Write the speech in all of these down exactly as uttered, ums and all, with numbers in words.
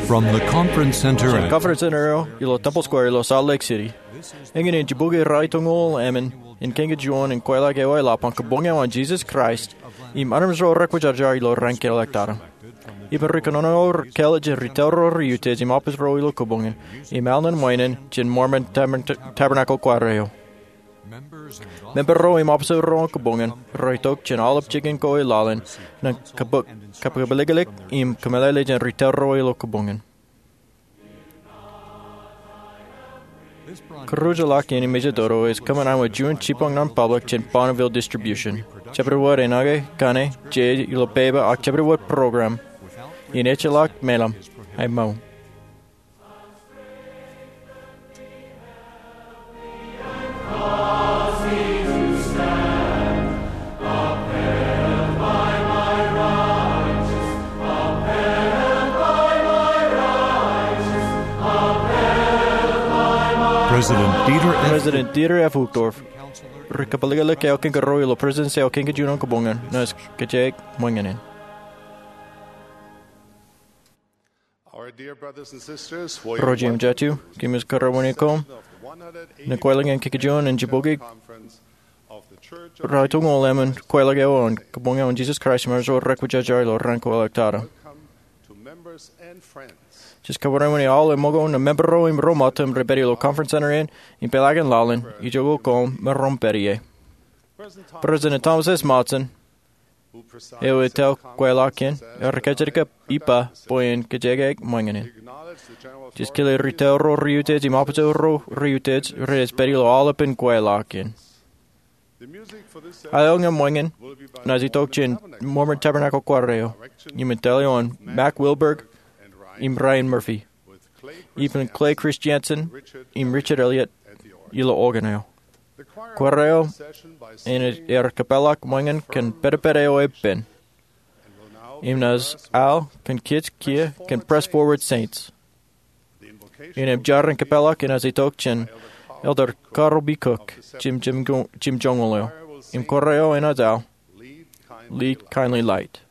From the conference center at Conference Center eo ilo Temple Square ilo Salt Lake City, eñin in jibukwi raituñoul emān in kañinjuon in kweilọk eo eḷap an Kabong eo an Jesus Christ im armej ro rekwōjarjar ilo raan keḷọk tata. Ippān ri kōnono ro, kōl jān ri tōl ro, ri utiej im office ro ilo kōbōnñin, im al ñan ṃweeṇ in jān Mormon Tabern-, Tabernacle Choir eo. Member ro im officer ro kōbōnñin rej itok jān aolep jikin ko i laḷ in ñan kab-, kab-, kabōlōklōk im kōmeḷeḷe jān ri tōl ro ilo kōbōnñin. Kōrujḷọk in im ejetoto ej kōṃṃan aṃ juon jipañ ñan public jān Bonneville Distribution. Jabdewōt enañin kaṇe, je ilo pepa ak jabdewōt program in ejjeḷọk meḷeḷe, aemōj. President Dieter F. President Dieter F. Uchtdorf, ri kabōlōklōk eo kein kōrā ilo Presidency eo kein kajjien kōbōnñin, naaj kōjeañ ṃōñā in. Ro jeiū im jatū, kōmij kōrā wōnṃaanḷọk ñan kweilọk in kañinjuon in jibukwi raituñoul emān kweilọk eo an Kabong eo an Jesus Christ im armej ro rekwōjarjar ilo raan keḷọk tata. Jej kōṃṃan wōt aolep ṃōko ñan member ro im ro ṃōttan rej pād ilo Conference Center in im peḷaakin laḷ in, ijoko koṃ me rej pād ie. President Thomas S. Monson, eo ej tōl kweilọk in, ear kajjitōk ippa bwe en kōjeañ ṃōñā in. Jej kile ri tōl ro, ri utiej im officer ro, ri utiej rej pād ilo aolepān kweilọk in. Aolep eo ñan ṃōñā in enaaj itok jān Mormon Tabernacle Choir eo im indeeo an Mack Wilberg im Ryan Murphy, ippān Clay Christiansen im Richard Elliott ilo organ eo. Choir eo enaaj kōpeḷḷọk ṃōñā in kōn pedped eo epen im naaj al kōn kiiō kiiō kōn Press Forward Saints. Im jar in kōpeḷḷọk enaaj itok jān Elder Carl B. Cook, jim, jim, jimjuonñoul eo. Im choir eo enaaj al Lead, Kindly Light.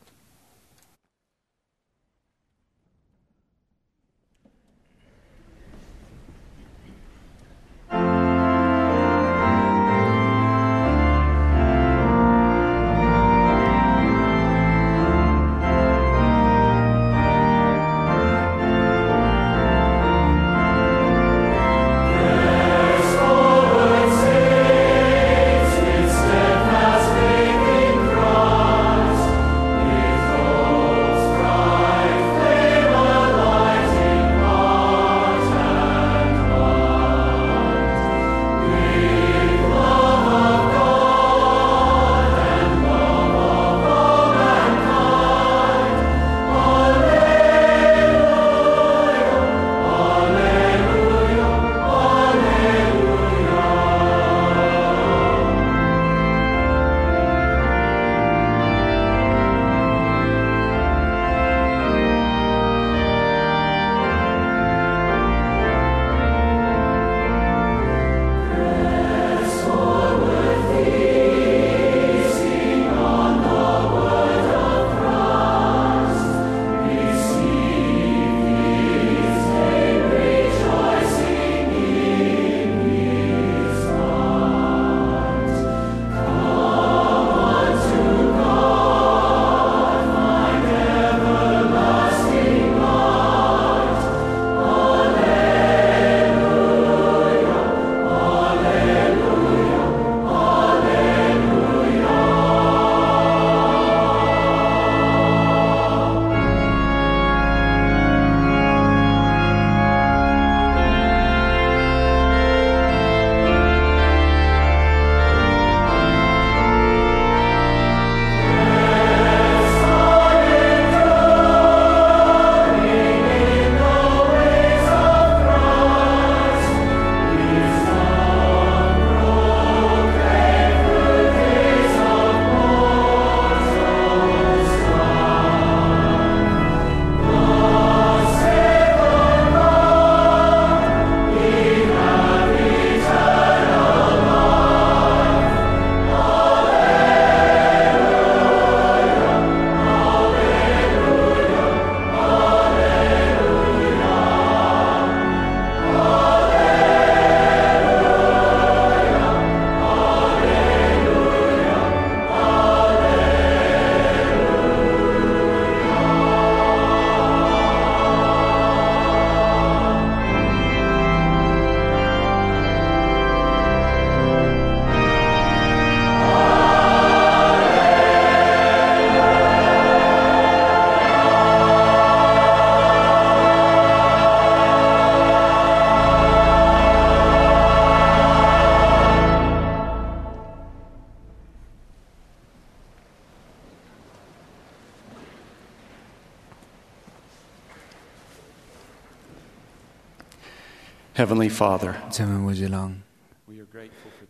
Heavenly Father, Jemem wōj ilañ,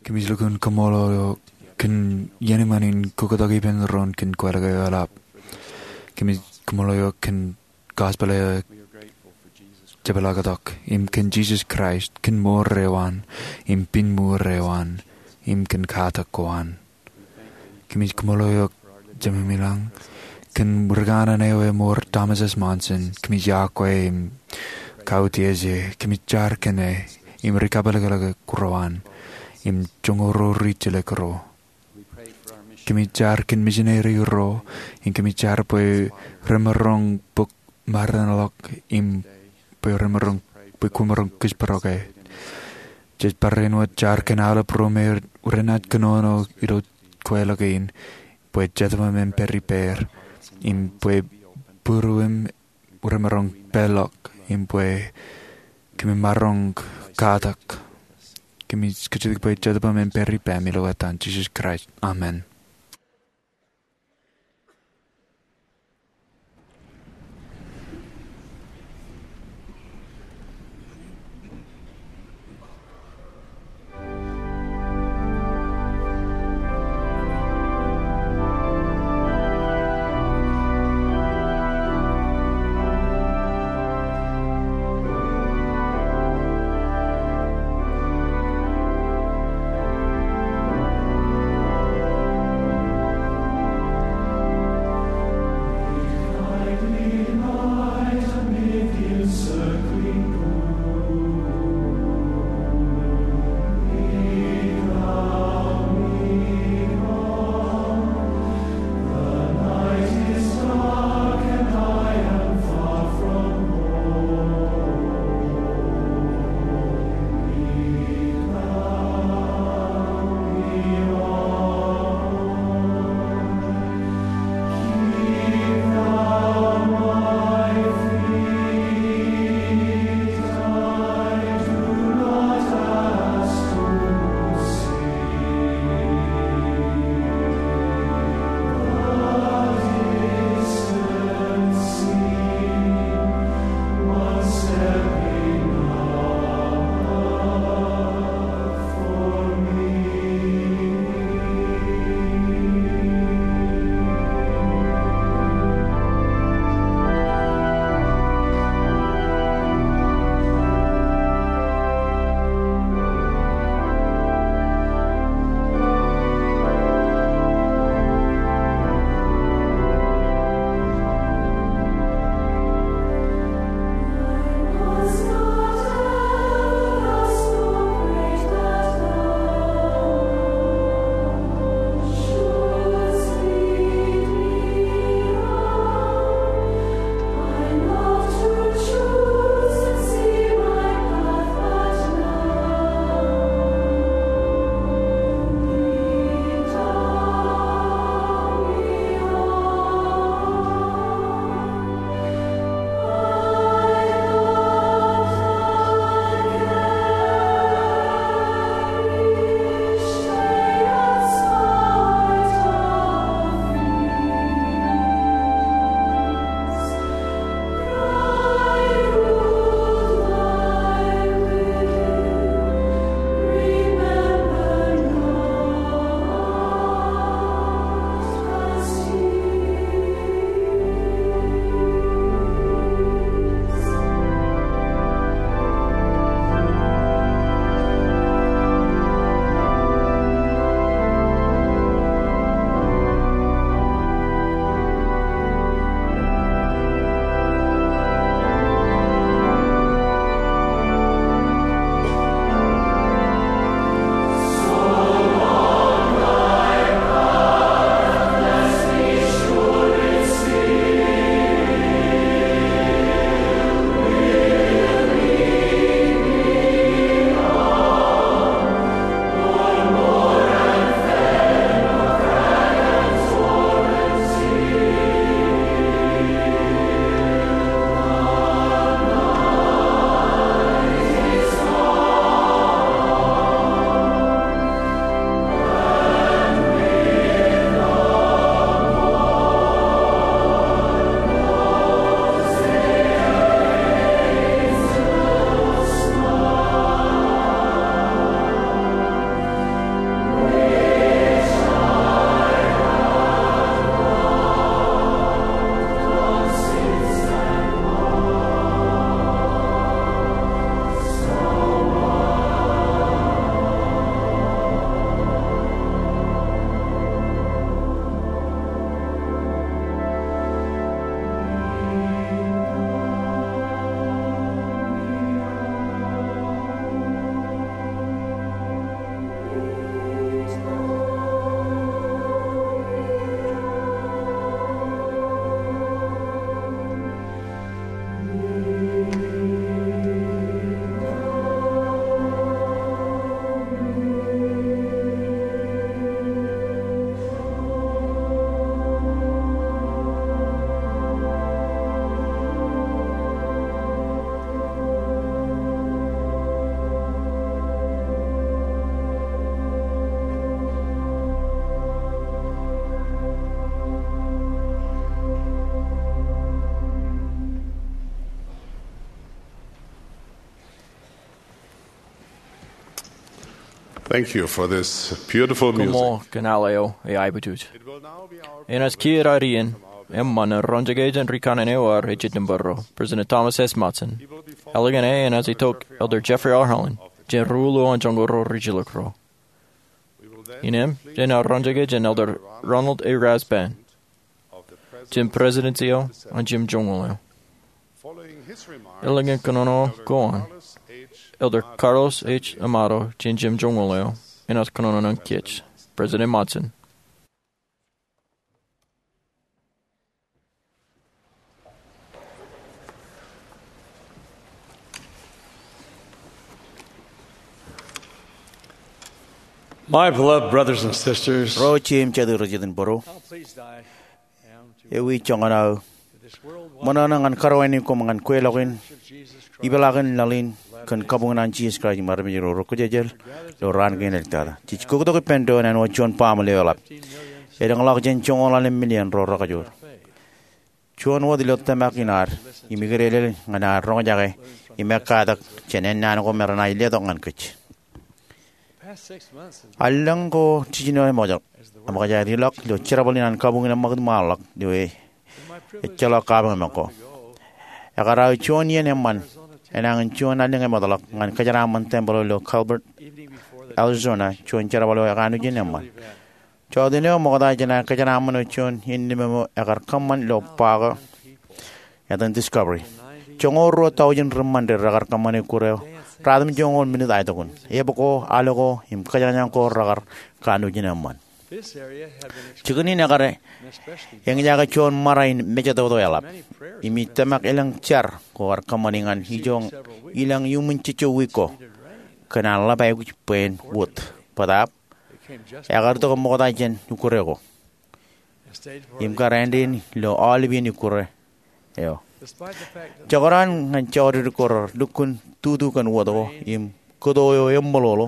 kōmij lukkuun kaṃṃoolol eok kōn iien eṃṃan in kōktak ippān doon kōn kweilọk eo eḷap. Kōmij kaṃṃoolol eok kōn gospel eo ejepḷaaktok, im kōn Jisōs Kraist, kōn mour eo an, im pinmuur eo an, im kōn katak ko an. Kōmij kaṃṃoolol eok, Jemem ilañ, kōn ri kanaan eo emour Thomas S. Monson. Kōmij iọkwe im kautiej e. Kōmij jar kōn e im ri kapelekḷọk ro an im joñoul ro rijjilōk ro. Kōmij jar kōn misineri ro, im kōmij jar bwe remaroñ bōk mārein ḷọk im bwe remaroñ, bwe kwōmaroñ kōjparok e. Jej barāinwōt jar kōn aolep ro me renaaj kōnono ilo kweilọk in, bwe Jetōb eo aṃ en pād ippāer, im bwe būruem remaroñ peḷḷọk, im bwe kōmij maroñ katak. Kōmij kajjitōk bwe Jetōb eo aṃ en pād ippāem ilo etan Jisōs Kraist. Amen. Thank you for this beautiful music. Koṃṃool kōn al eo eaibutwōj. Enaaj kiiō aer iien eṃṃan an roñjake jān rikaṇe eo ear ejjeḷọk ro, President Thomas S. Monson. Eḷap an enaaj itok Elder Jeffrey R. Holland, jān ri-uḷōḷ an joñoul ro rijjilōk ro. Innām, jenaaj roñjake jān Elder Ronald A. Rasband, jān prestudensi eo an jimjuonñoul eo. Eḷap an kōnono ko an, Elder Carlos H. Amado jān jimjuonñoul eo enaaj kōnono ñan kōj. President Monson. My beloved brothers and sisters, ro jeiū im jatū rej jet in bōro, how pleased I am to ewi joñan aō ṃōṇōṇō ñan karuwainene koṃ ñan kweilọk in, ipeḷaakin laḷ in kōn kabuñ an Jisōs Kraist im armej ro rej kōjejeḷ ilo raan kein āliktata. Jej kōktok ippān doon āinwōt juon baaṃle eo eḷap. Elōñḷọk jān joñoul ḷalem million ro rekajoor. Juon wōt ilo tōmak in ad im ikadedeḷọk ñan ad roñjake im ekkatak jān ennaan ko me renaaj letok ñan kōj. Allōñ ko jiljino eṃōj, eṃōj aer ilọk ilo jerbal in an kabuñ in eṃṃakūt ṃaanḷọk ilo ejjeḷọk kabuñ ko. Ekar aō juon iien eṃṃan enañin juon allōñ eṃōjḷọk ñan kōjeraaṃṃan tempel eo ilo Gilbert, Arizona, juon jerbal eo ekanooj in eṃṃan. Jota eo ṃokta jān aer kōjeraaṃṃan eo juon innām eo ekar kōṃṃan ilo ba ko etan Discovery. Joñoul ruo taujin ri-Mọnde rekar kōṃṃane ukkure eo ratimjuonñoul minit aetok in. Eok ko, al ko, im kōjañjañ ko rekar kanooj in eṃṃan. Jikin in ekar eñjake juon ṃara in mejatoto eḷap. Im ij tōmak elōñ jar ko ar kōṃṃani ñan ijo ilañ iuṃwin jejjo wiik ko kōn an ḷap aikuj bwe en wōt. Bōtaab, ekar itok ṃokta jān ukkure ko im kar āindein ilo aolep iien ukkure eo. Jekdọọn ñan jọọdede ko rej lukkuun tutu kōn wōt ko im kōto eo eṃṃoḷoḷo,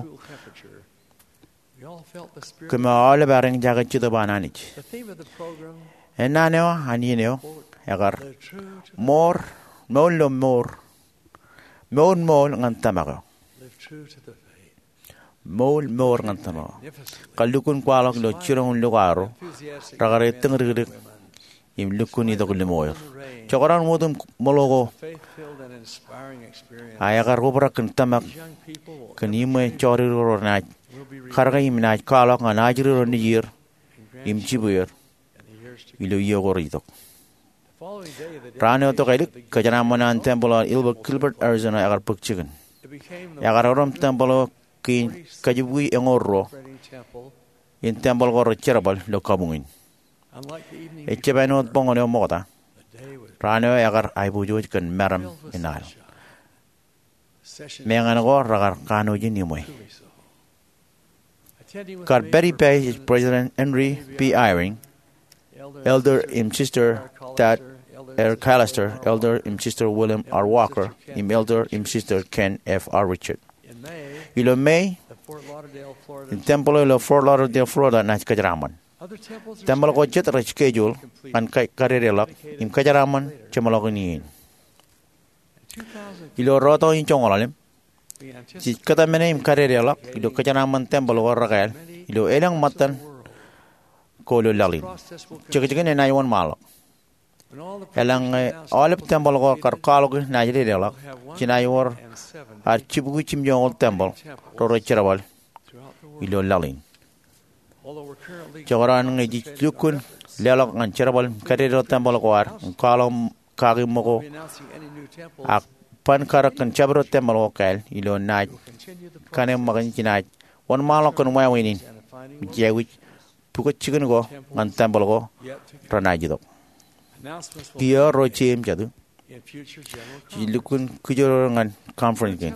kōm aolep ar eñjake Jetōb an Anij. Ennaan eo an iien eo ekar, mour, mour ilo mour, mour ṃool ñan tōmak eo. Mour ṃool ñan tōmak eo. Kar lukkuun kwaḷọk ilo jiroñ in lukaarro, rekar ettōñdikdik im lukkuun itok limo er. Jekdọọn wōt im ṃōḷo ko a ekar obrak kōn tōmak kōn iṃwe jọọdede ko renaaj karōke im naaj kwaḷọk ñan ajri ro nejier im jibwier ilo iiō ko rej itok. Raan eo tokālik, kōjeraaṃṃan an tempel eo Gilbert, Arizona ekar bōk jikin. Ekar erom tempel eo kein kajibukwi eñoul ruo in tempel ko rej jerbal ilo kabuñ in. Ejjab āinwōt boñōn eo ṃokta, raan eo ekar aiboojoj kōn meram in al. Meñe ko rekar kanooj in iṃwe. Kar pād ippāer ej President Henry B. Eyring, Elder im Sister Tad R. Callister, Elder im Sister William R. Walker, im Elder im Sister Ken F. R. Richard. Ilo Mei, tempel eo ilo Fort Lauderdale, Florida naaj kōjeraaṃṃan. Tempel ko jet rej schedule ñan kadedeḷọk im kōjeraaṃṃan jeṃḷọkin iien. Ilo rūtto in joñoul ḷalem, jej kōtmāne im kadedeḷọk ilo kōjeraaṃṃan tempel ko rekāāl ilo elōñ ṃōttan ko ilo laḷ in. Jekjekin enaaj wōnṃaanḷọk. Eḷaññe aolep tempel ko kar kwaḷọk naaj dedeḷọk, jenaaj wōr ad jibukwi jimjuonñoul tempel ro rej jerbal ilo laḷ in. Jekdọọn ñe jej lukkuun leḷọk ñan jerbal im kadedeḷọk tempel ko ad im kwaḷọk kaki ṃōko, ak ban karōk kōn jabdewōt tempel ko kāāl ilo naaj kaṇe ṃōkin, jenaaj wōnṃaanḷọk kōn wāween in im jej aikuj pukot jikin ko ñan tempel ko renaaj itok. Kiiō ro jeiū im jatū, jej lukkuun kijeror ñan conference kein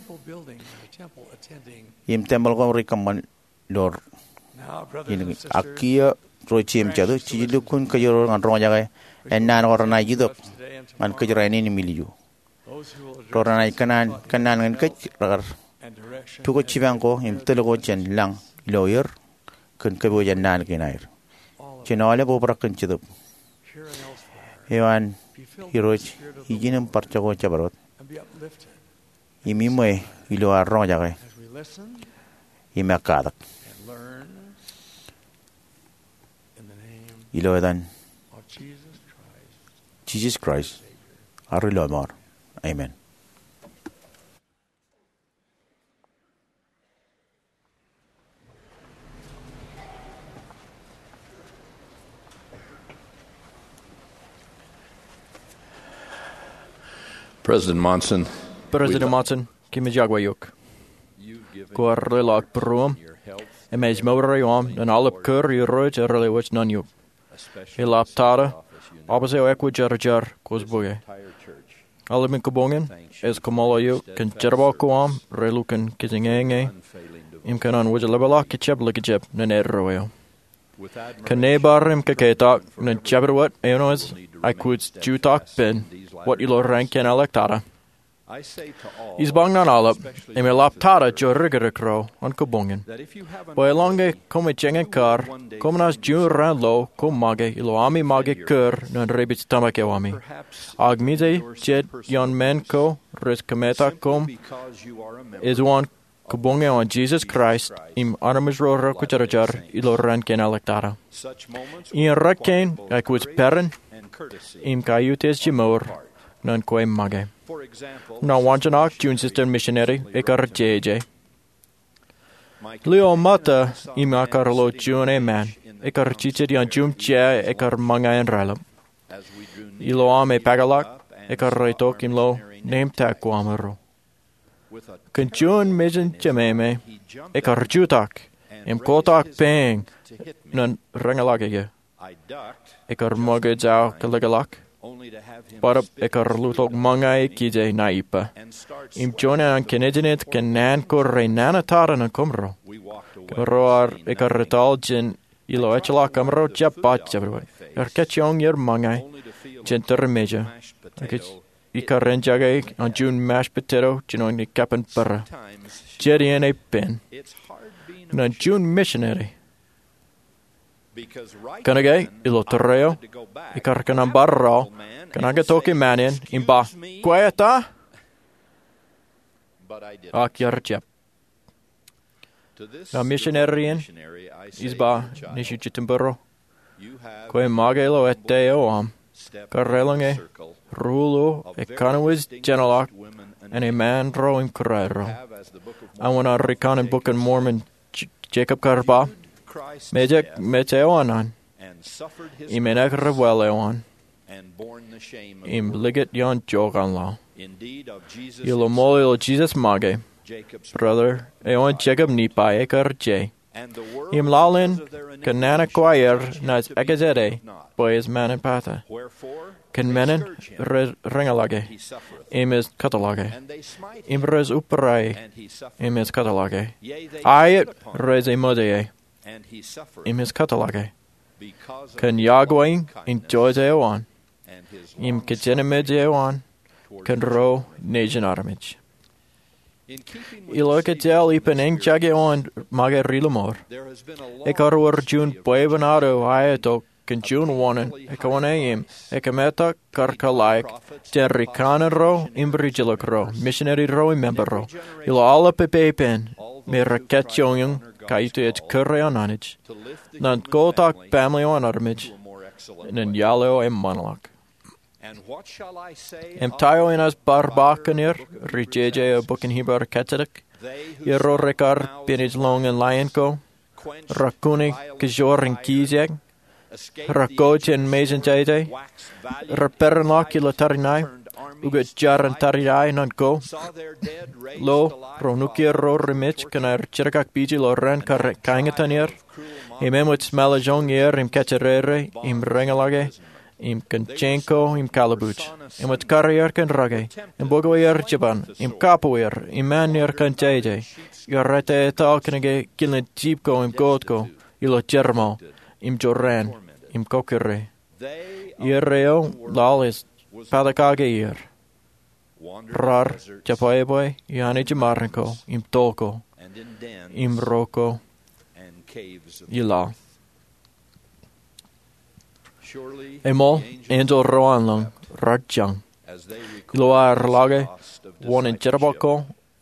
im tempel ko rej kōṃṃan ilo. Ak kiiō ro jeiū im jatū, jej lukkuun kijeror ñan roñjake ennaan ko renaaj itok ñan kōjerainin im ilju. Ro renaaj kōnnaan, kōnnaan ñan kōj rekar pukot jipañ ko im tōl ko jān lañ ilo er kōn kōpooj ennaan kein aer. Jen aolep obrak kōn Jetōb eo an Irooj ijin im bar jako jabdewōt im iṃwe ilo ad roñjake im ekkatak. Ilo etan Jisōs Kraist, ad Iloeṃaad. Amen. President Monson, President Monson, kōmij iọkwe eok. Kwōj lelọk būruōṃ im ej mour eo aṃ ñan aolep kūr Irooj ear lewōj ñan eok, eḷap tata ọffice eo ekwōjarjar kwōj bōke. Aolepān kabuñ in ej kōṃṃool eok kōn jerbal ko aṃ relukkuun kōjatdikdik im kōn an wōj ḷapḷọk kōjjab likjab ñan eddo eo. Kōn bar im kōketak ñan jabdewōt eo ṇe, aikuj jutak pen wōt ilo raan kein āliktata. Ij ba ñan aolep, im eḷap tata jodikdik ro an kabuñ in, bwe eḷaññe koṃij eñin kar, koṃ naaj juon raan lo koṃ make ilo ami make kūr ñan rej pād tōmak eo ami. Ak ṃōj jet ioon men ko rej kōmetak koṃ ej uwaan kabuñ eo an Jisōs Kraist im armej ro rekwōjarjar ilo raan kein āliktata. Iien rot kein aikuj peran im kaiutiej jimour ñan kwe make. Ña waanjoñak juon sister misineri ekar jeje. Lio ṃōtta im aō kar lo juon eṃṃan ekar jijet ioon juon jea ekar ṃōñā in raelep. Ilo aṃ epaakḷọk, ekar reitok im lo nemtak ko aṃro. Kōn juon mejān jemāmā, ekar jutak im kotak peeñ ñan reñḷọk eō. Ekar ṃōkaj aō kalōkḷọk, bōtab ekar luttok ṃōñā ekije ṇa ippa. Im juon an kōnejnej kōn naan ko renana tata ñan kōmro. Kōmro ar ekar etal jān ilo ejjeḷọk kōmro jab ba jabdewōt. Ekar kajjioñ er ṃōñā jān tūrin mejā. Ekar enjoy eō an juon mashed potato jinoin kapen bōrā. Jet iien epen. Ñan juon misineri, kōnke ilo tōre eo, ekar kōṇaan bar raḷ, kōnke tok eṃṃan in, im ba, "Kwe eta?" Ak iar jab. Ña misineri in ij ba, "Nejū Jitōnbōro, kwe make ilo ettā eo aṃ, kar eḷaññe ruo ḷọk ekanooj jeṇeḷọk an eṃṃaan ro im kūraero." Āinwōt an rikanaan Bok in Mormon J-, Jacob kar ba, "Mejān, mejān eo an, im enaaj ri-bwāāl eo an, im likūt ioon joñan laḷ." Ilo ṃool eo Jisōs make, brother eo an Jacob Nephi ekar je. Im laḷ in kōn nana ko aer naaj ekajete bwe ej ṃaan in pata. Kōn men in rej reñḷọke, im ej kōtḷọke. Im rej uperā e, im ej kōtḷọke. Aet, rej eṃōj e, im ej kōtḷọke. Kōn yokwe in jouj eo an, im kōjenamej eo an kōn ro nejin armej. Ilo ekajjāāl ippān eñjake eo an make ri-lọmọọr, ekar wōr juon bwebwenato aetok kōn juon wōṇāān ekawōṇāān im ekōmetak kar kōḷaik jān rikanaan ro im rijjelōk ro, misineri ro im member ro, ilo aolep pepe ippān, me rekajjioñ kaiutiej kūr eo an Anij, ñan kotak baaṃle eo an armej ñan iaḷ eo eṃṃanḷọk. Im ta eo inaaj bar ba kōn er, ri-jeje eo bok in Hibru kajjitōk, irooj rekar pinej lọñin lain ko, rekuni kōjwōr in kijeek, reko jān mejān jeje, reperenḷọk ilo tariṇae, ukōt jar in tariṇae ñan ko, lo, ro nukwier ro remej kōn aer jidik ak pije ilo raan kar kaeñtaan er, im eṃōj ṃōḷajoñ er im kajjirere, im reñḷọke, im kōn jein ko im kallibuuj. Eṃōj karier kōn rake, im bōkwe er jipañ, im kapo er, im ṃaan er kōn jeje. Iar ettā etal kōnke kilen jip ko im gold ko, ilo jerbal, im jorrāān, im kọkkure. Iar eo laḷ ej patakake er. Raar jebwābwe iaan ijemaroñ ko, im toḷ ko, im ro ko ilaḷ. Eṃool, enjeḷ ro an lōñ raar jañ ilo aer ḷọke wōṇāān jerbal ko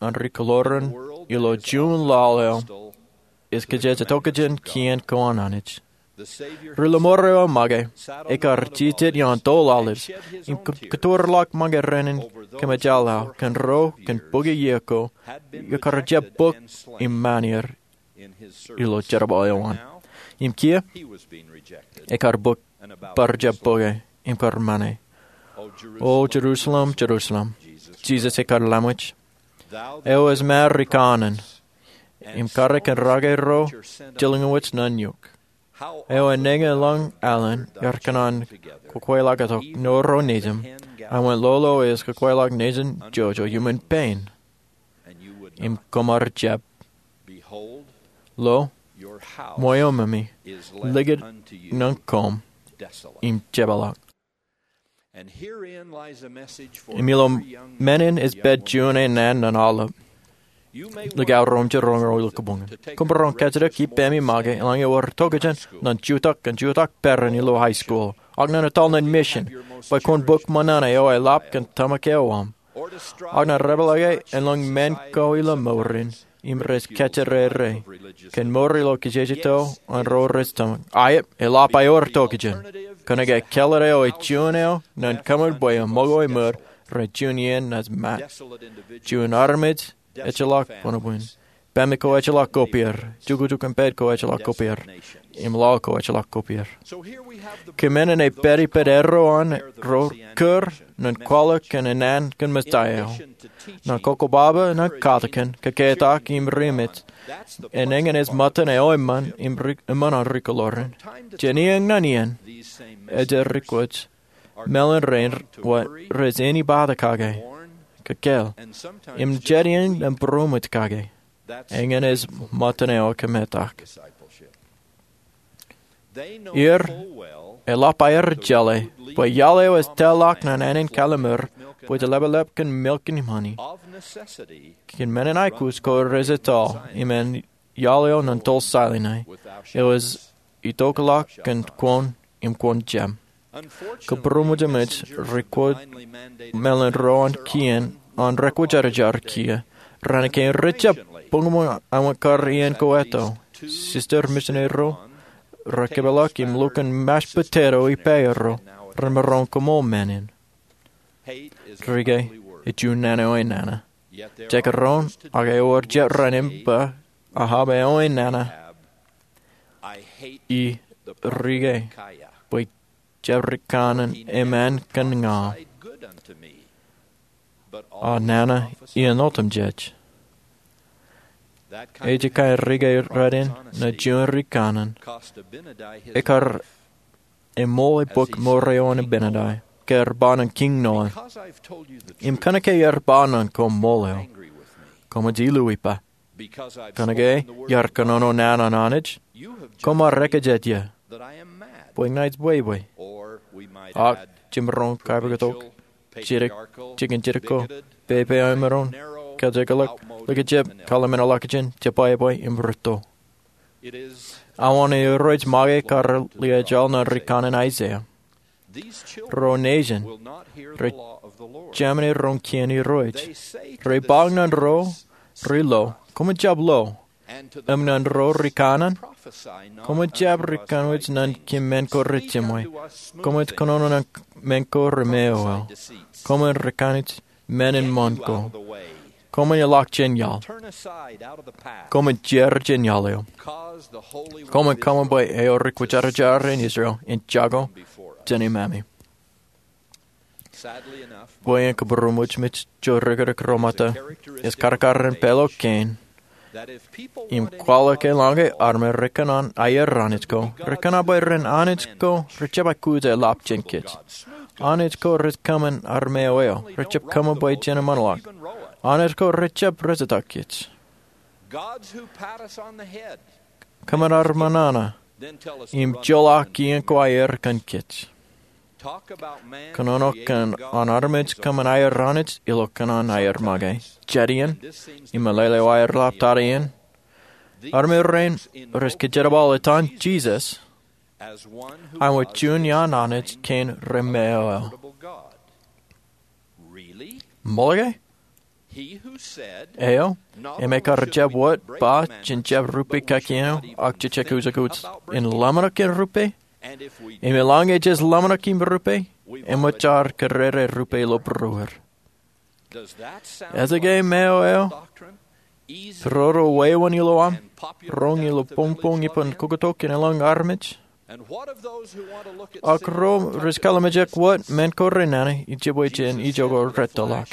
an ri-kōḷoran ilo juon laḷ eo ej kōjejtokjān kien ko an Anij. Ri-lọmọọr eo make ekar jijet ioon toḷaḷ im kōtoorḷọk make rein in kōmejālḷọk kōn ro kōn bōki iiō ko, ekar jab bōk im ṃaan er ilo jerbal eo an. Im kiiō ekar bōk bar jab bōke im kar ṃane. O Jerusalem, Jerusalem, Jisōs ekar laṃōj, eo ej ṃaar ri kanaan im kare kōn rake ro jilñuwōj ṇaṇ eok, eo enañin lañ alen iar kōṇaan kōkweḷọk tok nōro nejin, āinwōt lolo eo ej kōkweḷọk nejin jojo iuṃwin pein, im koṃ ar jab. Lo, ṃweo memi likūt ṇe koṃ im jepeḷḷọk. Im ilo men in ej pād juon eo naan ñan aolep likao ro im jiroñ ro ilo kōpoñ in. Koṃ bar roñ kajjitōk ippaṃ make eḷaññe ewōr tokjān ñan jutak kōn jutak peran ilo high school, ak ñan etal ñan mission, bwe kwōn bōk ṃōṇōṇō eo eḷap kōn tōmak eo aṃ, ak ñan repeḷḷọke elōñ men ko ilo mour in im rej kajjirere kōn mour ilo kajjitōk an ro rej tōmak. Aet, eḷap aer tokjān. Kōnke kāālōt eo ej juon eo ñan kōṃṃan bwe eṃṃakūt ṃōd rej juon iien naaj ṃaat. Juon armej ejjeḷọk buñbuñ. Pāme ko ejjeḷọk kopier. Jukjuk im pād ko ejjeḷọk kopier. Im lọo ko ejjeḷọk kopier. Kōmānen ej pād ippān arro an ro kūr ñan kwaḷọk kōn naan kōn Messiah eo. Ñan kokobaba ñan katakin, kōketak im ri-emej, enañin ej ṃōttan eo eṃṃan im ri-, eṃṃan an ri-kōḷoor in. Jān iien ñan iien, ejjeḷọk ri-kwōj, meḷan rein wōt rej āni bata kake, kōkāāl, im jet iien im būroṃōj kake. Eñin ej ṃōttan eo ekōmetak. Er, eḷap aer jeḷā bwe iaḷ eo ej tōlḷọk ñan ānin kallimur bwe ej ḷapḷap kōn milk im honey, kōn men in aikuj ko rej etto im en iaḷ eo ñan tōl Salinai, eo ej itokḷọk kōn kwōn im kwōn jab. Kōn būroṃōj eṃōj, ri-kwōj meḷan ro an kien an rekwōjarjar kiiō, raan kein rejjab buñbuñ āinwōt kar iien ko etto. Sister misineri ro rekōpeḷḷọk im lukkuun mashed potato ippāerro, remaroñ koṃṃool men in. Rike, ej juon nana eo enana. Jekdọọn, ak ewōr jet rein im ba, Ahab eo enana. Ij rike bwe jab ri kanaan eṃṃan kōn ña, a nana iien otemjej. Ej kain rike rein ñan juon ri kanaan. Ekar eṃool e bōk mour eo an Abinadi, ke ear ba ñan Kiiñ Noḷ. Im kōnke ear ba ñan koṃ ṃool eo, koṃij illu ippa. Kōnke iar kōnono naan an Anij, koṃ ar ekajet ie bwe ña ij bwebwe. Ak jemaroñ kappok tok, jidik, jikin jidik ko, pepe eo emaroñ kajekḷọk, likjab, kalimeḷọkjeṇ, jebwābwe im rūtto. Awa ṇe Irooj make kar liaajḷọk ñan ri kanaan Aiseia. Ro nejin rej jemān roñ kien Irooj. Rej ba ñan ro ri lo, koṃij jab lo. Im ñan ro ri kanaan, koṃij jab ri kanooj ñan kōn men ko rejiṃwe. Koṃij kōnono ñan men ko remeoeo. Koṃwin ri kanooj men in ṃōn ko. Koṃwin ilọk jān iaḷ. Koṃwin jeor jān iaḷ eo. Koṃwin kōṃṃan bwe eo ri kwōjarjar in Israel en jako jān iṃaṃe. Bwe en kōbūroṃōj, mej jo rikūrkūr ro ṃōtta, ej karkarin pālo kein im kwaḷọk eḷaññe armej rej kōṇaan aier Anij ko, rej kōṇaan bwe ren Anij ko rej jab aikuj eḷap jān kōj. Anij ko rej kōṃṃan armej eo, rej jab kōṃṃan bwe jen eṃṃanḷọk. Anij ko rej jab rejjetak kōj. Kōṃṃan armej ṇa im joḷọk iien ko aier kōn kōj. Kōnono kōn an armej kōṃṃan aier Anij ilo kōṇaan aier make. Jet iien, im meḷeḷe eo aer ḷap tata iien, armej rein rej kōjerbal etan Jisōs āinwōt juon iaan Anij kein remeoeo. Ṃool ke? Eo im ekar jab wōt ba jen jab rupe kakien eo ak jejek ujekus in ḷōmṇak in rupe. Im eḷaññe jej ḷōmṇak im rupe, eṃōj ad kōrere rupe ilo būruer. Ej ke meo eo? Roro wāween ilo aṃ, roñ ilo boñboñ ippān kokotok in eḷaññe armej. Ak ro rej kalimjek wōt men ko renana ijebwe jān ijoko retōḷọk.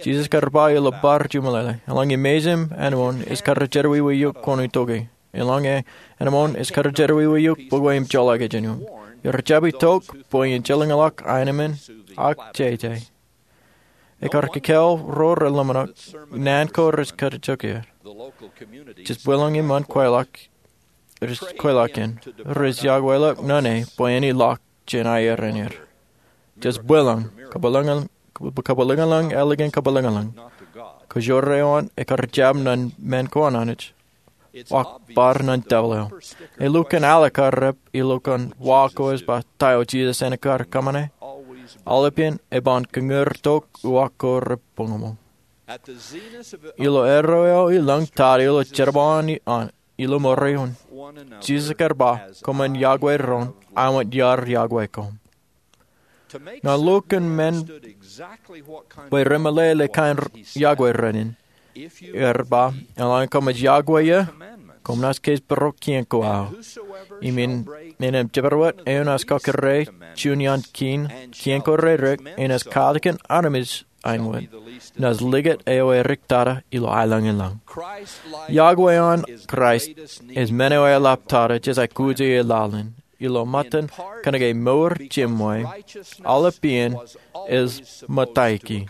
Jisōs kar ba ilo bar juṃōlele, eḷaññe mejān āinwōt ej kar jerọwiwi eok kwōn itok e. Eḷaññe āinwōt ej kar jerọwiwi eok bōkwe im joḷọk jān eok. Ij jab itok bwe in jeḷāḷọk aenōṃṃan ak jeje. Ekar kōkōḷḷe ro reḷōmṇak naan ko rej kajjitōk er. Jes bwilōñ iṃaan kweilọk, rej kweilọk in, rej iọkweḷọk naan e bwe en ilọk jān aer in er. Jes bwilōñ, kabwilōñlōñ, kabwilōñlōñ ālikin kabwilōñlōñ. Kōjro eo an ekar jab naan men ko an Anij, ak bar naan devel eo. Elukkuun alikkar rep ilo kōn wa ko ej ba ta eo Jisōs en kar kōṃṃane. Aolepān eban kōñūrtok uwaak ko reboñoñoñ. Ilo erro eo ilōñ tata ilo jerbal an ilo mour eo an, Jisōs ekar ba, koṃwin iọkwe doon, aṃ wōt iar iọkwe koṃ. Ñan lukkuun men bwe remeḷeḷe kain iọkwe rein, er ba, eḷaññe koṃij iọkwe eō, koṃ naaj kōjparok kien ko aō. Im in, im jabdewōt eo naaj kakōrā juon iaan kien, kien ko rerik, enaaj katakin armej āinwōt, naaj likūt eo erik tata ilo aelōñ in lañ. Iọkwe an Kraist ej men eo eḷap tata jej aikuji e laḷ in. Ilo ṃōttan kōnke mour jemwe, aolepān ej ṃōtaiki.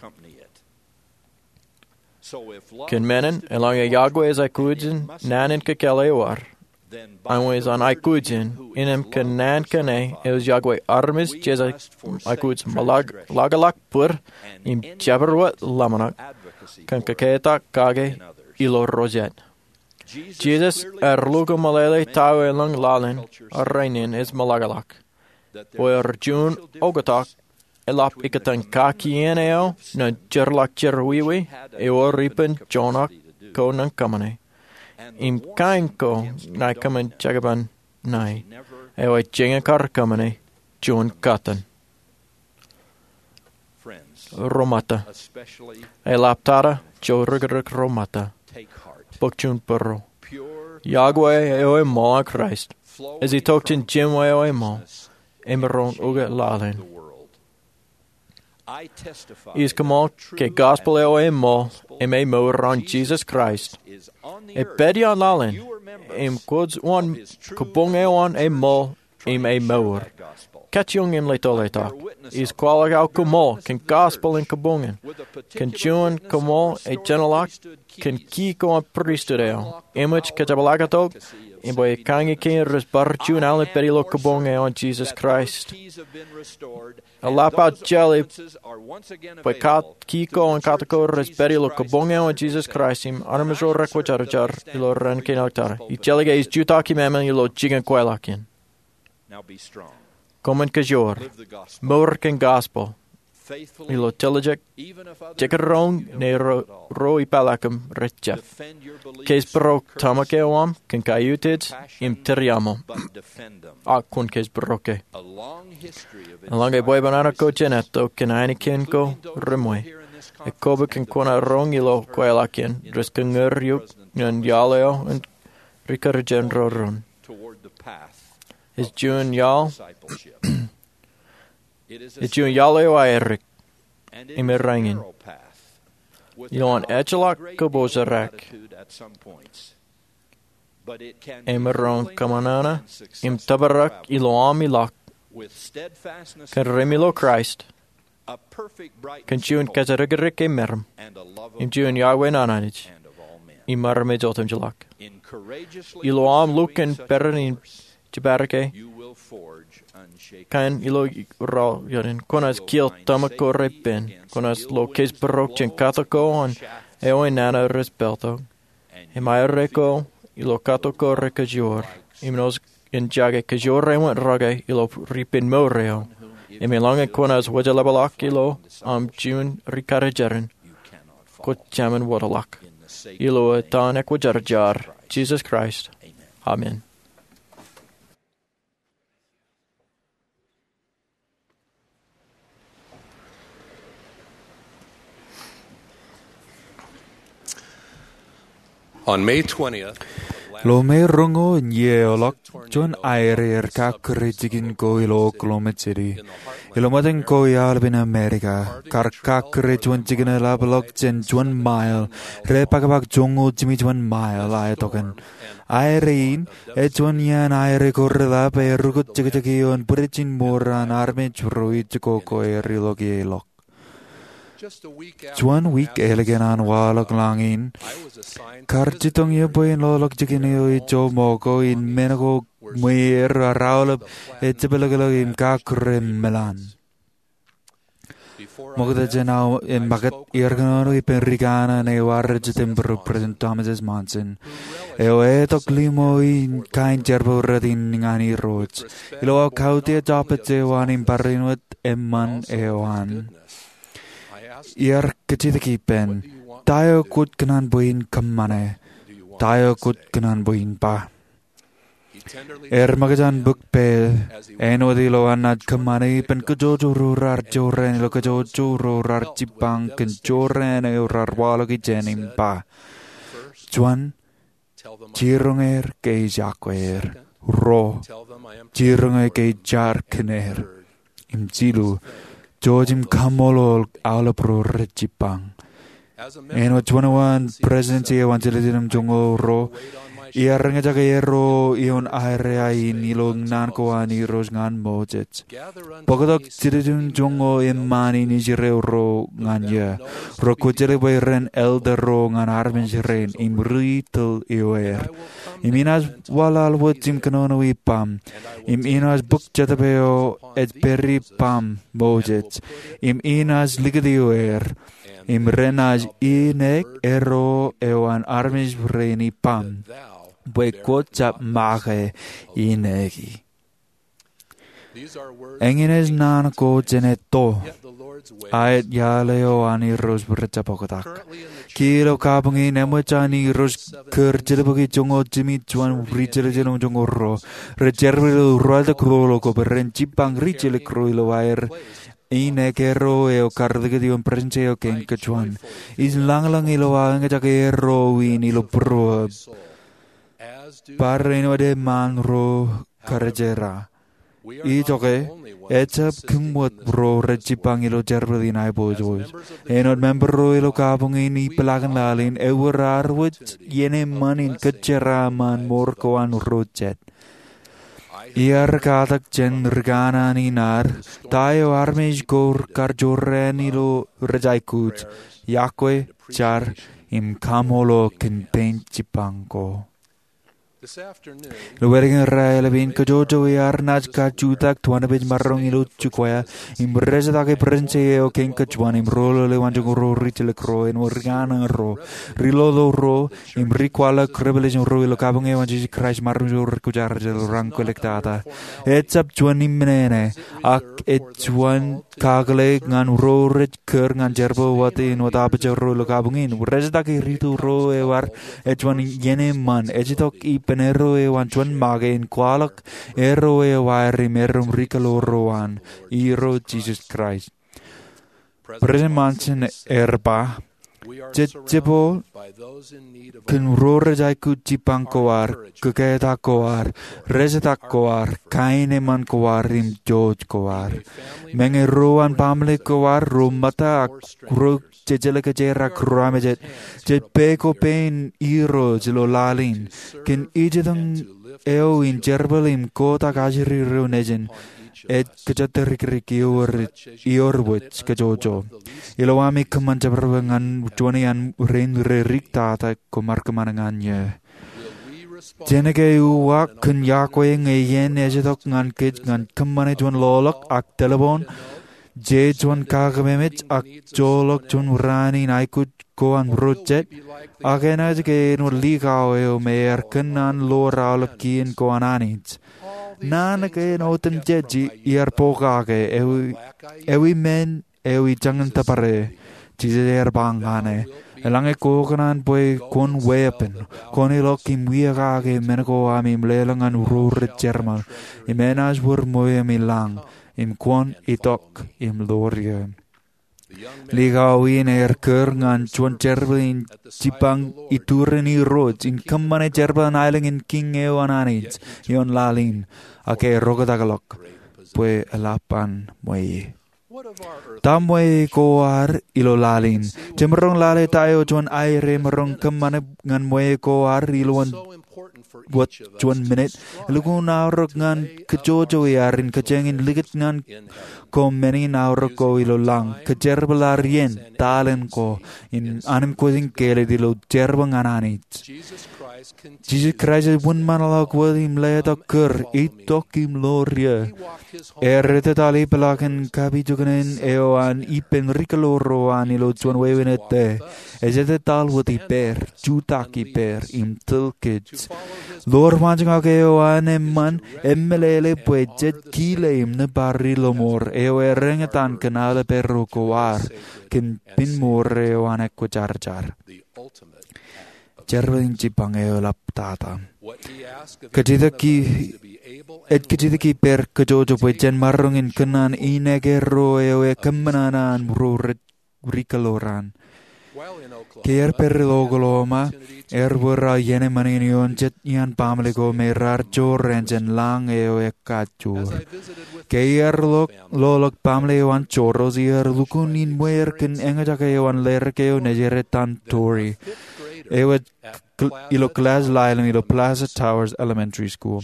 Kōn men in, eḷaññe iọkwe ej aikuj in naan in kōkōḷḷe eo ad, aṃ wōt an aikuj in, innām kōn naan kein eo ej iọkwe armej jej aikuj ṃōḷaḷḷap bōd im jabdewōt ḷōmṇak kōn kōkātak kake ilo ro jet. Jisōs ear lukkuun meḷeḷe ta eo elōñ laḷ in, rainin ej ṃōḷaḷḷap. Bwe ewōr juon oktak eḷap ikōtaan kakien eo ñan jeorḷọk jerọwiwi ewōr ippān joñak ko ñan kōṃṃane. Im kain ko ṇae kōṃṃan jekpen ṇae, eo ej jañin kar kōṃṃane juon kōttan. Ro ṃōtta, eḷap tata, jo rikrik ro ṃōtta, bōk juon būruō. Iọkwe eo eṃṃool an Kraist ej itok jān jemwe eo eṃṃool, emaroñ ukōt laḷ in. Ij koṃṃool ke gospel eo eṃṃool im emour an Jisōs Kraist ej pād iaan laḷ in, im kwōj wōn kabuñ eo an eṃṃool im emour. Kajjioñ im leto letok. Ij kwaḷọk aō koṃṃool kōn gospel in kabuñ in, kōn juon koṃṃool ejjeḷọk kōn ki ko an pristut eo, eṃōj kōjepḷaaktok im bwe ekañin kein rej bar juon alen pād ilo kabuñ eo an Jisōs Kraist. Eḷap aō jeḷā bwe ki ko an katak ko rej pād ilo kabuñ eo an Jisōs Kraist im armej ro rekwōjarjar ilo ren kein eo tata. Ij jeḷā ke ij jutak iṃaan ilo jikin kweilọk in. Koṃwin kōjoor, mour kōn gospel ilo tiljek, jekdọọn ñe ro ipālọkūṃ rej jab. Kōjparok tōmak eo aṃ kōn kaiutiej im tūriaṃo, ak kwōn kōjparok e. Eḷaññe bwebwenato ko jān etto kōn ainikien ko reṃwe, ekobok kōn kwōn roñ ilo kweilọk in, rej kōñūr eok ñan iaḷ eo an rikarijen ro doon. Ej juon iaḷ Ej juon iaḷ eo aerik im erein, ioon ejjeḷọk kōpooj erak. Emaroñ kōṃṃan im tōprak ilo aṃ ilọk kōn rein ilo Kraist, kōn juon kōjatdikdik im meram, im juon iọkwe an Anij im armej otemjeḷọk. Ilo aṃ lukkuun peran in jepād ke kain ilo raorōk in, kwōnaaj kiil tōmak ko repen, kwōnaaj lo kōjparok jān katak ko an eo enana rej pāltok, im aerro ko ilo katak ko rekōjwōj, im ilo en jake kōjwōj eo an rōke ilo ripen mour eo, im eḷaññe kwōnaaj wōjḷapḷọk ilo aṃ juon rikarijeran, kwōjarjar, ilo etan ekwōjarjar Jisōs Kraist, amen. On May twentieth, ilo May roñoul in iiō eo ḷọk, juon aer ear kakkure jikin ko ilo Oklahoma City, ilo ṃōttan ko iaḷ eo in Amerika, kar kakkure juon jikin eḷapḷọk jān juon mail, rej pakapak joñoul jimjuon mail aetokan. Aer in, ej juon iaan aer ko reḷap ej rūkūt jekjek ioon bwidej in mour an armej ro ijoko ko ear ilọk ie ḷọk. Juon wiik ālikin an waḷọk lañ in, kar jitōñ ie bwe in loḷọk jikin eo ijo ṃōko in men ko ṃweer ear aolep ejepḷọklọk im kakkure meḷan. Ṃokta jān aō ṃakūt, iar kōnono ippān ri kanaan eo arrejjitōnbōro President Thomas S. Monson, eo etok limo in kain jerbal rot in ñan Irooj. Ilo aō kautiej jabōt eo an im barāinwōt eṃṃan eo an, iar kajjitōk ippān, "Ta eo kwōj kōṇaan bwe in kōṃṃane? Ta eo kwōj kōṇaan bwe in ba?" Ear ṃōkaj an bōk pāāl, āinwōt ilo an naaj kōṃṃane ippān kōjojro raar jorrāān ilo kōjojro raar jibbañ kōn jorrāān eo raar waḷọk ijin im ba, juon, jiroñ er ke ij yokwe er. Ruo, jiroñ er ke ij jar kōn er. Im jilu, jouj im kaṃṃoolol aolep ro rej jibbañ. Āinwōt juon eo an Presidensi eo an Jiljilimjuonñoul Ruo, iar eñjake erro ioon aerā in ilo naan ko an Irooj ñan Moses. Bōktok jiljilimjuonñoul eṃṃaan in Israel ro ñan eō, ro kwōjjeḷā bwe ren elder ro ñan armej rein, im ri tōl ioer. Im inaaj waḷaḷwōj im kōnono ippaṃ, im inaaj bōk Jetōb eo ej pād ippaṃ, Moses, im inaaj likūt ioer, im renaaj iineek erro eo an armej rein ippaṃ, bwe kwōj jab make iineeki. Eñin ej naan ko jān etto, ak iaḷ eo an Irooj rej jab oktak. Kiiō ilo kabuñ in, eṃōj an Irooj kōr jilbōki joñoul jimjuon ri jiljilimjuonñoul ruo rej jerbal ilo ruwalitōk ro ḷọk bwe ren jibbañ ri jiljilimjuonñoul ruo ilo aer iineek erro eo kar likūt ioon Presidensi eo Kein Kōjuon. Ij lañlōñ ilo aō eñjake erro in ilo būruōb, bar āinwōt eṃṃaan ro kar jera. Ijoke, ejjab kōṃṃan ro rej jibbañ ilo jerbal in aiboojoj. Āinwōt member ro ilo kabuñ in, ipḷaakin laḷ in, ewōr ad wōj iien eṃṃan in kōjjeraṃṃan mour ko an ro jet. Iar katak jān ri kanaan in ad, ta eo armej ko kar jorrāān ilo rej aikuj, yokwe, jar, im kaṃṃoolol kōn pein jibbañ ko. Ilo ālikin raelep in, kōjwōj iar naaj kajutak twenty page maroñ ilo jukwe, im rejetakin Presidensi eo Kein Kōjuon, im ro ḷalem eo an joñoul ruo ri jiljilimjuonñoul ruo, āinwōt ri kanaan ro, ri loḷoḷ ro, im ri kwaḷọk Revelation ro ilo kabuñ eo an Jisōs Kraist, maroñ ro rej kwōjarjar ilo raan kwōlōktata. Ejjab juon im men ṇe, ak ej juon kakōḷḷe ñan ro rej kōr ñan jerbal wōt in wōt apaje ro ilo kabuñ in. Rejetaki ri tōl ro eo ad, ej juon iien eṃṃan, ej itok ippān erro eo an juon make in kwaḷọk erro eo aer im erom ri kōḷḷe ro an, Irooj Jisōs Kraist. President Monson ear ba, jej jepel kōn ro rej aikuj jibbañ ko ad, kōketak ko ad, rejetak ko ad, kain eṃṃan ko ad, im jouj ko ad. Meñe ro an baaṃle ko ad ro ṃōtta ak ro jejeḷā kōjerak, ro amejet, jej pād ko pein Irooj ilo laḷ in kōn ijitōñ eo in jerbal im kotak ajri ro nejin ej kōjatdikdik ioer, ioer wōj kōjwōj. Ilo ami kōṃṃan jabdewōt ñan juon iaan rein rej riktata, koṃ ar kōṃṃane ñan eō. Jen ke uwaak kōn yokwe ñe iien ej itok ñan kōj ñan kōṃṃane juon loḷọk ak telephone, je juon kakememej ak joḷọk juon raan in aikuj ko an ro jet, ak enaaj ke āinwōt likao eo me ear kōnnaan ḷoor aolep kien ko an Anij. Naan kein otemjej iar pokake, ewi, ewi men eo ij jañin tōpare? Jisōs ear ba ñan e, Eḷaññe kwōkōṇaan bwe kwōn weeppān, kwōn ilọk im wiakake men ko aṃ im leḷọk ñan ro rej jerbal, im enaaj wōr ṃweo ami lañ, im kwōn itok im ḷoor eō. Likao in ear kūr ñan juon jerbal in jipañ iturin Irooj in kōṃṃane jerbal an aelōñ in kiiñ eo an Anij ioon laḷ in, ak ear oktakḷọk bwe eḷap an ṃweo. Ta ṃweo ko ad ilo laḷ in? Jemaroñ lale ta eo juon aer emaroñ kōṃṃane ñan ṃweo ko ad ilowaan wōt juon minit? Elukkuun aorōk ñan kōjojoi ad in kōjeañ in likūt ñan ko men in aorōk ko ilo lañ, kōjerbal ad iien, taḷen ko, im anij kwōj in kāālōt ilo jerbal ñan Anij. Jisōs Kraist ej wōnṃaanḷọk wōt im letok kūr, itok im ḷoor eō. Ear etetaḷ ipḷaakin kapijuknen eo an ippān rikilōro an ilo juon wāween ettā. Ej etetaḷ wōt ippāer, jutak ippāer, im tōl kōj. Ḷoor waanjoñak eo an eṃṃan emeḷeḷe bwe jej kile im nōbar Ḷōṃor eo ear eñtaan kōn aolepāro ko ad, kōn piñmour eo an ekwōjarjar. Jerbal in jipañ eo eḷaptata. Kajjitōk, ej kajjitōk ippāer kōjwōj bwe jen maroñ in kōṇaan inekierro eo ekōṃṃan an ro rej rikilōran. Ke iar pād ilo Oklahoma, ear wōr aō iien eṃṃan in ioon jet iaan baaṃle ko me raar jorrāān jān lañ eo ekajjoor. Ke iar lo loḷọk baaṃle eo an Soros, iar lukkuun in ṃweer kōn eñjake eo an lerak eo nejere Don Torrey, eo ej ilo kilaaj laḷ ilo Plaza Towers Elementary School.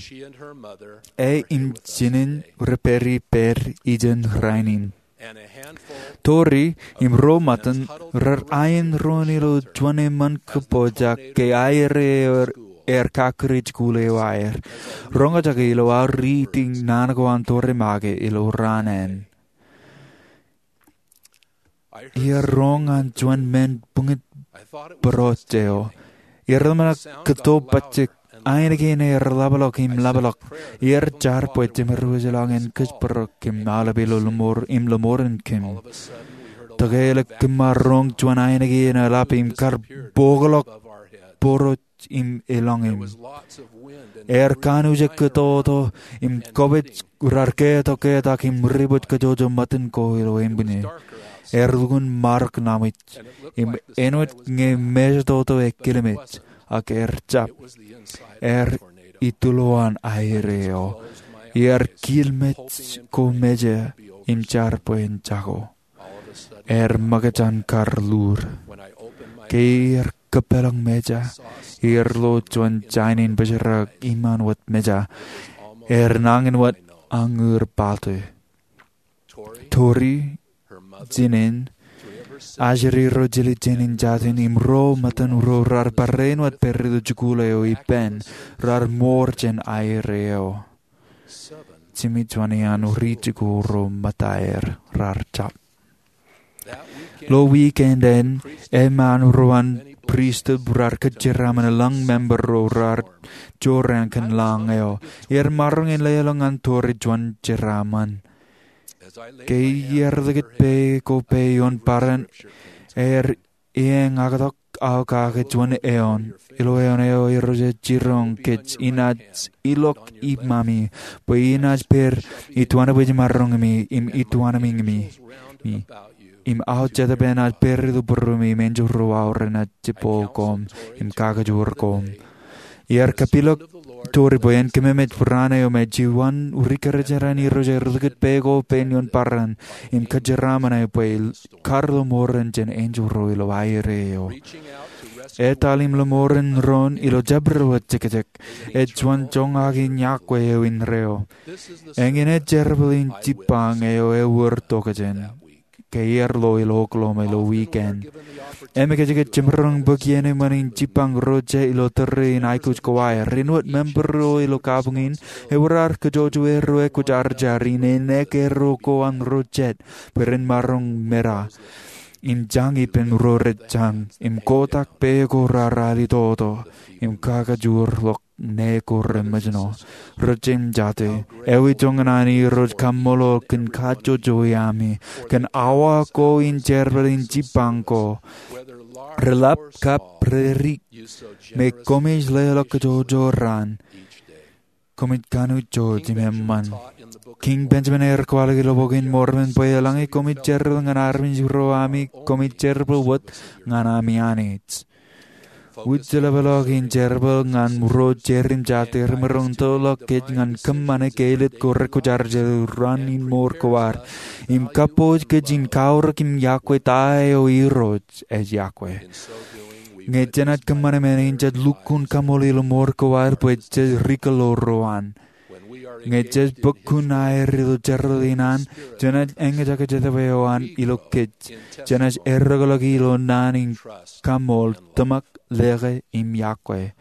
E im jinen re pād ippād ijeṇ rainin. Torrey im ro ṃōttan rar ain doon ilo juon eṃṃan kōpooj ke aer eo ear kakkure jikuuḷ eo aer. Roñjake ilo aō riiti naan ko an Torrey make ilo raan ān. Iar roñ ñan juon men buñit būrooj eo. Iar ḷōmṇak kōttōpajjek ainikien ear ḷapḷọk im ḷapḷọk. Iar jar bwe jemād wōj eḷaññe en kōjparok im aolep ilo ḷōṃor, im ḷōṃor in kōm. Tōkeḷọk kōm ar roñ juon ainikien eḷap im kar bōkḷọk būrooj im elōñ im. Ear kanooj kōttoto im kobōj rar ketok ketak im ribōj kōjwōj ṃōttan ko ilo ānbwinnū. Ear lukkuun marok naṃwij im āinwōt ñe mejatoto ekilmej, ak ear jab. Ear ituḷọk an aer eo. Iar kilmej ko meja im jar bwe en jako. Ear ṃōkaj an kar lur. Ke iar kōpeḷḷọk meja, iar lo juon jān in bōjrak iṃaan wōt meja. Ear nañin wōt añūr pālte. Torrey, jinen, ajri ro jiljilimjuon in jatin im ro ṃōttan ro rar barāinwōt pād ilo jikuuḷ eo ippān, rar ṃoor jān aer eo. Jimjuon iaan ri-jikuuḷ ro ṃōttaer rar jab. Ilo wiik āindein, eṃṃaan ro an pristut rar kōjeraaṃṃan eḷaññe member ro rar jorrāān kōn lañ eo. Iar maroñ in leḷọk ñan Torrey juon jeraaṃṃan. Ke iar likūt pā ko pā ioon bōran, ear eñaktok aō kake juon eoon. Ilo eoon eo Irooj ej jiroñ kōj inaaj ilọk iṃami, bwe inaaj pād ituanbwijmaroñimi im ituanmiñimi. Im aō Jetōb enaaj pād ilo būruemi im enjeḷ ro aorōk enaaj jibboḷ koṃ im kakajoor koṃ. Iar kapilōk Torrey bwe en kōmemej barāinwōt eo me juon ri-kōrejeraṇ Irooj ear likūt pā ko pā ioon bōran im kōjeraaṃṃan e bwe kar ḷōṃoran jān enjeḷ ro ilo aer eo. Etal im ḷōṃoran doon ilo jabdewōt jekjek ej juon joñak in yokwe eo indeeo. Eñin ej jerbal in jipañ eo ewōr tokjān. Ke iar lo ilo Oklahoma ilo wiik ān, emekjekjek jemaroñ bōk iien eṃṃan in jipañ ro jea ilo tōre in aikuj ko aer. Āinwōt member ro ilo kabuñ in, ewōr ad kōjwōj erro ekwōjarjar in enaaj erro ko an ro jet bwe ren maroñ meda im jañ ippān ro rej jañ im kotak pā ko rar alitoto im kakajoorḷọk ṇe ko reṃōjṇọ. Rijjān jate, ewi joñan an Irooj kaṃṃoolol kōn kajjojo iami, kōn awa ko in jerbal in jibbañ ko, reḷap kab redik, me koṃij leḷọk kajjojo raan, koṃij kanooj jouj im eṃṃan. Kiiñ Benjamin ear kwaḷọk ilo Bok in Mormon bwe eḷaññe koṃij jerbal ñan armej ro ami, koṃij jerbal wōt ñan ami Anij. Wūjlepḷọk in jerbal ñan ro jerim jate remaroñ in tōlḷọk kōj ñan kōṃṃane ke ālikin ko rekwōjarjar ilo raan in mour ko ad, im kappoj kōj in kaorōk im yokwe ta eo Irooj ej yokwe. Ñe jenaaj kōṃṃane men in, jej lukkuun kaṃṃoolol ilo mour ko ad bwe jej rikōḷḷoor ro an. Ñe jej bōk kuṇaer ilo jerbal in an, jenaaj eñjake Jetōb eo an ilo kōj. Jenaaj errōkḷọk ilo naan in kaṃṃool, tōmak, lōke im yokwe.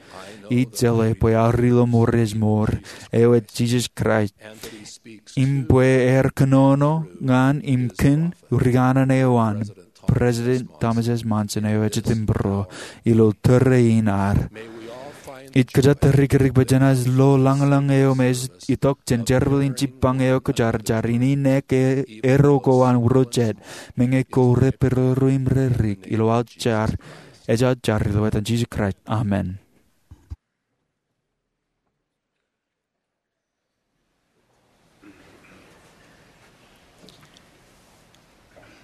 Ij jeḷā bwe ear ilo mour ej mour, eo ej Jisōs Kraist, im bwe ear kōnono ñan im kōn ri kanaan eo an, President Thomas S. Monson, eo ej Jetōb Būruo, ilo tōre in ad. Ij kōjatdikdik bwe jenaaj lo lañlōñ eo me ej itok jān jerbal in jibbañ eo kwōjarjar in, in ṇe ke erro ko an Irooj jet, meñe ko repedodo im redik, ilo aō jar, ej aō jar ilo etan Jisōs Kraist, amen.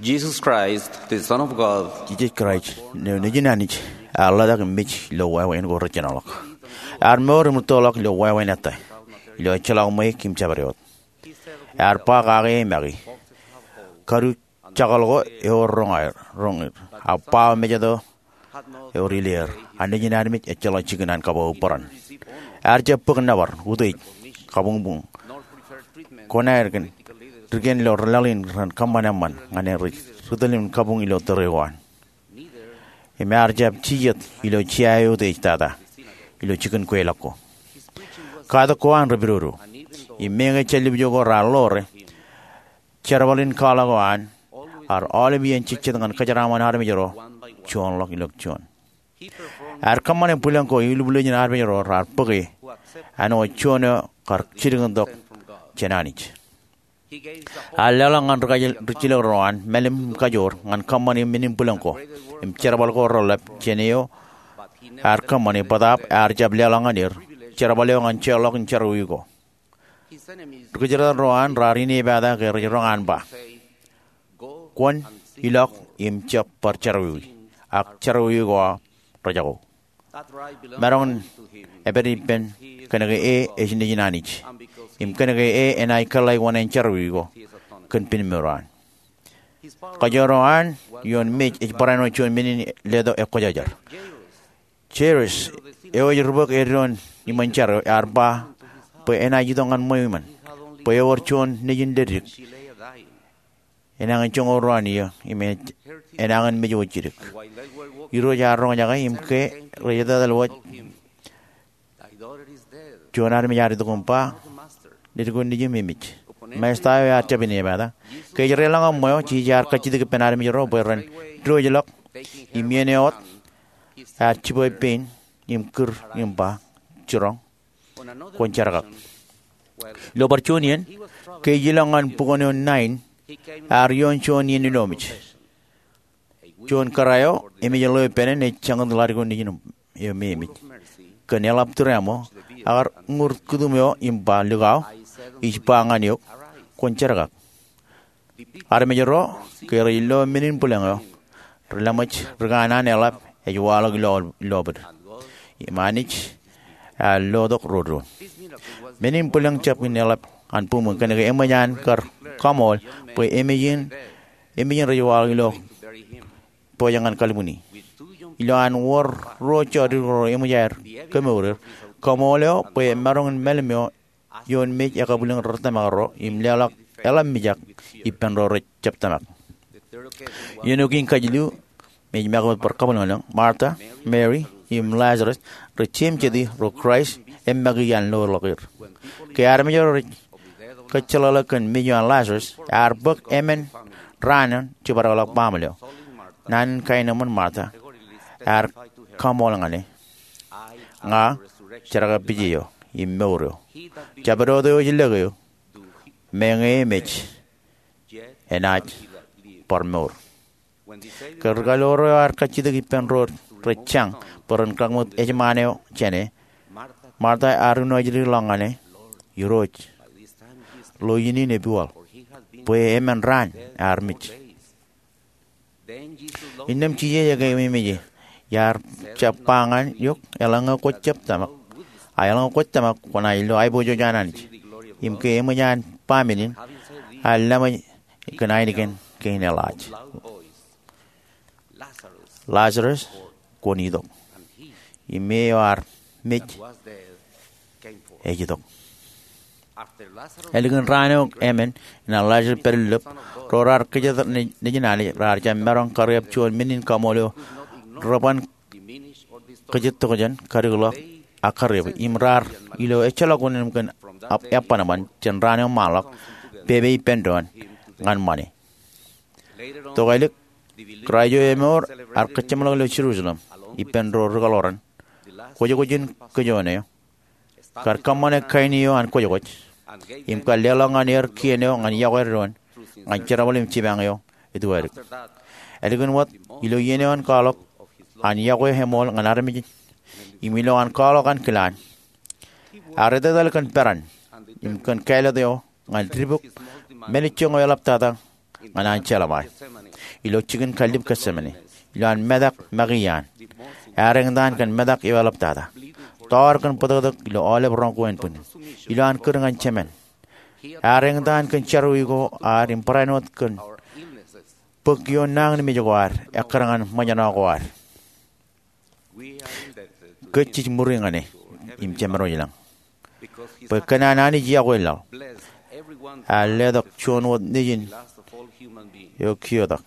Jesus Christ, the Son of God. Jisōs Kraist, Nejin Anij, ear ḷotak im mej ilo wāween ko rej jinoḷọk. Ear mour im rūttoḷọk ilo wāween ettā, ilo ejjeḷọk ṃweiuk im jabdewōt. Ear ba kake make, kadu jekḷọk ko ewōr roñ er, roñ er. Ak ba mejatoto ewōr ileer. An Nejin armej ejjeḷọk jikin an kabbokbok bōran. Ear jab bōk nōbar, utiej, kabuñbuñ, koṇaer kōn dikien ilo ri laḷ in ren kōṃṃan eṃṃan ñan er ri tōl im kabuñ ilo tōre ko an. Im ear jab jijet ilo jea eo utiej tata ilo jikin kweilọk ko. Katak ko an repedodo. Im meñe jān ḷōmṇak ko raar ḷoore, jerbal in kwaḷọk ko an ear aolep iien jejjet ñan kōjeraaṃṃan armej ro juonḷọk ilo juon. Ear kōṃṃane bwilōñ ko ilubwiljin armej ro raar bōke āinwōt juon eo kar jidik in tok jān Anij. Ear leḷọk ñan ri kajjilōk ro an mālim im kajoor ñan kōṃṃane men in bwilōñ ko im jerbal ko reḷap jān eo ear kōṃṃane, bōtaab ear jab leḷọk ñan er jerbal eo ñan jeorḷọk in jerọwiwi ko. Ri kōjatdikdik ro an raar inepata ke rej roñ an ba, "Kwōn ilọk im jab bar jerọwiwi, ak jerọwiwi ko aō rejako." Maroñ in epād ippān kōnke e ej Nejin Anij, im kōnke e enaaj kōḷḷā wōṇāān jerọwiwi ko kōn penmour eo an. Kōjro an ioon mej ej barāinwōt juon men in letok ekwōjarjar. Jairus, eo ej rubōk eddoin iṃōn jar eo, ear ba bwe enaaj itok ñan ṃweo iṃōn, bwe ewōr juon nejin dedik enañin joñoul ruo an iiō im enañin mej wōt jidik. Irooj ear roñjake im ke rej etetal wōj, juon armej ear itok im ba, "Dedik eo nejūṃ emej." Maesta eo ear jab inepata. Ke ej deḷọñ ṃweo, Jisōs ear kajjitōk ippān armej ro bwe ren diwōjḷọk im iien eo wōt ear jibwe pein im kūr im ba, "Jiroñ, kwōn jerkak." Ilo bar juon iien, ke ej ilọk ñan bukwōn eo Nain, ear ioon juon iien ilomej. Juon kōrā eo emej ḷeo ippān en ej jañin ḷadik eo nejin eo me emej. Kōn eḷap tūriaṃo, ekar ñūr kūtūṃ eo im ba, "Likao, ij ba ñan eok, kwōn jerkak." Armej ro, ke rej lo men in bwilōñ eo, rej laṃōj ri kanaan eḷap ej waḷọk ilo, ilo ṃweo. Im Anij ear lotok ro doon. Men in bwilōñ jab in eḷap an buṃwin kōnke eṃōj an kar kaṃool bwe emej in, emej in rej waḷọk ilo pojak ñan kalbwini. Ilo an wōr ruo jọtid ro eṃōj aer kemour er, kaṃool eo bwe emaroñ in mālim eo ioon mej ekabwilōñ ri tōmak ro im leḷọk eḷap mijak ippān ro rej jab tōmak. Iien eo kein kajilu, mej make wōt bar kabwilōñlōñ, Martha, Mary, im Lazarus, rej jeṃjeti ro Kraist eṃṃakiki an loḷọk er. Ke armej ro rej kōjjeḷāḷọk kōn mej eo an Lazarus, ear bōk emān raan in jibadekḷọk baaṃle eo. Naan in kaenōṃṃan Martha ear kaṃool ñan e, "Ña jerkakpeje eo im mour eo. Jabdewōt eo ej lōke eō, meñe emej, enaaj bar mour. Ke ri-kalloro eo ear kajjitōk ippān ro rej jañ bwe ren kōṃṃan ejṃaan eo jāne, Martha ear unaajdik ḷọk ñan e, Irooj, lo iien in epiwal, bwe emān raan ear mej. Innām Jisōs ekememej e, iar jab ba ñan eok, eḷaññe kwōj jab tōmak, a eḷaññe kwōj tōmak kwōnaaj lo aiboojoj an Anij. Im ke eṃōj an ba men in, ear lōṃōj kōn ainikien kein eḷaaj. Lazarus, kwōn itok. Im e eo ear mej ej itok. Ālikin raan eo emān, enaaj Lazarus pād ilo lōb, ro raar kōjatdikdik nejin Anij raar jab maroñ kariab juon men in kaṃool eo reban kōjatdikdik jān, kadikḷọk, ak kariab. Im raar ilo ejjeḷọk unin kōn eban eban jān raan eo ṃaanḷọk, pepe ippān doon ñan ṃane. Tokālik, Kraist eo emour ear kōjjeṃḷọk ilo Jerusalem ippān ro ri-kalloro an, kwōjkwōj in kōj eo, kar kōṃṃane kain eo an kwōjkwōj, im kar leḷọk ñan er kien eo ñan iọkwe doon ñan jerbal im jipañ eo ej wōt. Ālikin wōt, ilo iien eo an kwaḷọk an iọkwe eṃool ñan armej, im ilo an kwaḷọk an kilaan, ear etetal kōn peran im kōn kāālōt eo ñan dibuk mālejjoñ eo eḷaptata ñan an jeḷā ṃae. Ilo jikin kallib Getsemane, ilo an metak make iaan, ear eñtaan kōn metak eo eḷaptata, tọọr kōn bōtōktōk ilo aolep roñ ko ānbwinnin. Ilo an kūr ñan Jemān, ear eñtaan kōn jerọwiwi ko ad im barāinwōt kōn bōk ioon nañinmej ko ad, ekkar ñan ṃōjṇọ ko ad. Kōj jej ṃuri ñan e im jemaroñ ilañ, bwe kōn an Anij iọkwe laḷ, ear letok juon wōt nejin eo kiotak.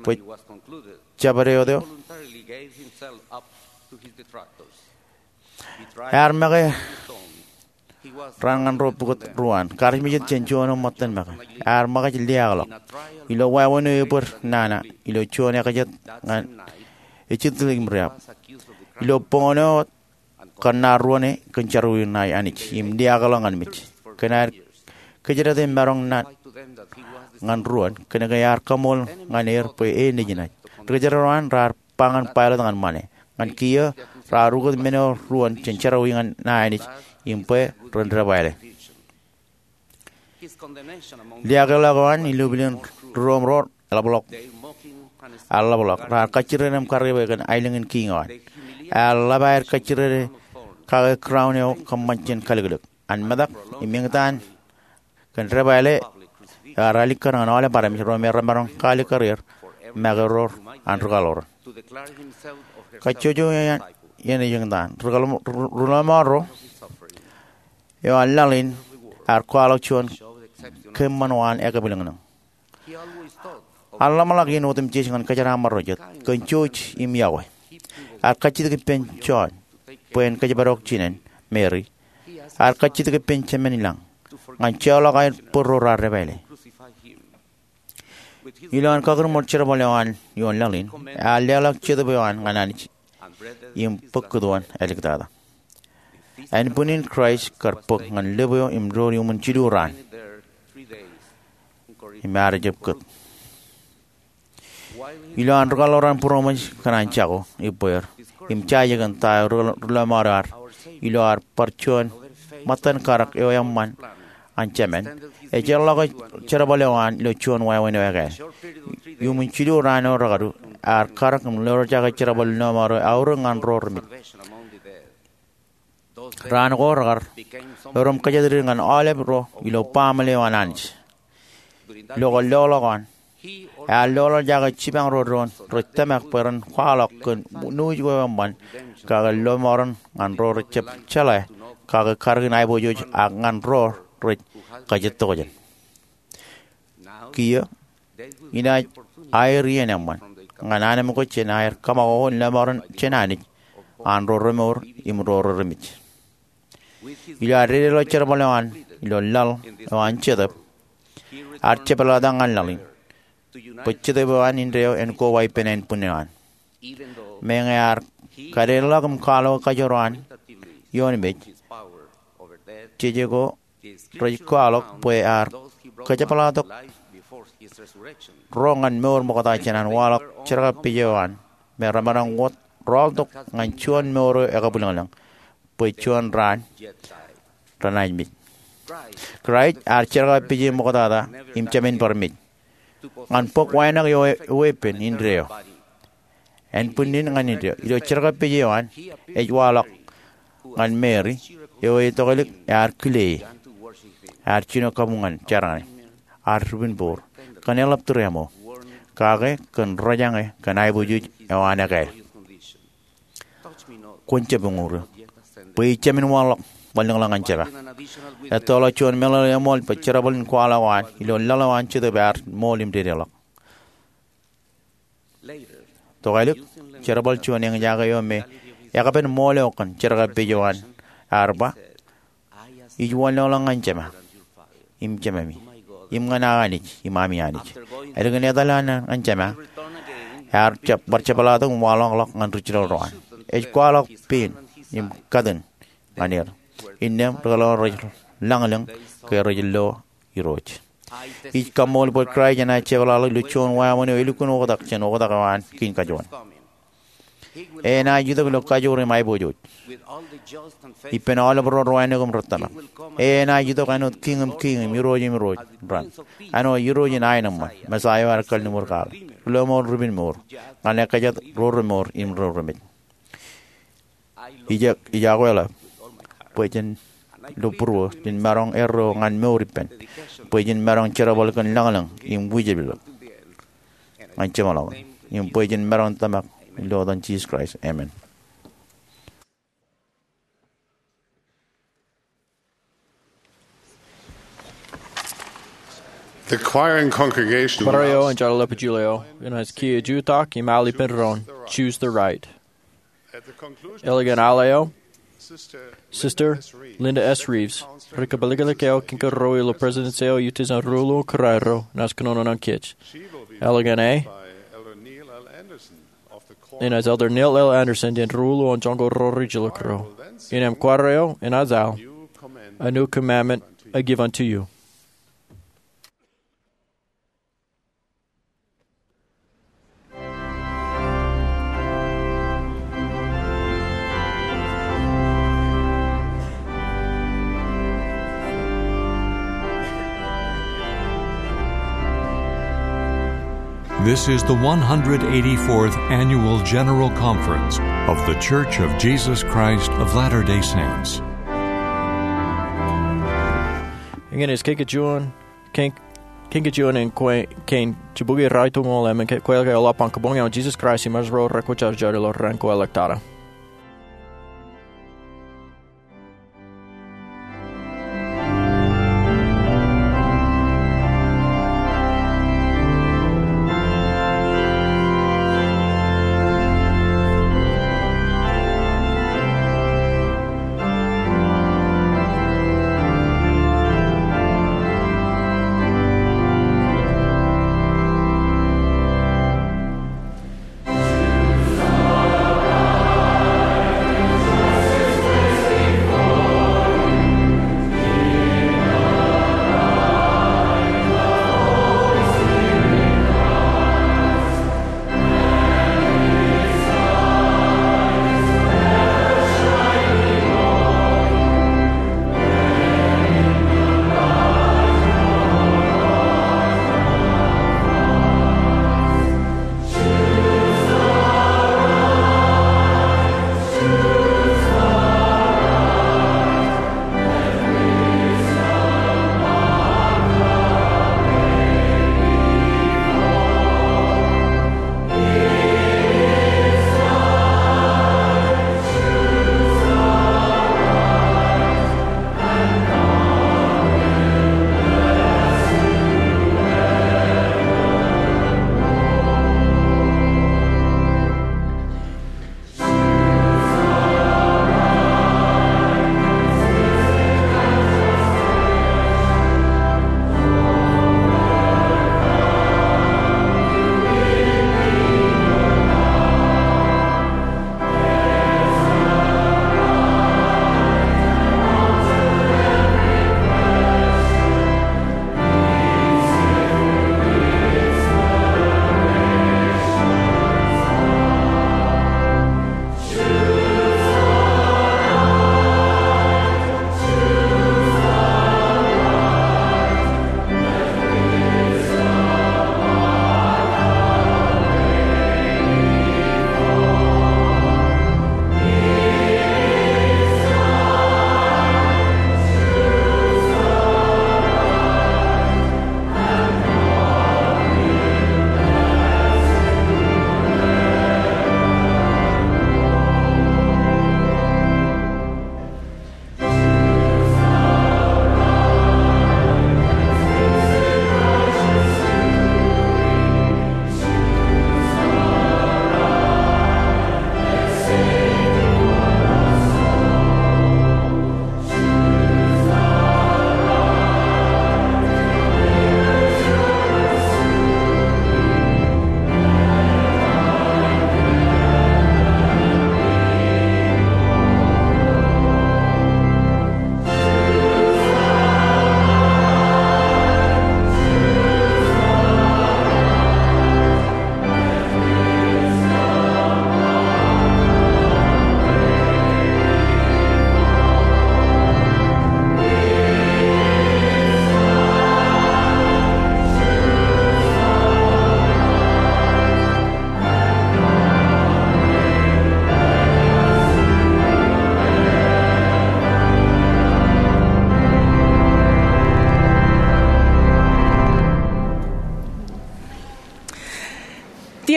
Bwe jabdewōt eo, ear make raan ñan ro pukot ruo an, karijmijit jān juon eo ṃōttan make. Ear ṃōkaj liaakḷọk ilo wāween eo ebōd nana ilo juon ekajet ñan ejitōñḷọk im riab. Ilo boñōn eo wōt, kōnnaar ruōn e kōn jerọwiwi ṇae Anij im liaakḷọk ñan mej. Kōn aer kōjdate maroñ ñan ruōn, kōnke ear kaṃool ñan er bwe e nejin ṇae. Ri-kōjdat ro an raar ba ñan Pailat ñan ṃane. Ñan kiiō raar ukōt men eo ruōn jān jerọwiwi ṇae Anij im bwe ren debwāāle. Liaakḷọk eo an ilo pilinḷọk ri-Rom ro eḷapḷọk, eḷapḷọk. Raar kajjirere im kariab e kōn aelōñ in kiiñ eo an. Ear ḷap aer kajjirere kake crown eo kōṃṃan jān kaliklōk. An metak im eñtaan kōn debwāāle eo ear alikkar ñan aolep armej, ro me remaroñ kaalikkar er make ro an ri-kalloro an. Kajjojo iien ej eñtaan, ri-lọmọọr ro eo an laḷ in ear kwaḷọk juon keememej eo an ekabwilōñlōñ. Ear ḷōmṇak iien otemjej ñan kōjeraaṃṃan ro jet kōn jouj im iọkwe. Ear kajjitōk ippān Jon bwe en kōjparok jinen Meri. Ear kajjitōk ippān Jemān ilañ ñan joḷọk aer bōd ro raar debwāāle. Ilo an kakūrmur jerbal eo an ioon laḷ in, ear leḷọk Jetōb eo an ñan Anij im bōk kūtwōn āliktata. Ānbwinnin Kraist kar bōk ñan lōb eo im door iuṃwin jilu raan im ear jab kōt. Ilo an ri-kalloro an būroṃōj kōn an jako ibbeer im jaje kōn ta eo ri-lọmọọr eo ear, ilo ear bar juon ṃōttan karak eo eṃṃan an Jemān, ejjeḷọke jerbal eo an ilo juon wāween eo ekāāl. Iuṃwin jilu raan eo rekadu, ear karak im lorjake jerbal in lọmọọr eo aorōk ñan ro remej. Raan ko rekar erom kōjatdikdik ñan aolep ro ilo baaṃle eo an Anij. Ilo kōn loḷọk eo an, ear loḷọk jake jipañ ro doon rej tōmak bwe ren kwaḷọk kōn nuuj ko eṃṃan, kake lọmọọren ñan ro rej jab jeḷā, kake karōk in aiboojoj, ak ñan ro rej kajjitōk jān. Kiiō, inaaj aer iien eṃṃan ñan anemkwōj jān aer kaṃakoko in lọmọọren jān Anij an ro remour im ro remej. Ilo an dedeḷọk jerbal eo an ilo laḷ eo an Jetōb, ear jepḷaaktok ñan laḷ in bwe Jetōb eo an indeeo en koba ippān ānbwin eo an. Meñe ear Kadedeḷọk im kwaḷọk kajoor eo an ioon mej, jejeko rej kwaḷọk bwe ear kōjepḷaaktok ro ñan mour ṃokta jān an waḷọk jerkakpeje eo an, me remaroñ wōt rọọltok ñan juon mour eo ekabwilōñlōñ, bwe juon raan renaaj mej. Kraist ear jerkakpeje ṃoktata im jāmin bar mej ñan bōk wānōk eo eweeppān indeeo. Ānbwinnin ñan indeeo, ilo jerkakpeje eo an, ej waḷọk ñan Meri, eo etokālik ear kile e, ear jino kabuñ ñan jeraṇe, ear ripinbour, kōn eḷap tūreaṃo, kake kōn rōjañe kōn aiboojoj eo an ekāāl. Kwōn jab uñūr eō, bwe ij jāmin waḷọk ṃōlōñḷọk ñan Jema. Ettoḷọk juon meḷeḷe eṃool bwe jerbal in kwaḷọk eo an ilo laḷ eo an Jetōb ear ṃool im dedeḷọk. Tokālik, jerbal juon eñjake eo me ekpen ṃool eo kōn jerkakpeje eo an ear ba, Ij wanlōñḷọk ñan Jema im Jememi, im ñan aō Anij im ami Anij. Ālikin etal eo an ñan Jema, ear jab bar jepḷaaktok im waḷọkḷọk ñan ri-jilel ro an. Ej kwaḷọk pein im katin ñan er, innām rikaki rej lañlōñ ke rej lo Irooj. Ij kaṃṃool bwe Kraist enaaj jepḷaakḷọk ilo juon wāween eo elukkuun oktak jān oktak eo an kein kajoor. E enaaj itok ilo kajoor im aiboojoj ippān aolep ro rewānōk im ri tōmak. E enaaj itok āinwōt Kiiñ in kiiñ im Irooj in irooj raṇ, āinwōt Irooj in aenōṃṃan, Mesaia eo ear kalliṃur kwaḷọk, Rilọmọọr ripinmour, ñan ekkejat ro remour im ro remej. Ij, ij akweḷap bwe jen lo būruō, jen maroñ erreo ñan mour ippān, bwe jen maroñ jerbal kōn lañlōñ im wijepḷọk ñan jeṃḷọkin, im bwe jen maroñ tōmak ilo etan Jisōs Kraist. Amen. The choir and congregation Kworaer eo im jeḷāḷọkjeṇ eo enaaj kiiō jutak im al ippān doon, Choose the Right. At the conclusion, eḷap an al eo, Sister Linda S. Reeves ri kōpāliklik eo kiiō ro ilo President's eo Iutis an Ruo Kōrā ro enaaj kōnono ñan kōj. Eḷap an e, by Elder Neil L. Andersen of the Quorum. Enaaj Elder Neil L. Andersen jān Ruo an Joñoul Ro Rijjilōk ro. Innām kworaer eo enaaj al, A New Commandment I Give Unto You. This is the one hundred eighty-fourth Annual General Conference of The Church of Jesus Christ of Latter-day Saints. Eñin ej kein kajuon, kein, kein kajuon in kwe-, kein jibukwi ruatimjuonñoul emān ke-, kweilọk eḷap an kabuñ eo an Jisōs Kraist im Ro Rekwōjarjar ilo raan ko ḷọk tata.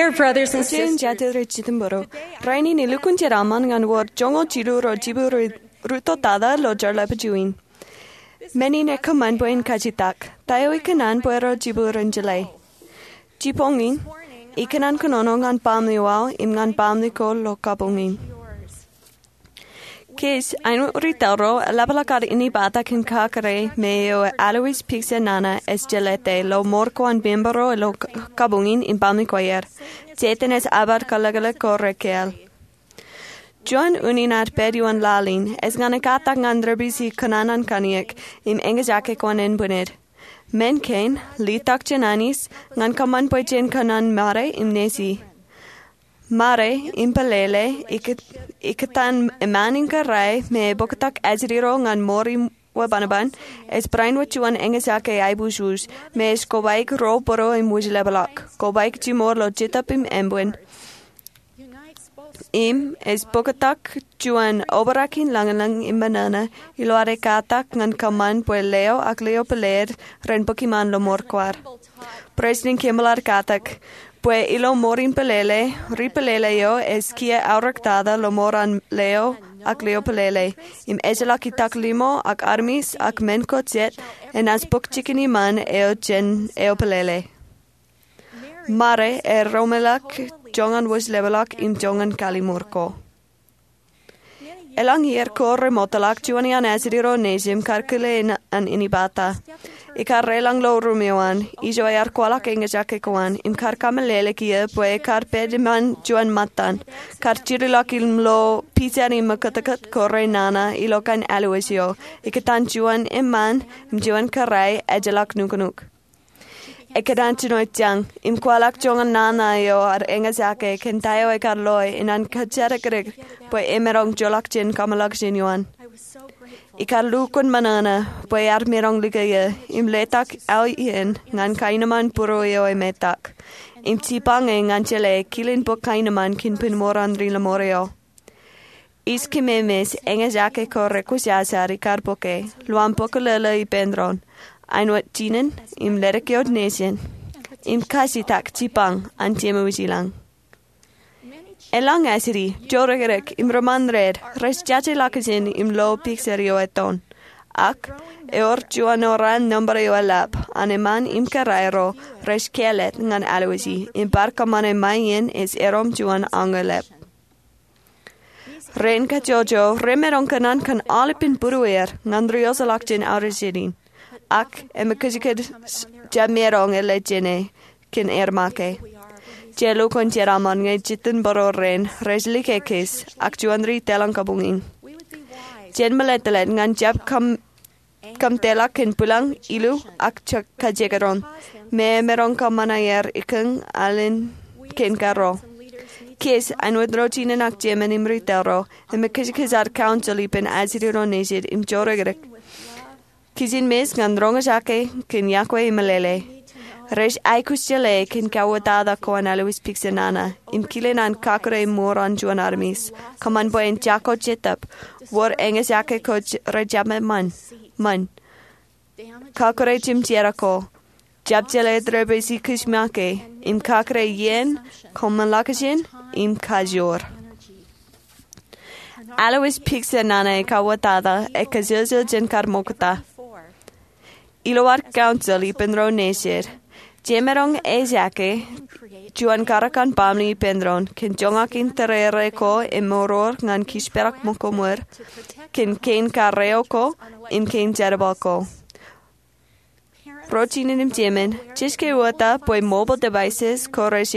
Dear brothers and Jen sisters, jatid rej jitōnbōro. Rainin elukkuun jeraaṃṃan ñan wōr joñoul jilu ro jibukwi rej rūtto tata ilo jerbal in. Men in ekōṃṃan bwe in kajitak. Ta eo ikōṇaan bwe ro jibukwi ren jeḷā? Jibboñ in, ikōṇaan kōnono ñan baaṃle ko im ñan baaṃle ko ilo kabuñ in. Kōj, āinwōt ri tōl ro, eḷapḷọk ad inepata kōn kakōḷḷe me eo Alois Pigsen Nana ej jelōte ilo mour ko an member ro ilo k-, kabuñ in im baaṃle ko aer. Setan ej abar kalōklōk ko rekāāl. Juon unin ad pād ioon laḷ in ej ñan ekkatak ñan ri-pisi kōṇaan an kanniōk im eñjake ko an enbwinned. Men kein, litok jān Anij, ñan kōṃṃan bwe jen kōṇaan Mare im Nesi. Mare im Pelele, ikō-, ikōtaan eṃṃaan in kōrā me ebōktok ajri ro ñan mour in webanban, ej barāinwōt juon eñjake aiboojoj, me ej kobaik ro bōro im wōjlepḷọk, kobaik jimor ilo jetōb im ānbwin. Im ej bōktok juon obrak in lañlōñ im ṃōṇōṇō ilo ad ekkatak ñan kōṃṃan bwe leo ak leo pālele ren bōk iṃaan ilo mour ko ad. President Kimball ear katak bwe ilo mour in pelele, ri pelele eo ej kiiō aorōk tata ilo mour an leo ak leo pālele, im ejjeḷọk itak limo ak armej ak men ko jet enaaj bōk jikin iṃaan eo jān eo pālele. Mare ear roñḷọk joñan wōjlepḷọk im joñan kallimur ko. Elōñ iiō ko remootḷọk juon iaan ajri ro nejūṃ kar kile an inepata. Ikar reḷọñ ilo ruum eo an, ijo ear kwaḷọk eñjake ko an, im kar kameḷeḷe kiiō bwe ekar pād iṃaan juon ṃōttan, kar jirilọk im lo pijan im ṃōkōtkōt ko re nana ilo kain Alois eo, ikōtaan juon eṃṃaan im juon kōrā ejjeḷọk nuknuk. Ekōṇaan jino jañ, im kwaḷọk joñan nana eo ad eñjake kōn ta eo ekar loe, inaan kōjatdikdik bwe emaroñ joḷọk jān kōmḷọkjeṇ eo an. Ikar lukkuun ṃōṇōṇō bwe ear maroñ likūtḷọk eō, im letok aō iien ñan kaenōṃṃan būruō eo emetak. Im jipañ e ñan jeḷā kilen bōk kaenōṃṃan kōn pen mour an ri-lọmọọr eo. Ij kememej eñjake ko rekwōjarjar ikar bōke, lowaan bōklōlō ippān doon, āinwōt jinen im ledik eo nejin, im kajitak jipañ an Jemem ilañ. Elōñ ajri, jodikdik im rūṃṃan red, rej jaje ḷọkjeṇ im lo picture eo ettoon. Ak, ewōr juon oran number eo eḷap, an eṃṃaan im kōrā ro, rej kāālōt ñan Alois, im bar kōṃṃane ṃae iien ej erom juon añōlep. Rein kajjojo remaroñ kōṇaan kōn aolepān būrueir ñan ri-oseḷọk jān aorjinin. Ak emōj kōjkōj jab maroñ eḷḷā jān e kōn aer make. Jen lukkuun jeraaṃṃan ñe jitōnbōro rein rej likeikōj ak juon ri tōl in kabuñ in. Jen meḷeḷe ñan jab kōm kōmtōḷọk kōn bwilōñ, ilu, ak kajekdọọn. Me emaroñ kōṃṃan aer ikōñ alen kein karro. Kōj, āinwōt ro jinen ak jemān im ri tōl ro, emōj kōjkōj ad counsel ippān ajri ro nejid im jodikdik. Kijenmej ñan roñjake kōn iọkwe im meḷeḷe. Rej aikuj jeḷā kōn kauwōtata ko an Alois Pigsen Nana, im kile naan kakūrei mour an juon armej. Kōṃṃan bwe en jako jetōb, wōr eñjake ko rej jab eṃṃan. Ṃōn. Kakūrei jimjera ko. Jab jeḷā ri-pisi kōj make, im kakūrei iien, kōmḷọkjeṇ, im kajoor. Alois Pigsen Nana kauwōtata, ekajjel jān kar ṃokta. Ilo ad counsel ippān ro nejid. Jemaroñ ejake, juon karōk an baaṃle ippān doon, kōn joñak in tōrere ko emour ñan kōjparok ṃōko ṃweo, kōn kein karreo ko, im kein jerbal ko. Ro jinen im jemān, jej ke wōta bwe mobile devices ko rej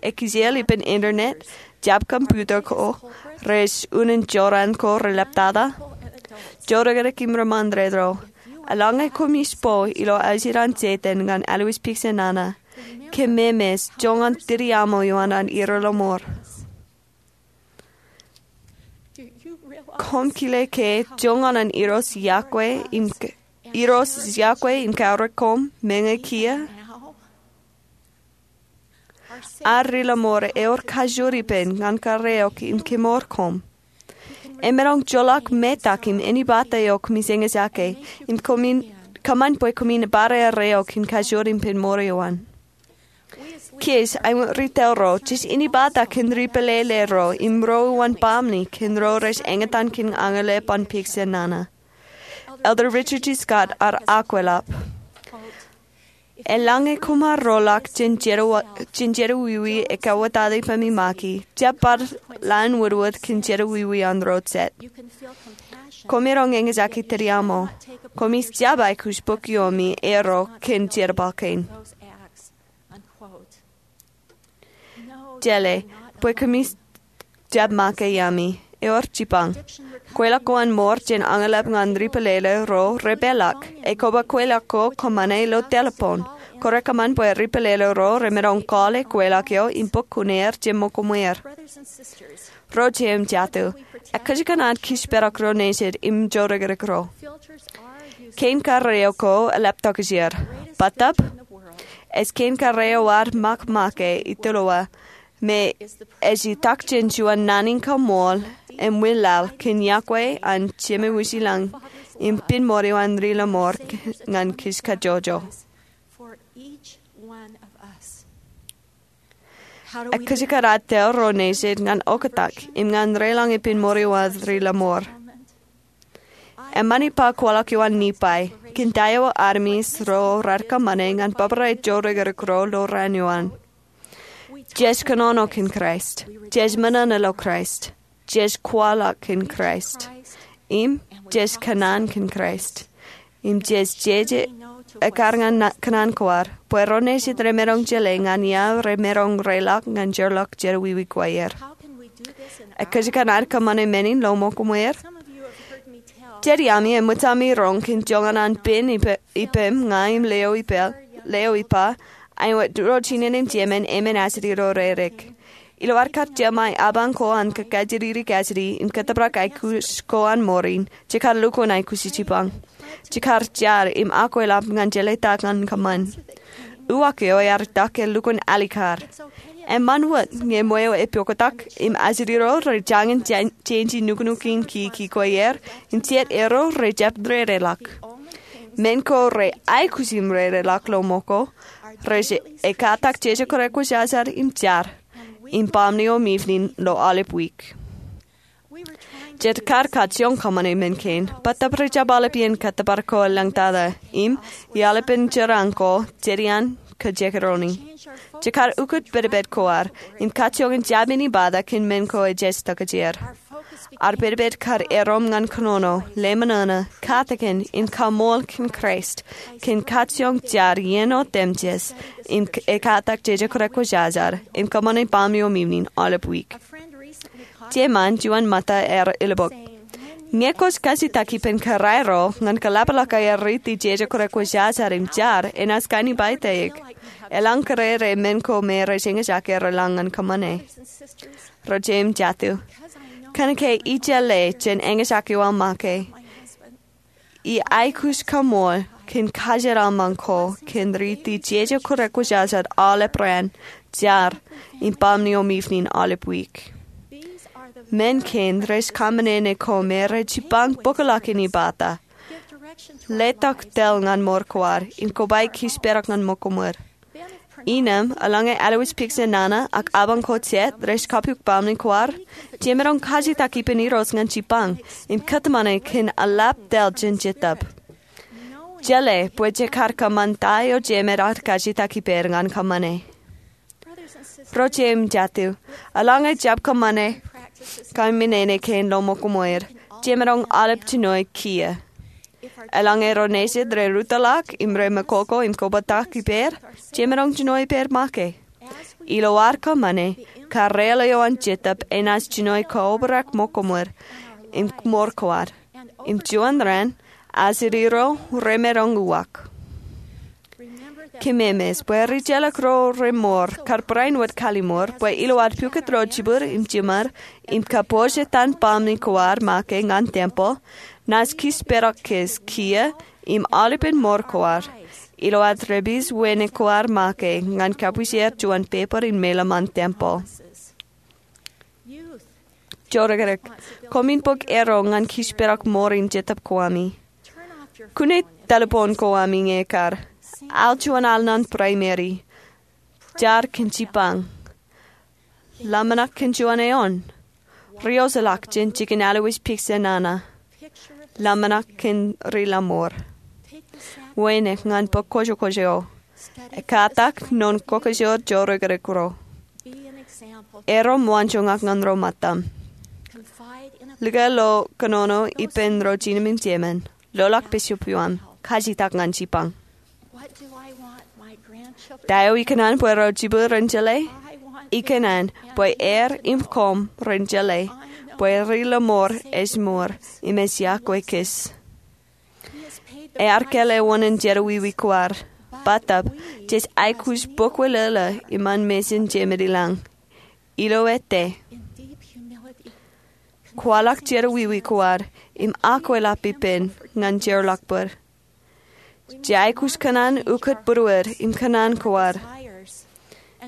ekijel ippān internet, jab computer ko, rej unin jorrāān ko reḷaptata. Jodikdik im rūṃṃan red ro. Eḷaññe koṃij bo ilo ajri an Setan ñan Alois Pigsen Nana, kōmemej joñan tiriaṃo eo an an irooj ilo mour. Koṃ kile ke joñan an irooj iọkwe im k-, irooj iọkwe im kaorōk koṃ meñe kiiō? Ad ri-lọmọọr ewōr kajoor ippān ñan karreoik im kemour koṃ. Emaroñ joḷọk metak im inepata eo koṃij eñjake, im koṃin, kōṃṃan bwe koṃin bar erreo kōn kajoor ippān mour eo an. kōj āinwōt ri tōl ro, jej inepata kōn ri pālele ro im ro uwaan baaṃle kōn ro rej eñtaan kōn añlep an peak jān nana. Elder Richard G. Scott ear akweḷap, eḷaññe koṃ ar roḷọk jān jerawiwi ekawōtata ippemi make, jab bar lowaan wōtwōt kōn jerawiwi an ro jet. Koṃ maroñ eñjake tōdiaṃo. Koṃij jab aikuj bōk iomi eo kōn jerbal kein. Jeḷā bwe koṃij jab make iaami. Ewōr jipañ. Kweilọk ko an mour jān añlep ñan ri pālele ro repeḷḷọk. Ekwe kweilọk ko kōṃṃane ilo telephone. Kwōj kōṃṃan bwe ri pālele ro remaroñ call e kweilọk eo im bōk kuṇeer jān ṃōko ṃweer. Ro jeiū im jatū, ekkōjkan ad kōjparok ro nejid im jorōkrōk ro. Kein karreo ko eḷap tokjāer. Bōtab, ej kein karreo ad ṃōk make itulowa, im ej itak jān juon naan in kaṃool im wi laḷ kōn iọkwe an Jemem ilañ im pen ṃool eo an ri lọmọọr ñan kōj kajjojo. Ekkōjkan ad tōl ro nejid ñan oktak im ñan reḷọñ pen ṃool eo an ri lọmọọr. Eṃṃan ippa kwaḷọk eo an Nifai kōn ta eo armej ro raar kōṃṃane ñan bōbrae jorōkrōk ro ilo raan eo an. Jej kōnono kōn Kraist. Jej ṃōṇōṇō ilo Kraist. Jej kwaḷọk kōn Kraist. Im jej kōṇaan kōn Kraist. Im jej jeje ekkar ñan kōṇaan ko ad, bwe ro nejid remaroñ jeḷā ñan ia remaroñ reḷọk ñan jeorḷọk jerawiwi ko aer. Ekkōjkan ad kōṃṃane men in ilo ṃōko ṃweer. Jet iaami eṃōj ami roñ kōn joñan an pen ippem ña im leo ippa, āinwōt ro jinen im jemān emān ajri ro reirek. Ilo ad kar jemāe apañ ko an kōkajjitiri kajjitiri im kōttōprak aikuj ko an mour in, jekar lukkuun aikuj jipañ. Jekar jar im akweḷap ñan jeḷā ta ñan kōṃṃan. Uwaak eo ear itak ke lukkuun alikkar. Eṃṃan wōt ñe ṃweo epoktak im ajri ro rejañin jein nuknuk in kiki ko aer, instead ro rejjab rereḷọk. Men ko reaikuj im rereḷọk ilo ṃōko rej ekatak jeje kōrā kwōjarjar im jar im baaṃle eo im evening ilo aolep wiik. Jej kar kajjioñ kōṃṃane men kein, bōtab rejjab aolep iien kōttōpar ko elōñ tata, im iaḷ ippān jeraaṃ ko, jedian kōjekdọọni. Jekar ukōt pedped ko ad, im kajjioñ in jab inepata kōn men ko ejej tokjāer. Ad pedped kar erom ñan kōnono, leṃōṇōṇō, katakin, im kaṃool kōn Kraist, kōn kajjioñ jar iien otemjej, im ekatak jeje kōrā kwōjarjar, im kōṃṃane baaṃle eo im evening aolep wiik. Jeṃaan juon ṃōtta ear ilbōk, ñe kwōj kajjitōk ippān kōrā ro ñan kōḷapḷọk aer riiti jeje kōrā kwōjarjar im jar, enaaj kōn ippān eik. Eḷaññe kōrā ro men ko me rej eñjake reḷọñ ñan kōṃṃane. Ro jeiū im jatū, kōnke ij jeḷā jān eñjake eo aō make, ij aikuj kaṃool kōn kajeraṃṃan ko kōn riiti jeje kōrā kwōjarjar aolep raan, jar, im baaṃle eo im evening aolep wiik. Men kein rej kōṃṃane ko me rej jipañ bōkḷọk inepata. Letok tōl ñan mour ko ad im kobaik kōjparok ñan ṃōko ṃweer. Innām, eḷaññe aolep peak jān nana ak apañ ko jet rej kapiuk baaṃle ko ad, jemaroñ kajjitōk ippān Irooj ñan jipañ im kōtmāne kōn eḷap tōl jān Jetōb. Jeḷā bwe jekar kōṃṃan ta eo jemed ad kajjitōk ippād ñan kōṃṃane. Ro jeiū im jatū, eḷaññe jab kōṃṃane kōn men kein ilo ṃōko ṃweer, jemaroñ aolep jinoe kiiō. Eḷaññe ro nejid rej rūttoḷọk im rej mekoko im kobōtōk ippād, jemaroñ jinoe ippād make. Ilo ad kōṃṃane, karreoḷ eo an Jetōb enaaj jinoe kaobrak ṃōko ṃweer im mour ko ad. Im juon raan, ajri ro remaroñ uwaak. Kōmemeej bwe rijjelōk ro remour kar barāinwōt kalliṃur bwe ilo ad pukot ro jibwid im jiṃor im kapojak ippān baaṃle ko ad make ñan tempeḷ, naaj kōjparok kōj kiiō im aolepen mour ko ad ilo ad rej pād wānōk ko ad make ñan kapwidjer juon pāpūr in meḷeḷe ñan tempeḷ. Jorōkrōk, koṃwin bōk erro ñan kōjparok mour in Jetōb ko ami. Kune telephone ko ami ñe ekar. Al juon al ñan Primary. Jar kōn jipañ. Ḷōmṇak kōn juon eoon. Riwōjḷọk jān jikin aolep picture nana. Ḷōmṇak kōn riḷōmor. Wānōk ñan bok kojokojo. Ekkatak noon kokjor jorōkrōk ro. Erom waanjoñak ñan ro ṃōttaṃ. Likao ilo kōnono ippān ro jinōm im jemān. Loḷọk bishop eo aṃ. Kajitak ñan jipañ. Ta eo ikōṇaan bwe ro jibwe ren jeḷā? Ikōṇaan bwe er im koṃ ren jeḷā bwe riḷōmor ej mour im ej iọkwe kōj. Ear kāālōt ewōn in jerọwiwi ko ad. Bōtab jej aikuj bōkwōlōlō iṃaan mejān jemān ilañ. Ilo ettā, kwaḷọk jerọwiwi ko ad im akweḷap ippān ñan jeorḷọk bōd. Jej aikuj kōṇaan ukōt būruod im kōṇaan ko ad.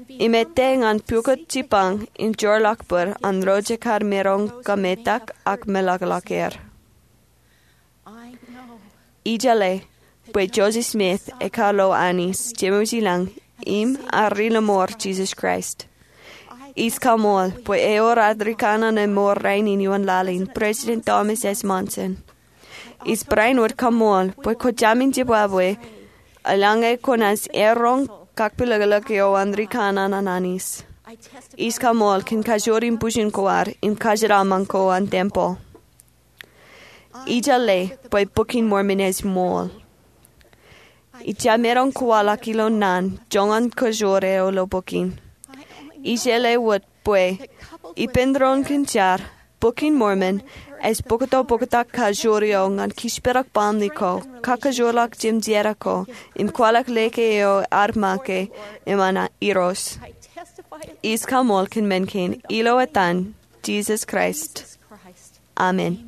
Im ettā ñan pukot jipañ im jeorḷọk bōd an ro jekar maroñ kōmetak ak meḷọkḷọk er. Ijeḷā bwe Joseph Smith ekar lo Anij, Jemem ilañ, im ear riḷōmor Jisōs Kraist. Ij kaṃool bwe ewōr ad rikanaan emour rainin ioon laḷ in, President Thomas S. Monson. Ij bareinwōt kaṃool bwe kwōj jamin jibwābwe eḷaññe kwōnaaj eọroñ kakpilōklōk eo an rikanaan an Anij. Ij kaṃool kōn kajoor in bujen ko ad im kajeraṃṃan ko an tempel. Ijeḷā bwe Bok in Mormon ej ṃool. Ij jab maroñ kwaḷọk ilo naan joñan kajoor eo ilo bok in. Ijeḷā wōt bwe ippān doon kōn jar, Bok in Mormon ej bōkto bōktak kajoor eo ñan kōjparok baaṃle ko, kakajoorḷọk jemjeera ko, im kwaḷọk lōke eo ad make im an Irooj. Ij kaṃool kōn men kein ilo etan Jisōs Kraist. Amen.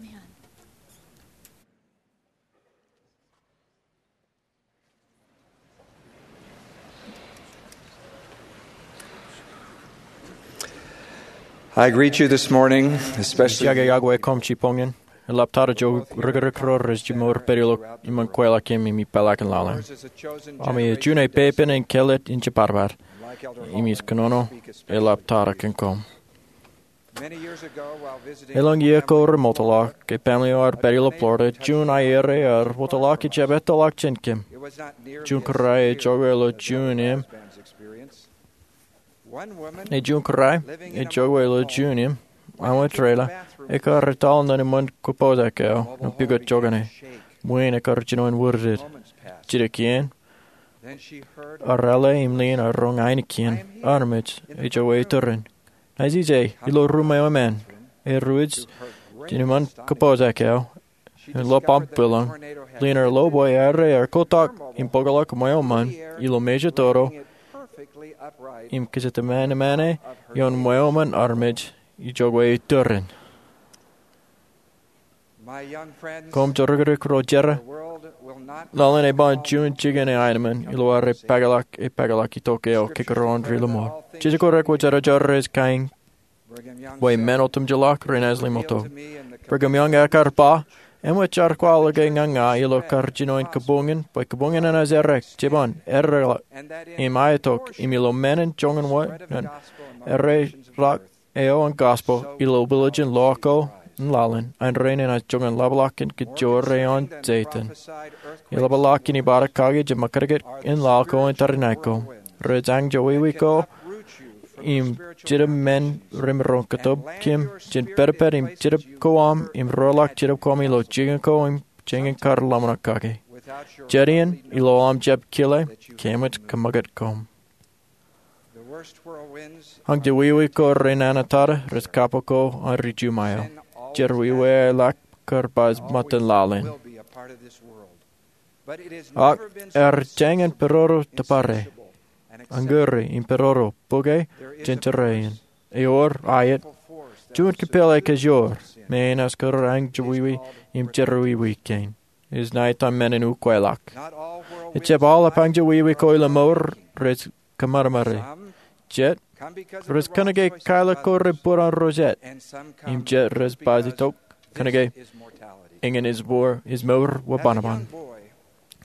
I greet you this morning, especially Ij iọkwe koṃ jiboñōn, eḷaptata ijo rikirikro rej jimor pād ilo iṃōn kweilọk im ipālọk in laḷ in. Ami ej juon epepen in kāālōt in jibadbad, im ij kōnono eḷaptata kōn koṃ. Elōñ iiō ko remootḷọk, ke baaṃle eo ear pād ilo Florida, juon aer ear wōtlọk ijab ettoḷọk jān kōm. Juon kōrā ej jokwe ilo juon im, ej juon kōrā ej jokwe ilo juon im, aṃ trailer, ekar etal naan iṃōn kōpooj eo, naan pukot jokane. Ṃwiin ekar jino in wūrdid. Jidik iien, ear ale im leen ear roñ ainikien, armej, ejjab iturin. Naaj ije ilo ruum eo emān, eruj jān iṃōn kōpooj eo, im lọpam bwilōñ, leen ear lo bwe ear kotak im bōkḷọk ṃweo eṃṃan ilo mejatoto, im kōjatdemān emān ioon ṃweo eṃṃan armej, ejjab iturin. Koṃ jorikirik ro jera, laḷ in eban juon jikin eaemān ilo ad epaakḷọk, epaakḷọk itok eo kōkōrọọl riḷōmor. Jejako rekwōjarjar rej kain bwe men otemjeḷọk renaaj limoto. Brigham Young ekar ba, eṃōj jar kwaḷọk ñan ña ilo karjinoin kabuñōn, bwe kabuñōn enaaj errā, jeban, errā, im aetok, im ilo men in joñan wōt, naan erreḷọk eo an gospel ilo villages ḷọk ko im laḷ in, an rein enaaj joñan ḷapḷọk in kōjro eo an Setan. Eḷapḷọk in ibadak kaki jab ṃōkaj in laḷ ko im tariṇae ko. Rej añjọwiwi ko im jetōb men remaroñ kōtōb kōm jān pedped im jetōb ko aṃ im roḷọk jetōb ko aṃ ilo jikin ko im jān kar ḷōmṇak kaki. Jet iien, ilo aṃ jab kile, kōmij kōṃṃakūt koṃ. Añjọwiwi ko renana tata rej kappok ko an ri Ju ṃaeo. Jerọwiwi eḷak kar ba ṃōttan laḷ in. Ak ear jañin pedorō tōpare, añūri im pedorō bukwe jān jerā in. Ewōr aet juon kipel ekajoor me enaaj kar añjọwiwi im jerọwiwi kein. Ej ṇa etaṃ men in ukweḷọk. Ejjab aolep añjọwiwi ko ilo mour rej kōṃadṃōde. Jet rej kōnke kailọk ko rej bōd an ro jet. Im jet rej baj itok kōnke eñin ej mour, ej mour wōt bōnbōn.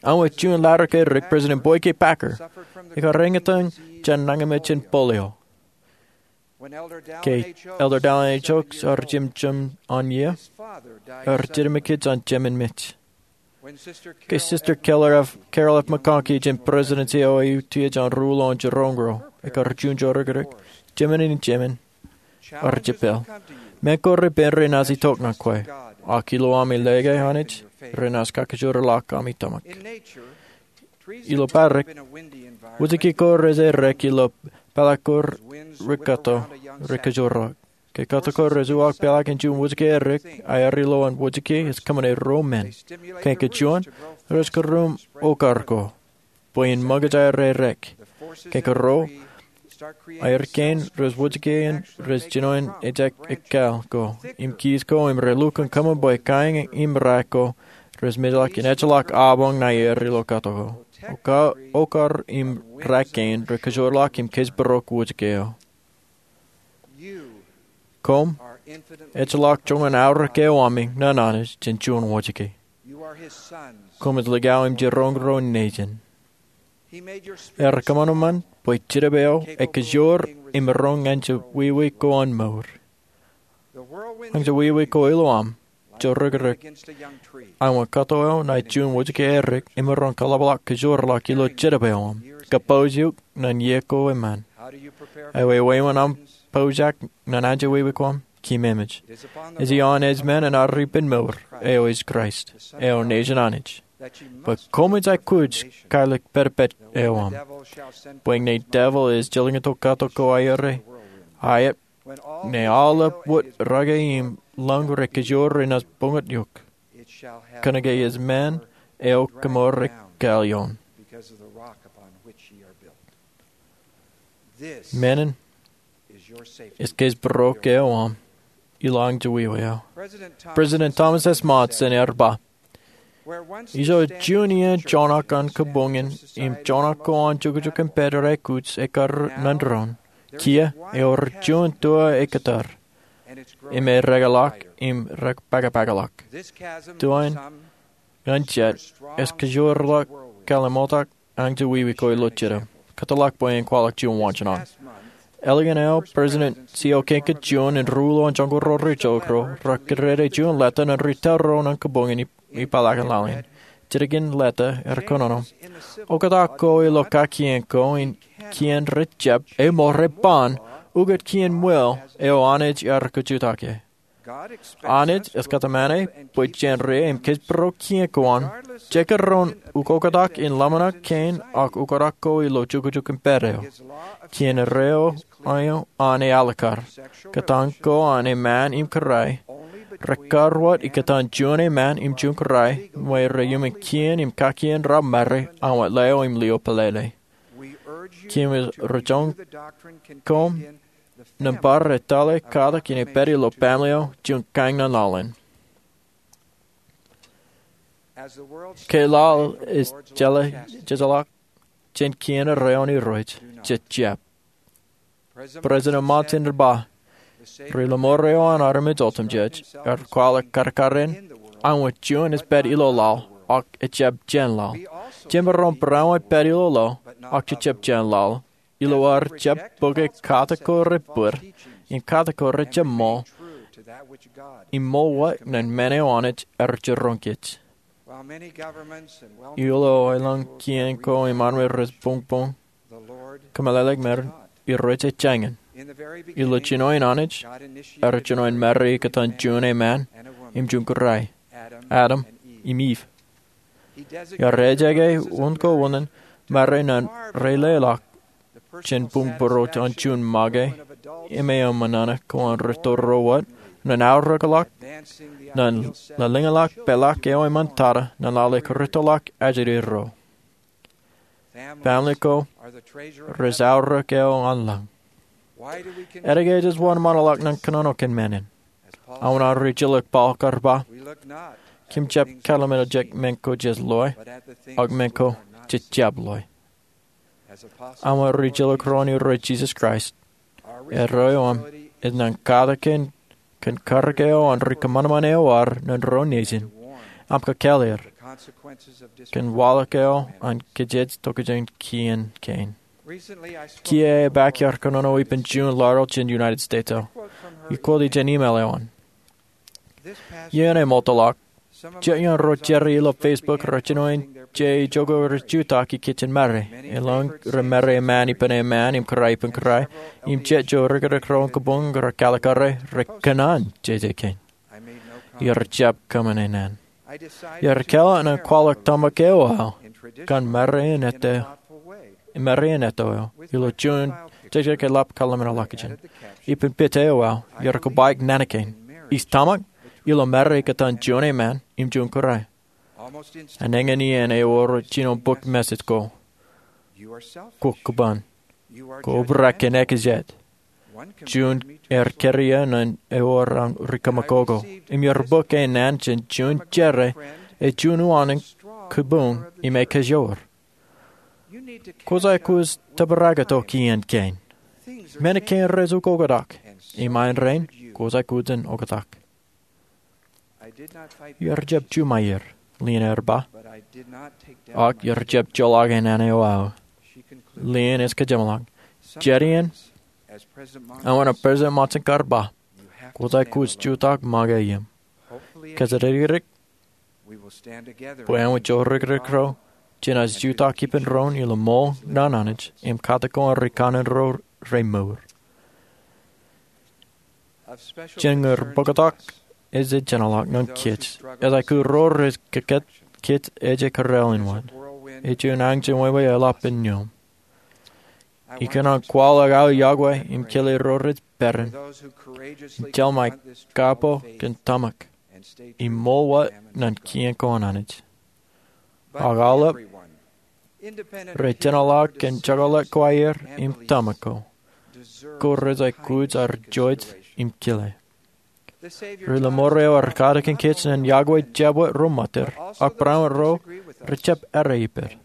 An wōt juon laḷ ke dik, President Boyd K. Packer ekar eñtaan jān nañinmej in polio. Ke Elder Dallin H. Oaks ear jemjem an iiō, ear jitōmakij an jemān mej. Ke Sister Carol F. McConkie jān Presidency eo Autiyej an Ruo Ilo Jiroñ Ro ekar juon jọrọk dik, jemān in jemān ear jepel. Men ko repen renaaj itok ñan kwe, ak ilo ami lōke Anij renaaj kakijoor ḷọk ami tōmak. Ilo padik, wōjke ko rej errā ilo peḷḷọk ko rekatto, rekajoor ḷọk. Ke katto ko rej uwaak peḷḷọk in juon wōjke errā, aer ilo an wōjke ej kōṃṃane ruo men. Ke kajuon, rej kūrūṃ okar ko bwe in ṃōkaj aer errā. Ke kūrō, aer kein, rej wōjke in rej jino in ejjab ekkā ko im kiiō ko im re lukkuun kōṃṃan bwe kaeñeñ im ra ko rej mejaḷọk in ejjeḷọk abañ ṇae aer ilo katto ko. Okar im ra kein rekajoor ḷọk im kōjparok wōjke eo. Koṃ ejjeḷọk joñan aorōk eo ami ñan Anij jān juon wōjke. Koṃij likao im jiroñ ro nejin. Ear kōṃanṃan bwe Jetōb eo ekajoor im roñ ñan je wiwi ko an mour. Ñan je wiwi ko ilo aṃ, jọrọk dik, an wōt katto eo ṇae juon wōjke errā, emaroñ kaḷapḷọk kajoor ḷọk ilo Jetōb eo aṃ, kapooj eok ñan iiō ko eṃṃan. Ewi wāween aṃ pojak ñan anjọ wiwi ko aṃ? Keememej. Ej ioon ej men an aor ippān mour, eo ej Kraist, eo Nejin Anij, bwe koṃij aikuj kailik pedped eo aṃ. Bwe ñe devil ej jilkintok katto ko aer, aet, ñe aolep wōt rake im lōñ rekajoor renaaj buñut eok, kōnke ej men eo kemour eo ekaḷ ioon. Menin ej kōjparok eo aṃ ilo an je wiwi eo. President Thomas S. Monson ear ba, ijo juon iien joñak an kabuñ in im joñak ko an jukjuk in pād rej aikuj ekkar ñan doon, kiiō ewōr juon tua ekkar im erekḷọk im repakpakḷọk. Tua in ñan jet ej kajoor ḷọk kōḷmāntok an je wiwi ko ilo Jetōb. Kōtḷọk bwe en kwaḷọk juon wāween. Ālikin eo President C. O. King kajjioñ in ruo ilo an joñoul ro rej jilkintok ro, rekidede juon leta ñan ri tōl ro ñan kabuñ in ipeḷaakin laḷ in. Jitōkin leta ear kōnono, oktak ko ilo kakien ko in kien rej jab im rej ban ukōt kien ṃweo eo Anij ear kajutake. Anij ej kōtmāne bwe jen ri im kōjparok kien ko an, jekdọọn ukoktak in ḷōmṇak kein ak oktak ko ilo jukjuk in pād eo. Kien eo an ealikkar. Kōtaan ko an eṃṃan im kūrae rekar wōt ikōtaan juon eṃṃan im juon kūrae, bwe reiuṃwin kien im kakien rab ṃare an wōt lio im lio pālele. Kōmij roñjake koṃ nōṃba rej tōl e katak in epād ilo baaṃle eo juon kaeñ ñan laḷ in. Ke laḷ ej jeḷā, jejeḷā jān kien eo an Irooj, jej jab. President Monson ear ba, ri lọmọọr eo an armej otemjej ear kwaḷọk kadkadin, an wōt juon ej pād ilo laḷ, ak ejjab jān laḷ. Jemaroñ barāinwōt pād ilo laḷ, ak jejjab jān laḷ, ilo ad jab bōke katak ko rej bōd, im katak ko rej jab ṃool, im ṃool wōt ñan men eo Anij ear jiroñ kōj. Ilo aelōñ kien ko im armej rej buñbuñ, kōmeḷeḷeik men, Irooj ej jañin. Ilo jinoin Anij, ear jinoin ṃare ikōtaan juon eṃṃan im juon kūrae, Adam im Iv. Ear ejjake wōn ko wōn in ṃare ñan ri leḷọk jān buñbūruo an juon make im eṃṃan nana ko an rūtto ro wōt, ñan aorōkḷọk, ñan lōḷñọñḷọk peḷḷọk eo eṃṃantata ñan laḷ eo ekōrūttoḷọk ajri ro. Family ko rej aorōk eo an lañ. Etke ej wōnṃaanḷọk ñan kōnono kōn men in? Aṃ wōt ri jilkintok Paul kar ba, kōm jab kōḷmānḷọkjeṇ men ko jej loe, ak men ko jej jab loe. Aṃ wōt ri jilkintok ro an Irooj Jisōs Kraist, erreo aṃ ej ñan katakin kōn karōk eo an ri kōṃanṃan eo ad ñan ro nejin, aṃ kakāāl er, kōn waḷọk eo an kōjej tokjān kien kein. Kiiō epaak iar kōnono ippān juon laḷ jān United States eo. Ikōti jān email eo an. Iien eṃootḷọk, jet iaan ro jere ilo Facebook rej jino in je ijoko rej jutak ikijjien mare. Elōñ rej mare eṃṃan ippān eṃṃan im kōrā ippān kōrā. Im jet ijo rikirikro in kabuñ rej kalikare, rej kōṇaan jeje kein. Iar jab kōṃṃane naan. Iar kālọk ñan kwaḷọk tōmak eo aō kōn mare in eto eo ilo juon jekjek eḷap kallim̧ur ḷọk jān. Ippān picture eo aō, iar kōbaik naan kein. Eis tōmak ilo mare ikōtaan juon eṃṃan im juon kōrā. Eñin iien ewōr jino bōk message ko. Kwō kōban. Kwō obrak kōn ekajet. Juon ear kōrā eō ñan ewōr an ri kōṃakoko. Im iar bōk e naan jān juon jere, ej juon uwaan in kabuñ im ekajoor. Kwōj aikuj tōprak tok iien kein. Men kein rej ukoktak. Im āindein, kwōj aikuj in oktak. Iar jab juṃaer, Lynn ear ba. Ak iar jab joḷọk e naan eo aō. Lynn ej kōjeṃḷọk. Jet iien, āinwōt President Monson kar ba, kwōj aikuj jutak make ippām. Kōjatdikdik, bwe āinwōt ijo rikirikro, jenaaj jutak ippān doon ilo ṃool naan Anij, im katak ko an ri kanaan ro remour. Jen ñūr bōktok ej jenaḷọk ñan kōj. Ej aikuj ro rej kōkōt kōj ej kōrā in wōt. Ej juon anjin wāween eḷap in iuṃ. Ikōṇaan kwaḷọk aō yokwe im kile ro rej peran. Im jeḷā ṃae kapo kōn tōmak. Im ṃool wōt ñan kien ko an Anij. Ak aolep, rej jenaḷọk kōn jekḷọk ko aer im tōmak ko. Ko rej aikuj ar juon im kile. Ri-lọmọọr eo ear katakin kōj ñan yokwe jab wōt ro ṃōttan, ak barāinwōt ro rej jab errā ippād.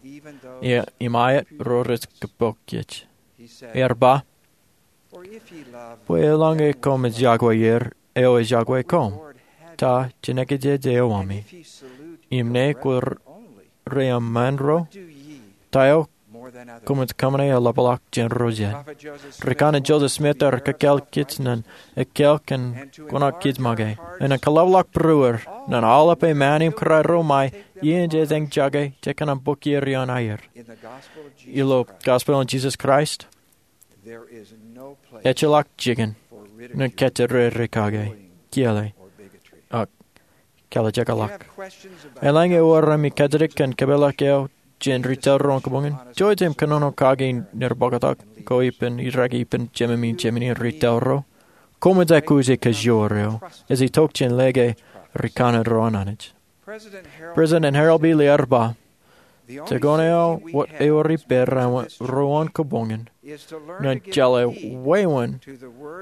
Im aet ro rej kōpooj kōj. Ear ba, bwe eḷaññe koṃij yokwe er, eo ej yokwe koṃ. Ta jān ekajet eo ami. Im ñe kwō reeṃṃan ro, ta eo koṃij kōṃṃane eḷapḷọk jān ro jet. Rikōṇaan Joseph Smith ear kakāāl kōj ñan ekkāāl kōn kuṇaō kōj make. Im ñan kaḷapḷọk būruer, ñan aolep eṃṃan im kōrā ro ṃae, iien jej eñjake, jej kōṇaan bōk ippān aer. Ilo Gospel in Jesus Christ, ejjeḷọk jikin ñan kōjatdikdik kake, kiiō, ak kalijekḷọk. Eḷaññe ewōr ami kōjatdikdik kōn kōpeḷḷọk eo jān ri tōl ro in kabuñ in, jouj im kōnono kaki ñan bōktok ko ippān, iraki ippān jememi, jemeni ri tōl ro. Koṃij aikuj ekajoor eo ej itok jān lōke ri kanaan ro an Anij. President Harold B. Lee ear ba, jekōṇaan eo wōt ewōr ippād āinwōt ro in kabuñ in, ñan jeḷā wāween,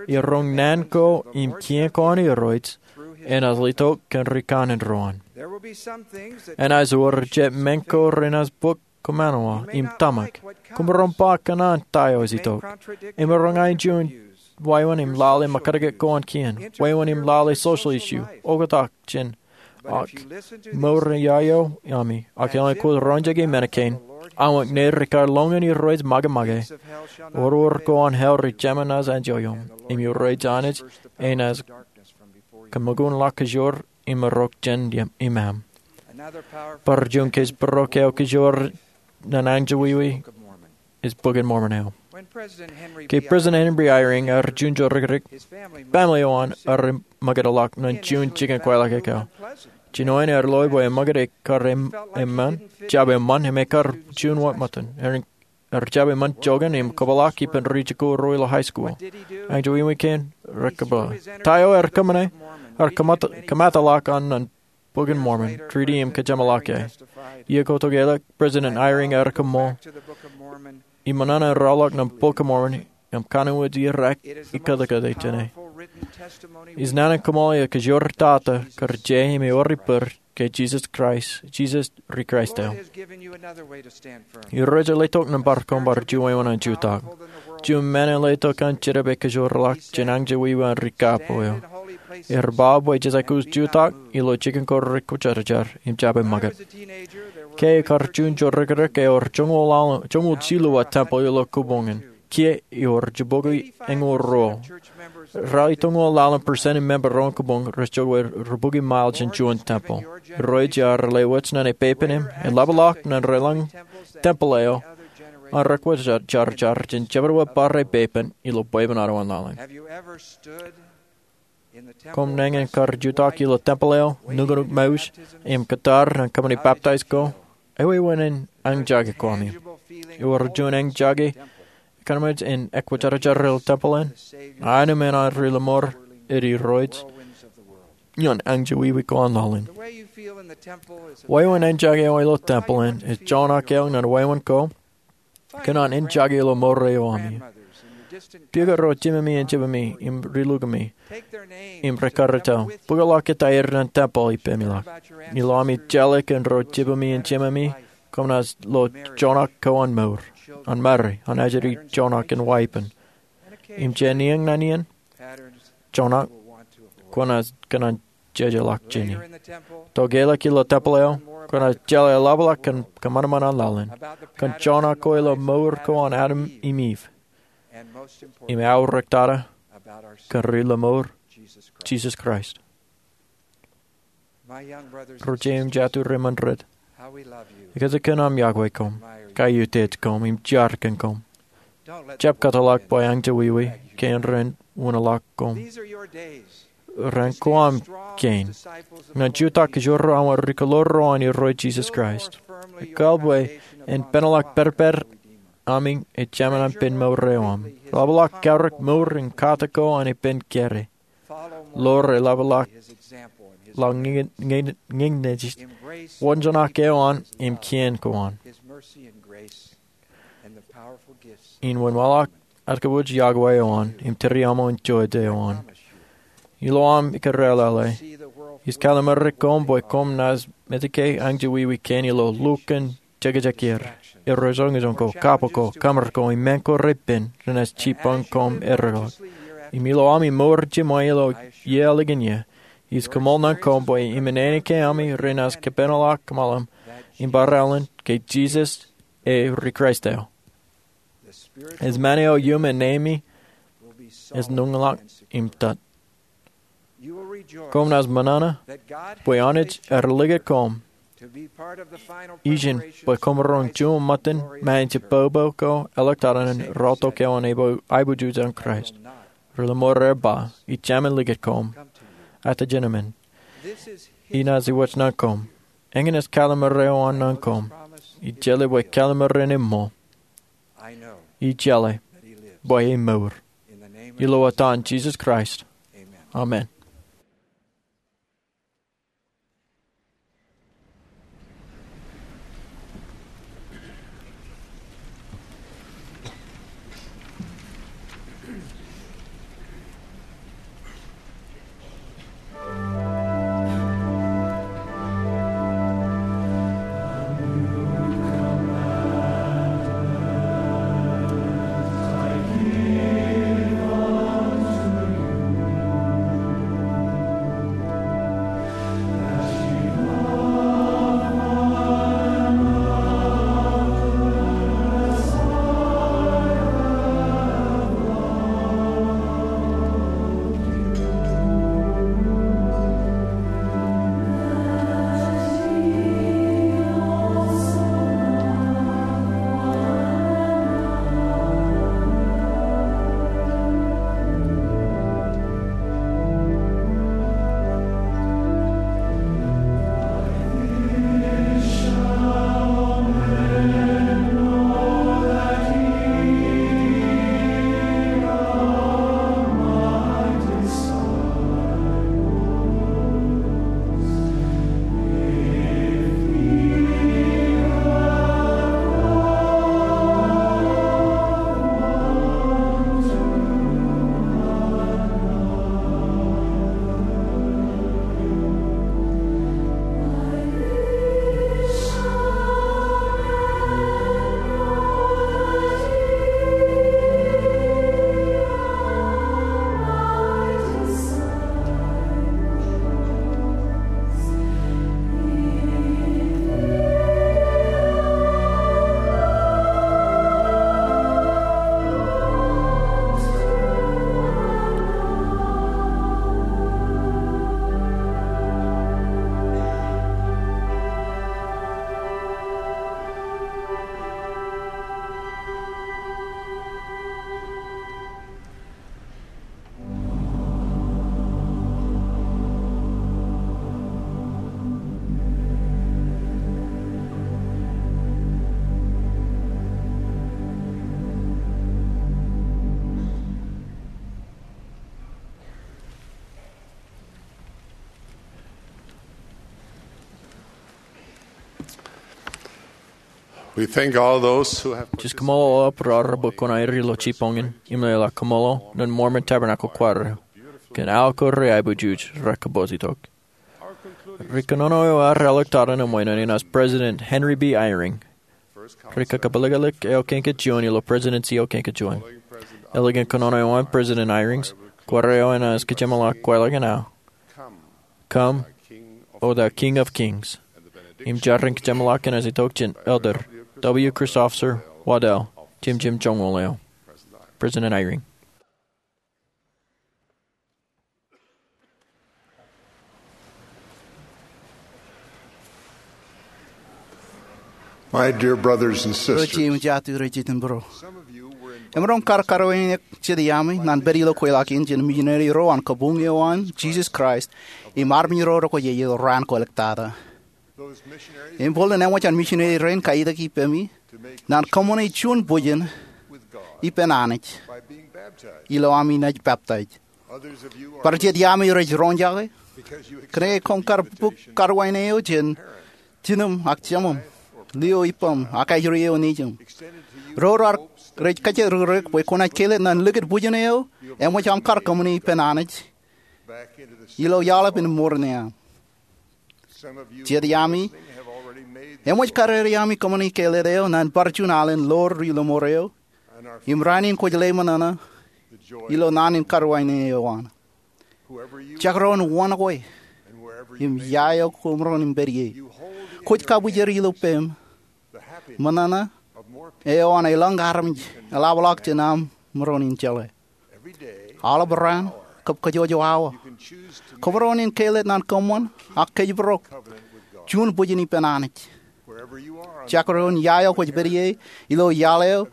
iroñ naan ko im kien ko an Irooj, enaaj letok kōn ri kanaan ro an. Enaaj wōr jet men ko renaaj bōk kōṃṃan wa im tōmak. Koṃ maroñ ba kōṇaan ta eo ej itok. Emaroñ aikuj in wāween im lale ṃōkajjik ko an kien. Wāween im lale social issue. Oktak jān ak mour in iiō ami. Ak eḷaññe kwōj roñjake men kein, āinwōt ṇe rekar lōñ in Irooj ṃōkaj. Oror ko an hell ri jemān enaaj enjoy eok. Im Irooj Anij enaaj kōṃṃool ḷọk kōjro im maroñ jān iṃaan. Bar juon kōjparok eo kōjro ñan anjọ wiwi ej Bok in Mormon eo. Ke President Henry Eyring ear juon jodikdik, family eo an ear ṃōkadḷọk ñan juon jikin kwaḷọk ekōḷọk. Jinoin ear loe bwe eṃōkad ekar eṃṃan, jab eṃṃan im ekar juon wōt ṃōttan. Ear jab eṃṃan joñan im kōpeḷḷọk ippān ri jikuuḷ ro ilo high school. Anjọ wiwi kein, rekōpeḷḷọk. Ta eo ear kōṃṃane? Ear kōṃat-, kōṃadḷọk an ñan Bok in Mormon, treaty im kōjeṃḷọk e. Iiō ko tokālik, President Eyring ear koṃṃool. Im ṃōṇōṇō ear ḷọk ñan Bok in Mormon, im kōnono ej irak ikōtkōt jāne. Ij naan in koṃṃool eo kōjro tata kar je im ewōr ippād ke Jesus Christ, Jesus ri Christ eo. Irooj ej letok nōṃba koṃ bar juon wāween an jutak. Juon men ej letok an jenōb eo kōjro ḷọk jān anjọ wiwi an ri kapo eo. Erba bwe jesaik wōt jutak ilo jikin ko rekwōjarjar im jab e ṃakūt. Ke ekar juon jorrākrāk ewōr joñoul jilu wōt tempeḷ ilo kōboñ in. Kiiō ewōr jibukwi eñoul ruo. Ralitōñoul laḷ in percent in member ro kōboñ rej jokwe rubukwi mālōt jān juon tempeḷ. Irooj eo ear lewōj ñan e pepen im eḷapḷọk ñan rōlañ tempeḷ eo an rekwōjarjar jān jemān bar e pepen ilo bwebwenato an laḷ in. Koṃ nañin kar jutak ilo tempeḷ eo, nuknuk mouj, im kōttar ñan kōṃṃani baptize ko? Ewōr wāween eñjake koṃ im ewōr juon eñjake kōṃṃan in ekwōjarjar ilo tempeḷ in? Aenōṃṃan an ri-lọmọọr ej Irooj ñan eñjake wiwi ko an laḷ in. Wāween eñjake eo ilo tempeḷ in ej joñak eo ñan wāween ko kōn an eñjake ilo mour eo ami. Pukot ro jimemi in jimemi im ri-lukumi im ri-karreo, bōkḷọk etaer ñan tempeḷ ippāmilọk. Ilo ami jeḷā kōn ro jimemi in jimemi, koṃ naaj lo joñak ko an mour, an mari, an ajri joñak in wāween. Im jān iien ñan iien, joñak kwōnaaj kōṇaan jejeḷọk jāni. Tokālik ilo tempeḷ eo, kwōnaaj jeḷā eḷapḷọk kōn kōṃanṃan an laḷ in, kōn joñak ko ilo mour ko an Adam im Iv, im aorōk tata kōn ri-lọmọọr, Jisōs Kraist. Ro jeiū im jatū ri-mejād, ekōjkan aṃ iọkwe koṃ, kaiutiej koṃ, im jar kōn koṃ. Jab kōtḷọk bwe eñjake wiwi kein ren uñḷọk koṃ. Raṇ ko aṃ kein. Ñan jutak kōjro aṃ ri-kōḷoor ro an Irooj Jisōs Kraist. Ekāāl bwe en penaḷọk pedped ami ejāmin an pen mour eo aṃ. Ḷapḷọk kaorōk mour in kate ko an ippān kōrā. Ḷoor eḷapḷọk ḷọk ñe-, ñe-, ñe-, ñe-, wōnjeṇak eo an im kien ko an. In wōnṃaanḷọk atkabwij iọkwe eo an im tūriaṃo in jota eo an. Ilo aṃ ikōrā ḷọk, ij kallim̧ur koṃ bwe koṃ naaj metak ke eñjake wiwi kein ilo lukkuun jekjek er, errejoñojoñ ko, kabbok ko, kōṃṃar ko, im men ko repen renaaj jipañ koṃ erreo. Im ilo ami mour jiṃwe ilo iiō ālikin iiō, ij koṃṃool ñan koṃ bwe im āne ke ami renaaj kōpenaḷọk kōṃṃan im barāinwōt ke Jisōs ej ri-Kraist eo. Ej men eo iuṃ ānemi ej nuñḷọk im tōt. Koṃ naaj ṃōṇōṇō bwe Anij ear likūt koṃ ijin bwe koṃ roñ juon ṃōttan māin jibbobo ko eḷak tata ñan rọọltok eo an aiboojoj an Kraist. Ri-lọmọọr eo ba, ij jemān likūt koṃ at the gentleman. Inaaj iwōj ñan koṃ. Eñin ej kallim̧ur eo an ñan koṃ. Ij jeḷā bwe kallim̧ur in eṃṃool. Ij jeḷā bwe e mour. Ilo etan Jisōs Kraist. Amen. We thank all those who have Jej kōṃṃool aolep raar bwe kwōn aer ilo jibboñ in im leḷọk kōṃṃool nōn Mormon Tabernacle Choir kōn aō ko reaiboojoj rekapoojitok. Ri kōnono eo ear āliktata ṇe ṃweo ṇe in as President Henry B. Eyring. Ri kōkpeḷḷọk eo kein kein juon ilo Presidency eo kein kein juon. Ālikin kōnono eo an President Eyring, choir eo enaaj kōjeṃḷọk kwaḷọk in aō Come, O thou King of Kings. Im jar in kōjeṃḷọk enaaj itok jān Elder W. Christopher Waddell, jemjem joñoul eo. President Eyring. My dear brothers and sisters, Ro jeiū im jatū rej jitōnbōro. Emaroñ kar karuwainene jet iaami ñan pād ilo kweilọk in jān misineri ro an kabuñ eo an Jesus Christ im armej ro rekwojarjar raan kolōktata. Im bōlen eṃōj an misineri rein kaitikpe ippemi ñan kōṃṃane juon bwijin ippān Anij ilo ami naaj peptaij. Bar jet iaami rej roñjake kōn ke koṃ kar bōk karuwainene eo jān jinem ak jemem, lio ippaṃ ak ajri eo nejūṃ. Ro raar rej kōjjirōkrōk bwe kwōnaaj kelōt ñan likūt bwijin eo eṃōj aṃ kar kōṃṃane ippān Anij ilo iaḷ eo im mour ṇe aṃ. Jet iaami eṃōj kar ewi ami kōṃṃane kelōt eo ñan bar juon alen ḷoor ri lọmọọr eo im raan in kwōj ḷōmṇōṇō ilo naan in karuwainene eo an. Jekdọọn wōn kwe im ia eo kwōmaroñ in pād ie, kwōj kabwijer ilo peiṃ ṃōṇōṇō eo an elōñ armej eḷapḷọk jān aṃ maroñ in jeḷā. Aolep raan kab kōjwōj awa, kwōmaroñ in kelōt ñan kōṃṃan ak kōjparok juon bwijin ippān Anij. Jekdọọn ia eo kwōj pād ie ilo iaḷ eo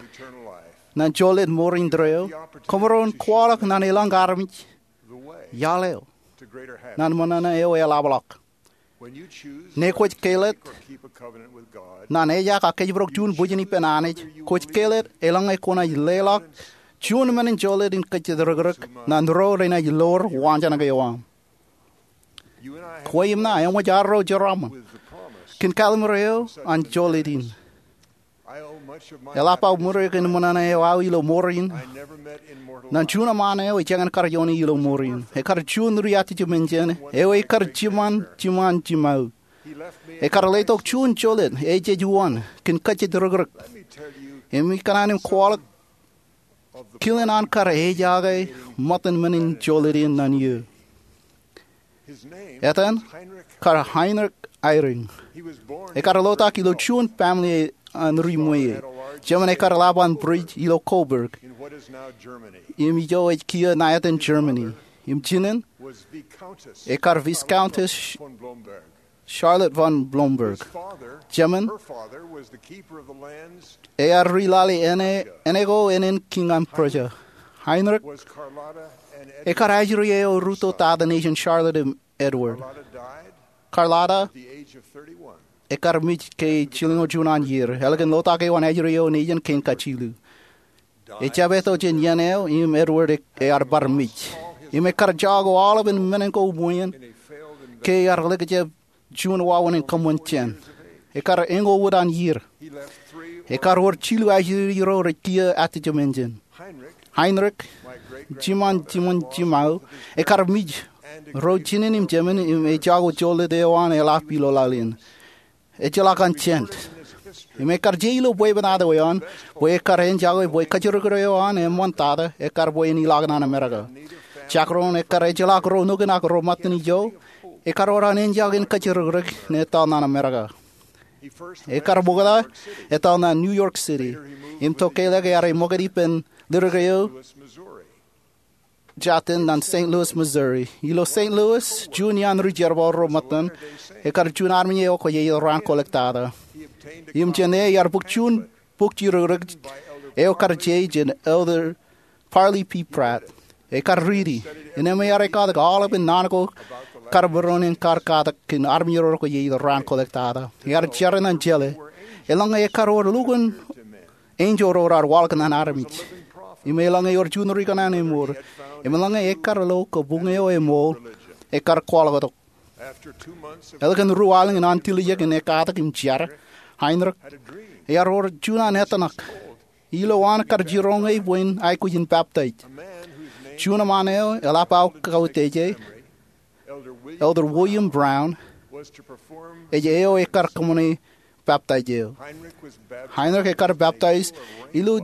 ñan jolōt mour indeeo, kwōmaroñ kwaḷọk ñan elōñ armej iaḷ eo ñan ṃōṇōṇō eo eḷapḷọk. Ñe kwōj kelōt ñan ejak ak kōjparok juon bwijin ippān Anij, kwōj kelōt eḷaññe kwōnaaj leḷọk juon men in jolōt in kōjjitōkrōk ñan ro renaaj ḷoor waanjoñak eo aṃ. Kwe im ṇa eṃōj arro jeraaṃṃan kōn kalliṃur eo an jolōt in. Eḷap aō ṃure kōn ṃōṇōṇō eo aō ilo mour in ñan juon eṃṃaan eo ejāñin kar ioone ilo mour in. Ekar juon ri-atijemenjen eo ekar jiṃṃan jiṃṃan jiṃṃaō. Ekar letok juon jolōt ejej uwaan kōn kōjjitōkrōk. Im ikōṇaan im kwaḷọk kilen an kar ejake ṃōttan men in jolōt in ñan eō. Etan kar Heinrich Eyring. Ekar lotak ilo juon family an ri ṃweiie. Jemān ekar ḷap an bridge ilo Coburg, im ijo ej kiiō ṇa etan Germany. Im jinen ekar Viscountess Charlotte von Blomberg. Jemān ear ri lale āne, āne ko ānen kiiñ an Prussia. Heinrich ekar ajri eo rūtto tata nejin Charlotte im Edward. Carlotta ekar mej ke jilñoul juon an iiō. Ālikin lotak eo an ajri eo nejin kein kajjilu, ejab eto jān iien eo im Edward e, ear bar mej. Im ekar jako aolepān men ko ṃweien ke ear likjab juon wāween in kōṃṃan jān. Ekar eñoul wōt an iiō. Ekar wōr jilu ajri ro rej kiiō atijemenjen. Heinrich, jiṃṃan jiṃṃan jiṃṃaō, ekar mej ro jinen im jemān im ejako jolōt eo an eḷap ilo laḷ in. Ejjeḷọk an jān. Im ekar je ilo bwebwenato eo an bwe ekar enjake bwe kōjro eo an eṃṃan tata ekar bwe en ilọk ñan Amerika. Jekdọọn ekar ejjeḷọk ro nukun ak ro ṃōttan ijo, ekar wōr an enjake in kōjro ṇe etal ñan Amerika. Ekar ṃokta etal ñan New York City im tokālik ear ṃokta ippān ledik eo jatin ñan Saint Louis, Missouri. Ilo Saint Louis, juon iaan ri-jerbal ro ṃōttan, ekar juon armej eo kwōjarjar raan kolōktata. Im jān e ear bōk juon bok jirokrōk eo kar je jān Elder Parley P. Pratt. Ekar riiti, innām ear ekatak aolepān naan ko kar maroñ in kar katak kōn armej ro kwōjarjar raan kolōktata. Ear jar ñan jeḷā, eḷaññe ekar wōr lukkuun enjeḷ ro raar waḷọk ñan armej. Im eḷaññe ewōr juon ri kōṇaan eṃool, im eḷaññe ekar lo kabuñ eo eṃool, ekar kwaḷọk tok. Ālikin ruo aelōñ in an tiljek in ekatak im jar, Heinrich ear wōr juon an ettōṇak ilo an kar jiroñ e bwe en aikuj in peptaij. Juon eṃṃaan eo eḷap aō kauwōt ej e, Elder William Brown, ej eo ekar kōṃṃane peptaij eo. Heinrich ekar peptaij ilo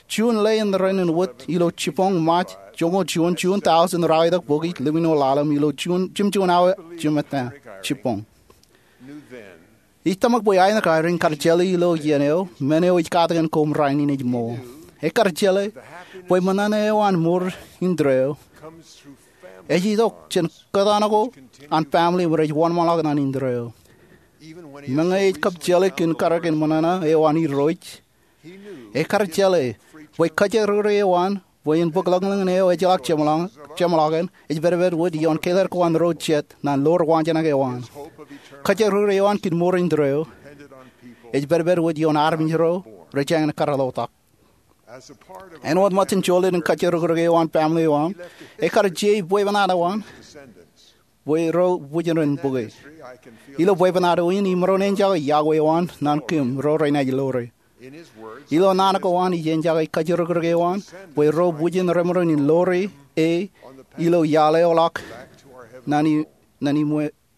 juon ḷeeṇ rein in wōt ilo jibboñ Ṃaaj joñoul juon, juon tọujin ralitōk bokij ḷimjuonñoul ḷalem, ilo jimjuon awa jimettan jibboñ. Ij tōmak bwe Heinrich Eyring kar jeḷā ilo iien eo men eo ij katakin koṃ rainin ej ṃool. Ekar jeḷā bwe ṃōṇōṇō eo an mour indeeo ej itok jān kōttan ko an family im rej wōnṃaanḷọk ñan indeeo. Meñe ej kab jeḷā kōn karōk in ṃōṇōṇō eo an Irooj, ekar jeḷā bwe kōjekdikdik eo an bwe en bōk ḷōñḷōñ in eo ejjeḷọk jeṃḷọkin ej pedped wōt ioon keled ko an ro jet ñan ḷoor waanjinōk eo an. Kōjekdikdik eo an kōn mour indeeo ej pedped wōt ioon armej ro rej jañin karreoḷọk. Āinwōt ṃōttan jolōt in kōjekdikdik eo an family eo an, ekar je bwebwenato eo an bwe ro bwijin ren bōke. Ilo bwebwenato in imaroñ enjake iọkwe eo an ñan kōm ro renaaj ḷoore. Ilo naan ko an ij enjake kōjekdikdik eo an bwe ro bwijin remaroñ in ḷoore e ilo iaḷ eo ḷọk ñan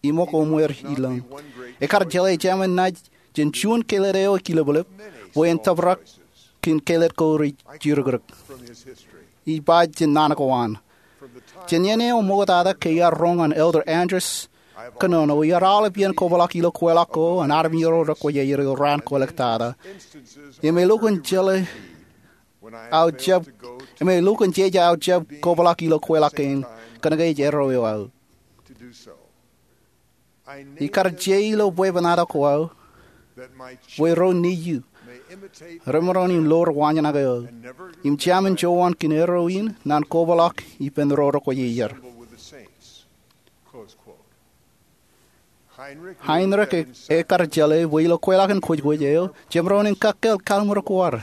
iṃōk oṃwōr ilōñ. Ekar jeḷā jemān naaj jān juon keled eo ekilōblōb bwe en tōprak kōn keled ko rej jidikdik. Ij ba jān naan ko an, jān iien eo ṃoktata ke iar roñ ñan Elder Andrus Kōnono, iar aolep iien kobrak ilo kweilọk ko an armej ro rekwōjarjar ilo raan ko ḷọk tata. Im elukkuun jeḷā aō jab, im elukkuun jeje aō jab kobrak ilo kweilọk kein kōnke ej erreo eo aō. Ikar je ilo bwebwenato ko aō bwe ro nejier remaroñ in ḷoor waanjinōk eo aō im jemān jowan kōn erreo in ñan kobrak ippān ro rekwōjarjar. Heinrich e, ekar jeḷā bwe ilo kweilọk in kwōjkwōj eo jemaroñ in kakkāāl kallim̧ur ko ad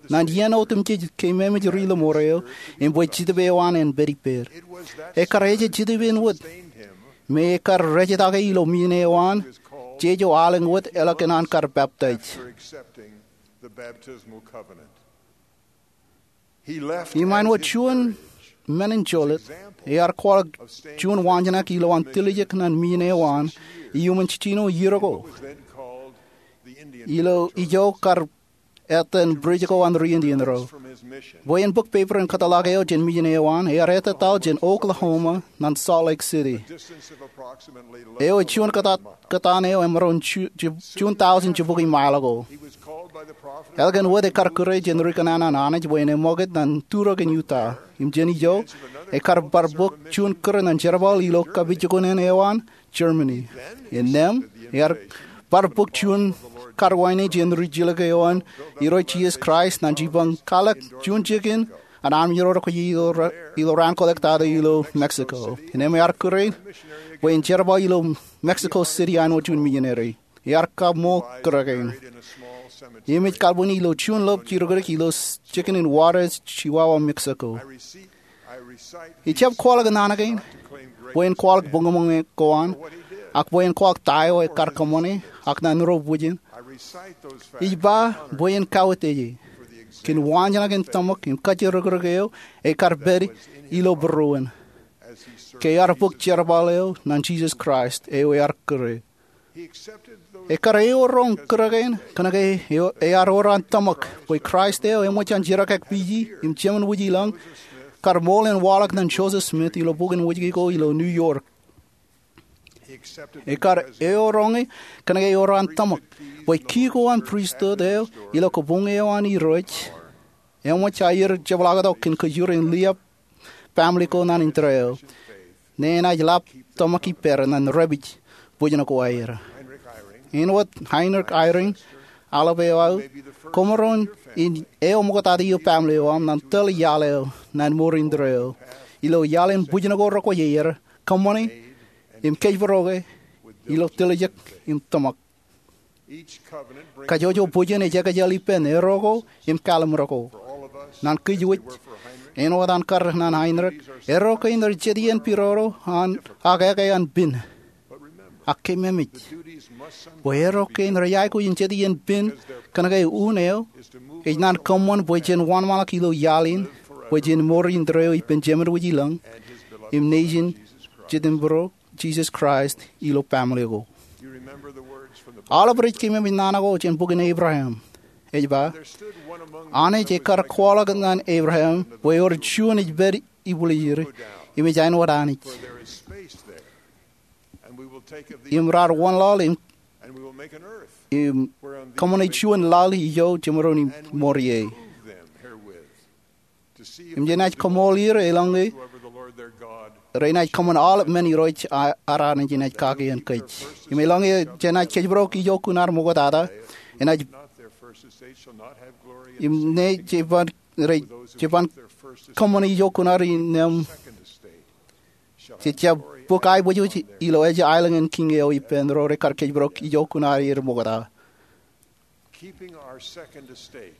ñan iien otemjej ke memeej ri-lōṃor eo im bwe Jetōb eo an en pād ippād. Ekar ejej Jetōb in wōt me ekar rejtake ilo mejān eo an jeje alen wōt ālikin an kar peptaij. Im āinwōt juon men in jolōt, ear kwaḷọk juon waanjinōk ilowaan tiljek ñan mejān eo an iuṃwin jiljino iiō ko ilo ijo kar etan bridge ko an ri-Indian ro bwe en bōk peper in kōtḷọk eo jān mejān eo an. Ear ettataḷ jān Oklahoma ñan Salt Lake City, eo ej juon kōtaan eo emaroñ juon tọujin jibukwi mael ko. Ālikin wōt ekar kūr e jān ri-kōnnaan an Anij bwe en eṃṃakūt ñan turok in Utah. Im jān ijo ekar bar bōk juon kūr ñan jerbal ilo kapijuknen eo an Germany. Innām ear bar bōk juon karuwaine jān ri-jilōk eo an Irooj Jisōs Kraist ñan jibboñ kwaḷọk juon jikin an armej ro rekwōjarjar ilo raan ko ḷọk tata ilo Mexico. Innām ear kūr e bwe en jerbal ilo Mexico City āinwōt juon mejānari. Ear kaṃool kūr kein im ej kalbwini ilo juon lobjidikdik ilo jikin in Juarez, Chihuahua, Mexico. Ij jab kwaḷọk naan kein bwe en kwaḷọk buñbuñ ko an ak bwe en kwaḷọk ta eo ekar kōṃṃane ak ñan ro bwijin. Ij ba bwe en kauwōt ej e kōn waanjinōk in tōmak im kōjatdikdik eo ekar pād ilo būruon ke ear bōk jerbal eo ñan Jisōs Kraist eo ear kūr e. Ekar eoroñ kūr kein kōnke ear ewōr an tōmak bwe Kraist eo eṃōj an jerkakpeje im jemān wōj ilọñ kar ṃool in waḷọk ñan Joseph Smith ilo bukwōn wōjke ko ilo New York. Ekar eoroñ e kōnke ewōr an tōmak bwe ki ko an pristut eo ilo kabuñ eo an Irooj eṃōj aer jepḷaaktok kōn kōjur in liab family ko ñan indeeo ñe enaaj lap tōmak ippād ñan dāpij bwijin ko aer. Āinwōt Heinrich Eyring, aolep eo aō, koṃaroñ in eo ṃoktata ilo family eo aṃ ñan tōl iaḷ eo ñan mour indeeo ilo iaḷ in bwijin ko rekwōjarjar, kōṃṃane, im kōjparoke ilo tiljek im tōmak. Kajjojo bwijin ej ekjel ippān erreo ko im kallim̧ur ko. Ñan kōj wōj, āinwōt an kar ñan Heinrich, erreo kein rej jet iien pidodo an ak eke an pin. Ak keememej bwe erro kein rej aikuj in jet iien pen kōnke un eo ej naan kōṃṃan bwe jen wōnṃaanḷọk ilo iaḷ in bwe jen ṃoor indeeo ippān Jemān wōj ilōñ im Nejin Jetōnbōro, Jisōs Kraist, ilo baaṃle ko. Aolep rej keememej naan ko jān bok in Ebream, ej ba, Anij ekar kwaḷọk ñan Ebream bwe ewōr juon ej pād ibwiljir im ej āinwōt Anij, im raar wōnlaḷ im kōṃṃane juon laḷ ijo jemaroñ in ṃoor ie, im jenaaj kaṃool er eḷaññe renaaj kōṃṃan aolep men irooj ad Anij enaaj kake ñan kōj. Im eḷaññe jenaaj kōjparok ijo kuṇaar ṃoktata, enaaj, im ñe jeban, rej jeban kōṃṃan ijo kuṇaar innām, jej jab bōk aiboojoj ilo ej aelōñ in kiiñ eo ippān ro rekar kōjparok ijo kuṇaar er ṃokta.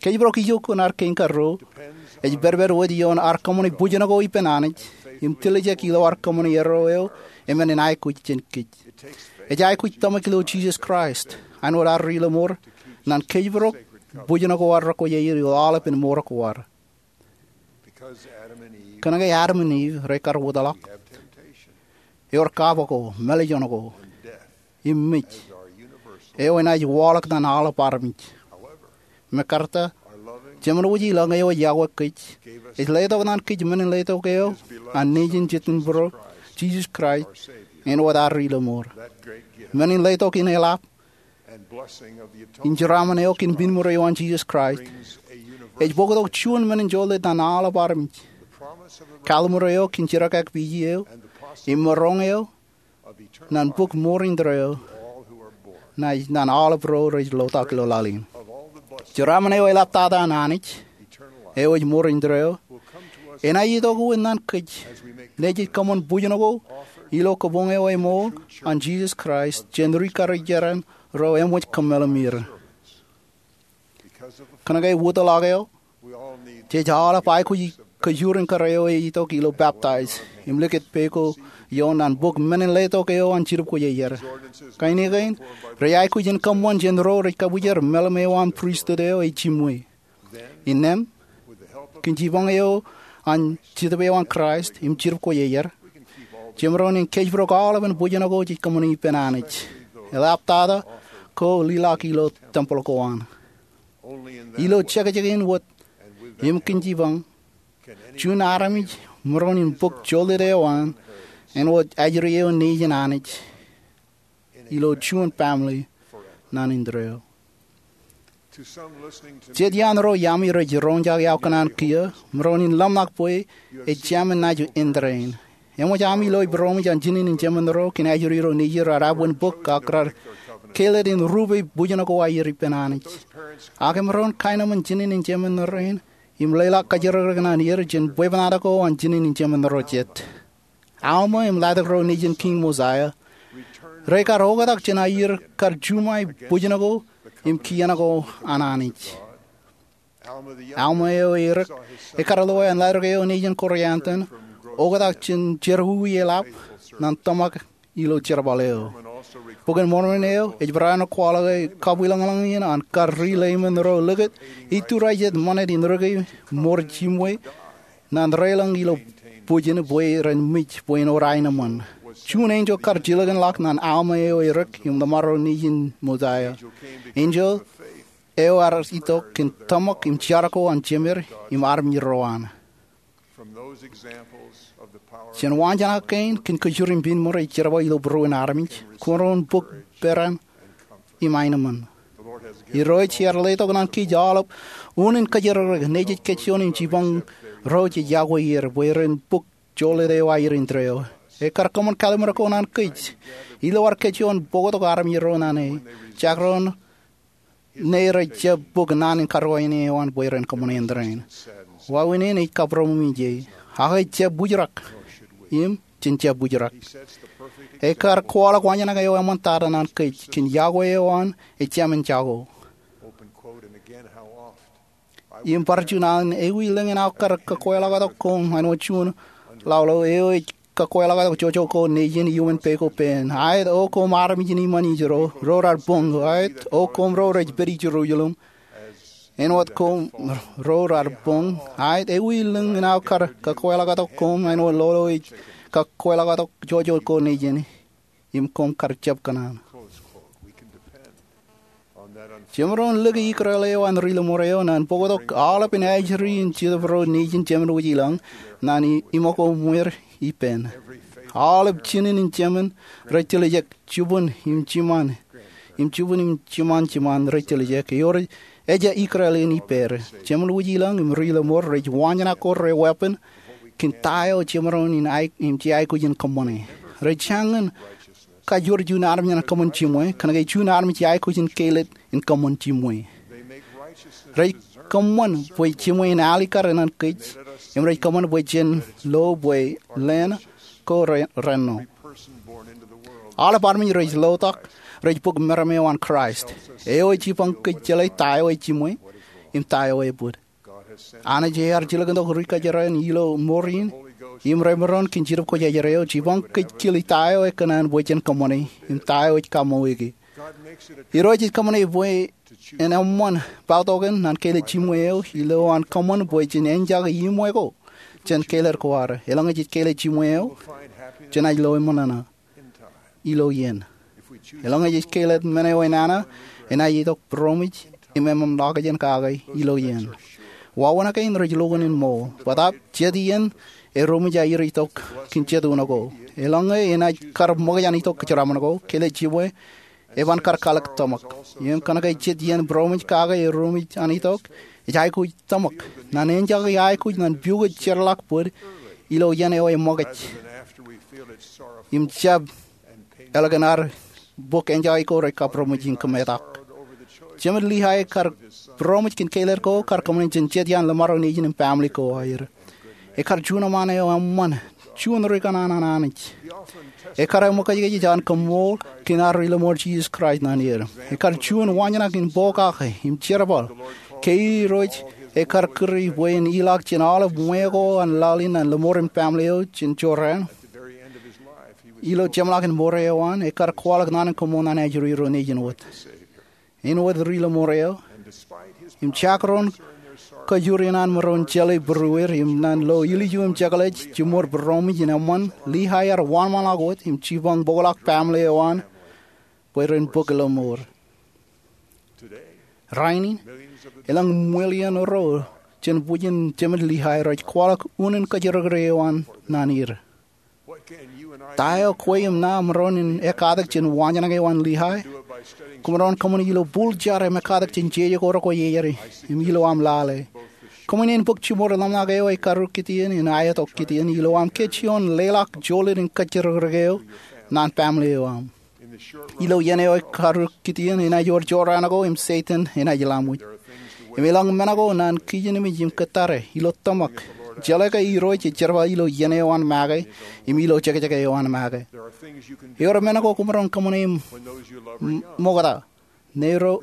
Kōjparok ijo kuṇaar kein karuo ej pedped wōt ioon ad kōṃṃane bōjṇọ ko ippān Anij im tiljek ilo ad kōṃṃane erro eo eṃṃan in aikuj jān kōj. Ej aikuj tōmak ilo Jisōs Kraist, āinwōt ad ri-lọmọọr, ñan kōjparok bōjṇọ ko ad rekwoja er ilo aolepān mour ko ad. Kōnke Adam im Iv rekar wōtlọk, ewōr kapo ko, mālejjoñ ko, im mej eo enaaj waḷọk ñan aolep armej. Mekarta, Jemān wōj ilọñ eo ej iọkwe kōj ej letok ñan kōj men in letok eo an Nejin Jetōnbōro, Jisōs Kraist, āinwōt ad ri-lọmọọr. Men in letok in eḷap im jeraṃṃan eo kōn pinnṃur eo an Jisōs Kraist ej bōktok juon men in jolōt ñan aolep armej. Kaḷmur eo kōn jerkakpeje eo im maroñ eo ñan bok mour indeeo ñan aolep ro rej lotak ilo laḷ in. Jeraṃṃan eo eḷaptata an Anij eo ej mour indeeo enaaj itok wōt ñan kōj ñe jej kōṃṃan bōjṇọ ko ilo kabuñ eo eṃool an Jisōs Kraist jān ri-karijeran ro eṃōj kōmālōmōl er. Kōnke wōtlọk eo, jej aolep aikuj kajjioñ kōrā eo ej itok ilo peptaij im likūt pā ko ioon ñan bōk men in letok eo an jibukwijer. Kain kein rej aikuj in kōṃṃan jān ro rej kabwijer mālōm eo an pristut eo ej jiṃwe. Innām, kōn jipañ eo an Jetōb eo an Kraist im jibukwijer, jemaroñ in kōjparok aolepān bōjṇọ ko jej kōṃṃane ippān Anij, eḷaptata ko lelọk ilo tempel ko an. Ilo jekjekin wōt im kōn jipañ, juon armej emaroñ in bōk jolōt eo an āinwōt ajri eo nejin Anij ilo juon baaṃle naan indeeo. Jet iaan ro iaami rej roñjake aō kōṇaan kiiō, maroñ in ḷōmṇak bwe ej jemān naaj indein. Eṃōj ami loe būroṃōj an jinen in jemān ro kōn ajri ro nejier raar abwin bōk ak raar kāālōt in rupe bōjṇọ ko aer ippān Anij. Ak emaroñ kaenōṃṃan jinen in jemān rein im leḷọk kōjerkak ñan er jān bwebwenato ko an jinen in jemān ro jet. Alma im Ladder ro nejin Kiiñ Mosaia, rekar oktak jān aer kar juṃae bōjṇọ ko im kien ko an Anij. Alma eo erik, ekar loe an Ladder eo nejin Korianton oktak jān jerọwiwi eḷap ñan tōmak ilo jerbal eo. Bok in Mormon eo ej barāinwōt kwaḷọk e kabwilōñlōñ in an kar ri-Leiman ro likūt iturajet ṃanit in rūkaki mour jiṃwe ñan reilōñ ilo bwijin bwe ren mej bwe en wōr aenōṃṃan. Juon enjeḷ kar jilkinḷọk ñan Alma eo erik im Ladder ro nejin Mosaia. Enjeḷ eo ear itok kōn tōmak im jar ko an jemed im armej ro an. Jān waanjoñak kein kōn kajjioñ in pinnṃur ej jerbal ilo būruon armej, kwōmaroñ bōk peran im aenōṃṃan. Irooj ear letok ñan kōj aolep unin kōjerkak nejej kōjjeoñ im jipañ ro jej iọkwe er bwe ren bōk jolōt eo aer indeeo. Ekar kōṃṃan kalliṃur ko ñan kōj. Ilo ad kōjjeoñ bōktok armej ro ñan e, jekdọọn ñe rej jab bōk naan in karuwainene eo an bwe ren kōṃṃane indeeo. Wāween in ej kabūroṃōj ie, ak ej jab bwijrak im jen jab bwijrak. Ekar kwaḷọk waanjoñak eo eṃṃantata ñan kōj kōn iọkwe eo an ejāmin jako. Im bar juon an ewi lōñ in aō kar kōkweḷọktok koṃ āinwōt juon laḷ eo ej kōkweḷọk tok jojo ko nejin iuṃwin peiṃ ko pein. Aet, O koṃ armej in iṃaan Ijo, ro raar boñ. Aet, O koṃ ro rej pād Jerusalem. Āinwōt koṃ ro raar boñ. Aet, ewi lōñ in aō kar kōkweḷọk tok koṃ āinwōt lolo ej kōkweḷọk tok jojo ko nejin, im koṃ kar jab kōṇaan? Jemaroñ lōke ikreel eo an ri-lōṃor eo ñan bōktok aolep ajri in Jetōb ro nejin jemān wōj ilañ ñan iṃōk ko ṃweer ippān. Aolep jinen in jemān rej tiljek, jibwin im jiṃṃan, im jibwin im jiṃṃan jiṃṃan rej tiljek. Ewōr ejja ikreel in ippāer. Jemān wōj ilañ im ri-lōṃor rej wañjana ko re weeppān kōn ta eo jemaroñ in aikuj, im jej aikuj in kōṃṃane. Rej jañin kajoor juon armej ñan kōṃṃan jiṃwe, kōnke juon armej ej aikuj in keilet in kōṃṃan jiṃwe. Rej kōṃṃan bwe jiṃwe en alikkar ñan kōj, im rej kōṃṃan bwe jen lo bwe leen ko renno. Aolep armej rej lotak rej bōk meram eo an Kraist, eo ej jipañ kōj jeḷā ta eo ej jiṃwe im ta eo ebōd. Anij ear jilkintok ri kōjro in ilo mour in im remaroñ kōn Jetōb Kwōjarjar eo, jipañ kōj kile ta eo ekōṇaan bwe jen kōṃṃane im ta eo ej kaṃṃoolol e. Irooj ej kōṃṃane bwe en eṃṃan poutoken ñan keilet jiṃwe eo ilowaan kōṃṃan bwe jen enjake iṃwe ko jān keilet ko ad. Eḷaññe jej keilet jiṃwe eo, jenaaj lo eṃṃan nana ilo iien. Eḷaññe jej keilet men eo enana, enaaj itok būroṃōj im eṃṃan ḷọkjeṇ kake ilo iien. Wāween kein rej lo unin ṃool. Bōtaab jet iien erom ej aer itok kōn jet uno ko. Eḷaññe enaaj kar ṃōkaj an itok kōjeraṃṃan ko, keilet jiṃwe eban kar kalōk tōmak. Im kōnke jet iien būroṃōj kake erom ej an itok, ej aikuj tōmak ñan enjake aikuj ñan piukōt jeorḷọk bōd ilo iien eo eṃōkaj im jab ālikin ad bōk enjake ko rej kabūroṃōj im kōmetak. Jemād Lihay kar būroṃōj kōn keilet ko kar kōṃṃane jān jet iaan lōṃaro nejin im family ko aer. Ekar juon eṃṃaan eo eṃṃan, juon ri kōṇaan an Anij. Ekar eṃōkajkōj ej an koṃṃool kōn ad ri-lōṃoor Jisōs Kraist ñan er. Ekar juon wañjana kōn pokake im jerbal ke Irooj ekar kūr bwe en ilọk jān aolep ṃwe ko an laḷ in an lōṃaro im family eo jān jorrāān. Ilo jeṃḷọkin mour eo an, ekar kwaḷọk naan in koṃṃool ñan ajri ro nejin wōt. Āinwōt ri-lōṃor eo, im jekdọọn kōjro in an maroñ jeḷā būrueir im ñan lo ilju im jekḷaj jiṃor būroṃōj in eṃṃan, Lihay ear wōnṃaanḷọk wōt im jipañ bōkḷọk family eo an bwe ren bōk lōṃoor. Rainin, elōñ million ro jān bwijin jemād Lihay rej kwaḷọk unin kōjrekrek eo an ñan er. Ta eo kwe im ṇa emaroñ in ekkatak jān wañjana eo an Lihay? Kwōmaroñ kōṃṃane ilo bul jar im ekkatak jān jeje ko rekwojarjar im ilo aṃ lale. Kōṃṃane in bōk jiṃor ḷōmṇak eo ej karrūk kitien im aetok kitien ilo aṃ kōj ioon leḷọk jolōt in kōjrekrek eo ñan family eo aṃ. Ilo iien eo ej karrūk kitien enaaj wōr jorrāān ko im Setan enaaj laṃōj. Im elōñ men ko ñan kijenmej im kōttare ilo tōmak, jeḷā ke Irooj ej jerbal ilo iien eo an make im ilo jekjek eo an make. Ewōr men ko kwōmaroñ kōṃṃane im ṃokta ñe ro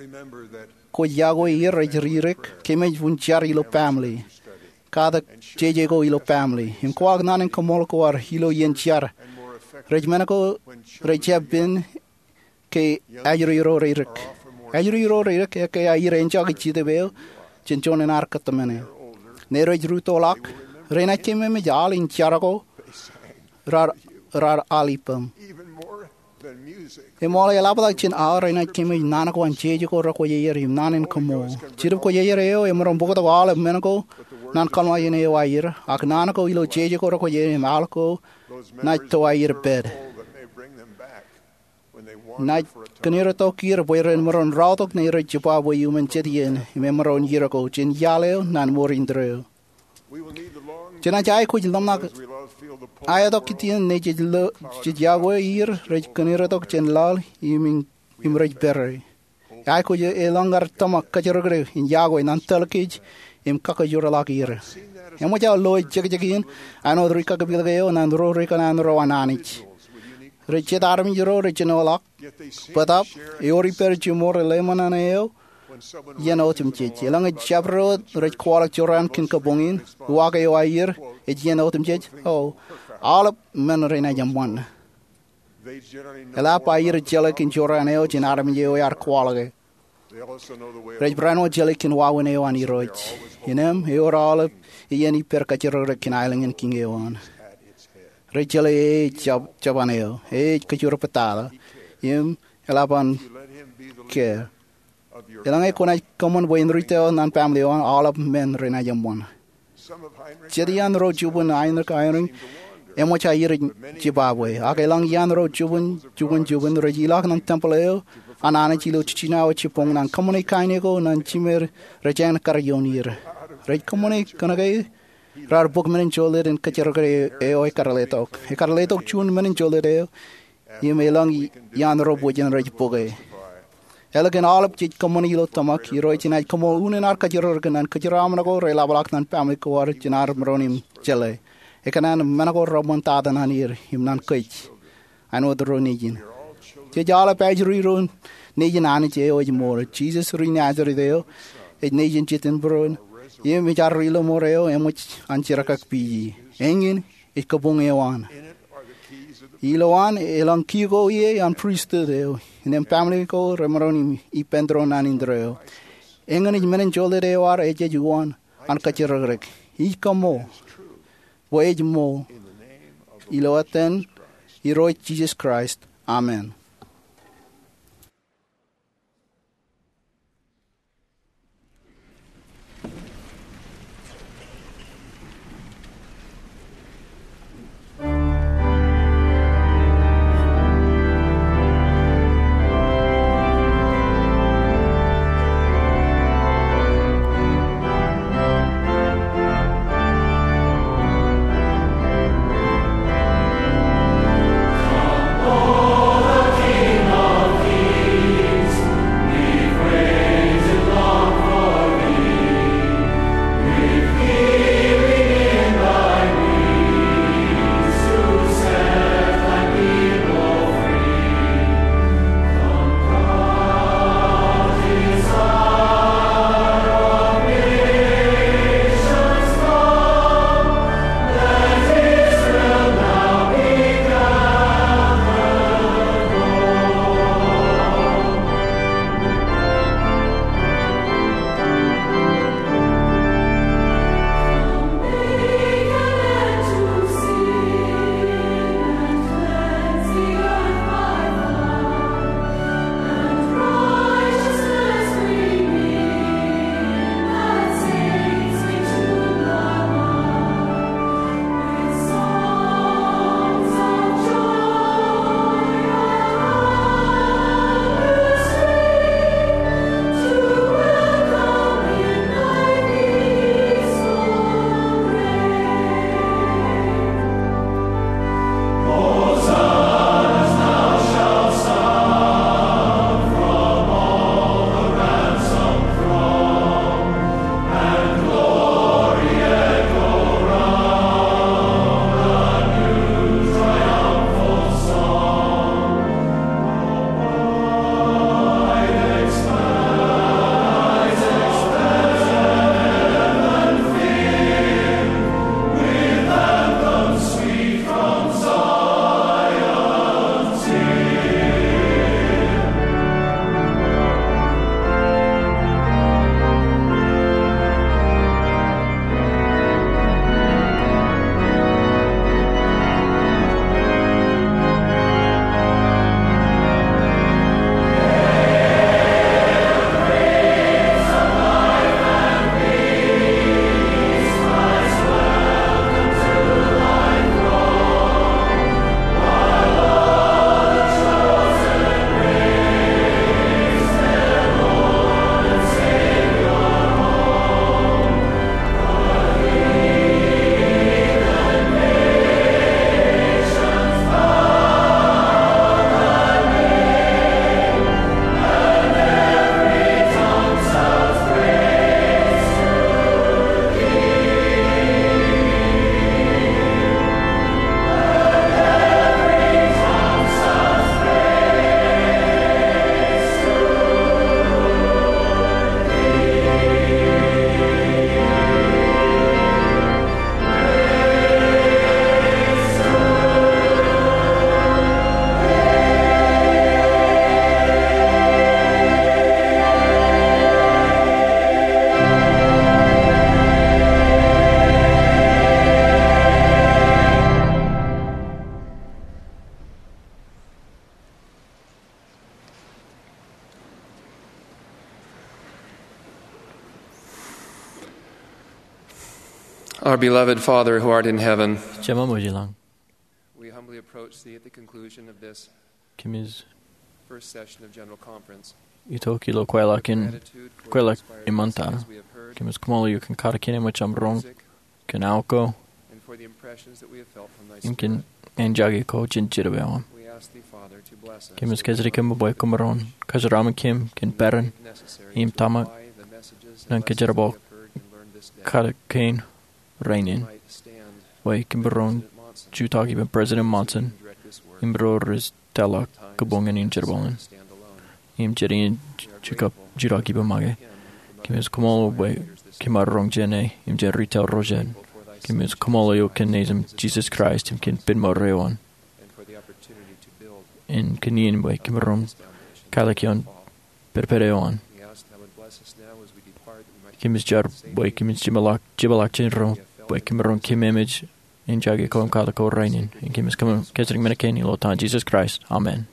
kwōj yokwe er rej ririk, kōmij un jar ilo family, katak jeje ko ilo family, im kwaḷọk naan in koṃṃool ko ad ilo iien jar. Rej men ko rej jab pen ke ajri ro reirik. Ajri ro reirik ekkā aer enjake Jetōb eo jān juon in ad kōtmāne. Ñe rej rūttoḷọk, renaaj kememej aḷ in jar ko raar aḷ ippaṃ. Eṃool eḷaptata jān aḷ, renaaj kememej naan ko an jeje ko rekwōjarjar im naan in koṃṃool. Jetōb Kwōjarjar eo emaroñ bōktok aolep men ko ñan kōḷmānḷọkjeṇ eo aer, ak naan ko ilo jeje ko rekwōjarjar im aḷ ko naaj to aer pād. Naaj kōneertok er bwe ren maroñ raotok ñe rej jibba bwe iuṃwin jet iien im emaroñ ier ko jān iaḷ eo ñan mour indeeo. Jenaaj aikuj ḷōmṇak aetok kitien ñe jej yokwe er rej kōneertok jān laḷ im rej pere. Aikuj elōñ ad tōmak kōjrekrek in yokwe ñan tōl kōj im kakajoorḷọk er. Eṃōj aō loe jekjek in āinwōt ri kakpilōk eo ñan ro ri kōṇaan ro an Anij. Rej jet armej ro rej jino ḷọk, bōtaab ewōr ippād jiṃor ḷōmṇak eo iien otemjej. Eḷaññe jabdewōt rej kwaḷọk jorrāān kōn kabuñ in, uwaak eo aer ej iien otemjej, o, aolep men renaaj eṃṃan. Eḷap aer jeḷā kōn jorrāān eo jān armej eo ear kwaḷọke. Rej barāinwōt jeḷā kōn wāween eo an Irooj. Innām ewōr aolep iien ippād kajjirōkrōk kōn aelōñ in kiiñ eo an. Rej jeḷā e ej jab-, jabōn eo, e ej kōjro pād tata, im eḷap an kea. Eḷaññe kwōnaaj kōṃṃan bwe en ri tōl eo an family eo an, aolep men renaaj eṃṃan. Jet iaan ro jibwin Heinrich Eyring eṃōj aer jibabwe. Ak elōñ iaan ro jibwin, jibwin, jibwin rej ilọk ñan tempel eo an Anij ilo jiljino jibboñ naan kōṃṃane kain eo ko ñan jimeer rej jañin kar ioon er. Rej kōṃṃane kōnke raar bōk menin jolōt in kōjjirōkrōk eo ekkar letok. Ekkar letok juon menin jolōt eo im elōñ iaan ro bwe jen rej bōke. Ālikin aolep jej kōṃṃani ilo tōmak, Irooj enaaj koṃṃool unin ad kajjirōkrōk ñan kōjro aṃ men ko reḷapḷọk ñan family ko ad jān ad maroñ in jeḷā. Ekōṇaan men ko reṃṃan tata ñan er im ñan kōj, āinwōt ro nejin. Jej aolep ajri ro nejin Anij eo ej ṃool. Jisōs ri Nazeret eo ej nejin Jetōb Irooj im ej ad ri lọmọọr eo eṃōj an jerkakpeje. Eñin ej kabuñ eo an. Ilowaan elōñ key ko ie an pristut eo, innām family ko remaroñ in ippān tōre ñan indeeo. Eñin ej menin jolōt eo ad ejej uwaan an kajjirōkrōk. Ij kaṃṃool bwe ej ṃool. Ilo etan Irooj Jisōs Kraist, amen. Our beloved Father who art in heaven, Jemām eo ej ilañ, we humbly approach thee at the conclusion of this kōmij first session of General Conference. Itok ilo kweilọk in, kweilọk iṃōn tata. Kōmij koṃṃool eok kōn katak kein eṃōj aṃ roñ, kōn aō ko, and for the impressions that we have felt from thy im kōn spirit. Āinjake ko jān Jetōb eo aṃ. We ask thee, Father, to bless us. Kōmij kōjatdikōm bwe kwōmaroñ kōjeraaṃṃan kōm kōn peran im tōmak ñan kōjerbal katak kein rainin, bwe kōm bar roñ jutak ippān President Monson im ro rej tōlḷọk kōbuñ in jerbal in im jet in jutak ippān make. Kōmij koṃṃool bwe kōm ar roñ jāne im jān retail ro jet. Kōmij koṃṃool eok kōn Nejūṃ Jisōs Kraist im kōn pen mour eo an, im kōn iien bwe kōm bar roñ katak ioon pedped eo an. Kōmij jar bwe kōmij jepḷaak, jepḷaak jān ro bwe kōm bar roñ kōm emej āinjake ko im katak ko rainin. Im kōmij kōmij kōjatdikōm men kein ilo etan Jisōs Kraist. Amen.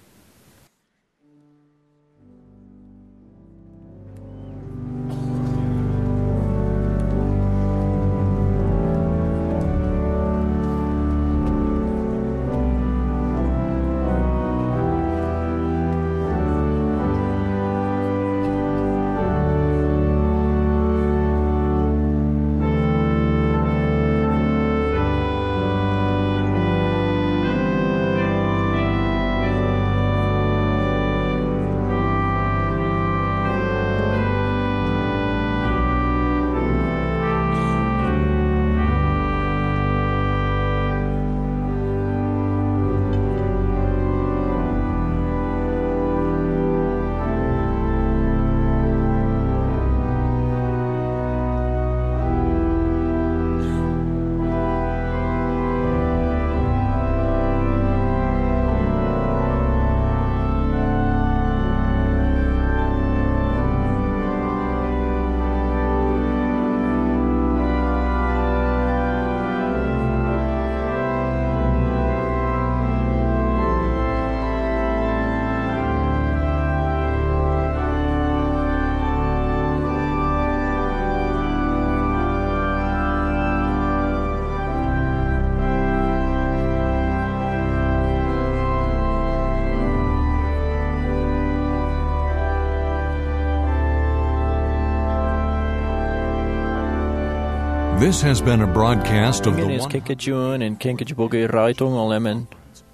This has been a broadcast of the Eñin ej one kōkkujuon in kōn kōjparok raelep eo an.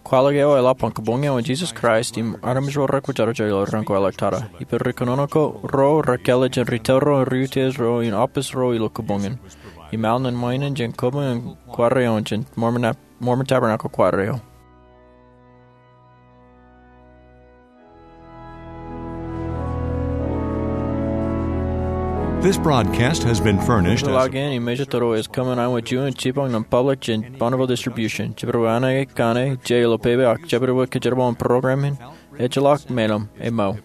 Kwaḷọk eḷap an kōbuñe eo an Jisōs Kraist im armej ro rekwōjarjar ilo raan kwaḷọk tata. Ippān ri kōnono ro rekāālōt jān retail ro, ri-utiej ro, im office ro ilo kōbuñ in. Im al ñan ṃae in jān kōbuñ in kwaar eo an jān Mormon Tab-, Mormon Tabernacle Choir eo. This broadcast has been furnished as Ḷọk in im mejatoto ej kōṃṃan āinwōt juon jipañ ñan public jān Bonneville Distribution. Jibadwōj an eo kōṇaan ej ilo pepe ak jibadwōj kōjerbal in program in ejjeḷọk. Meḷeḷe, ṃool.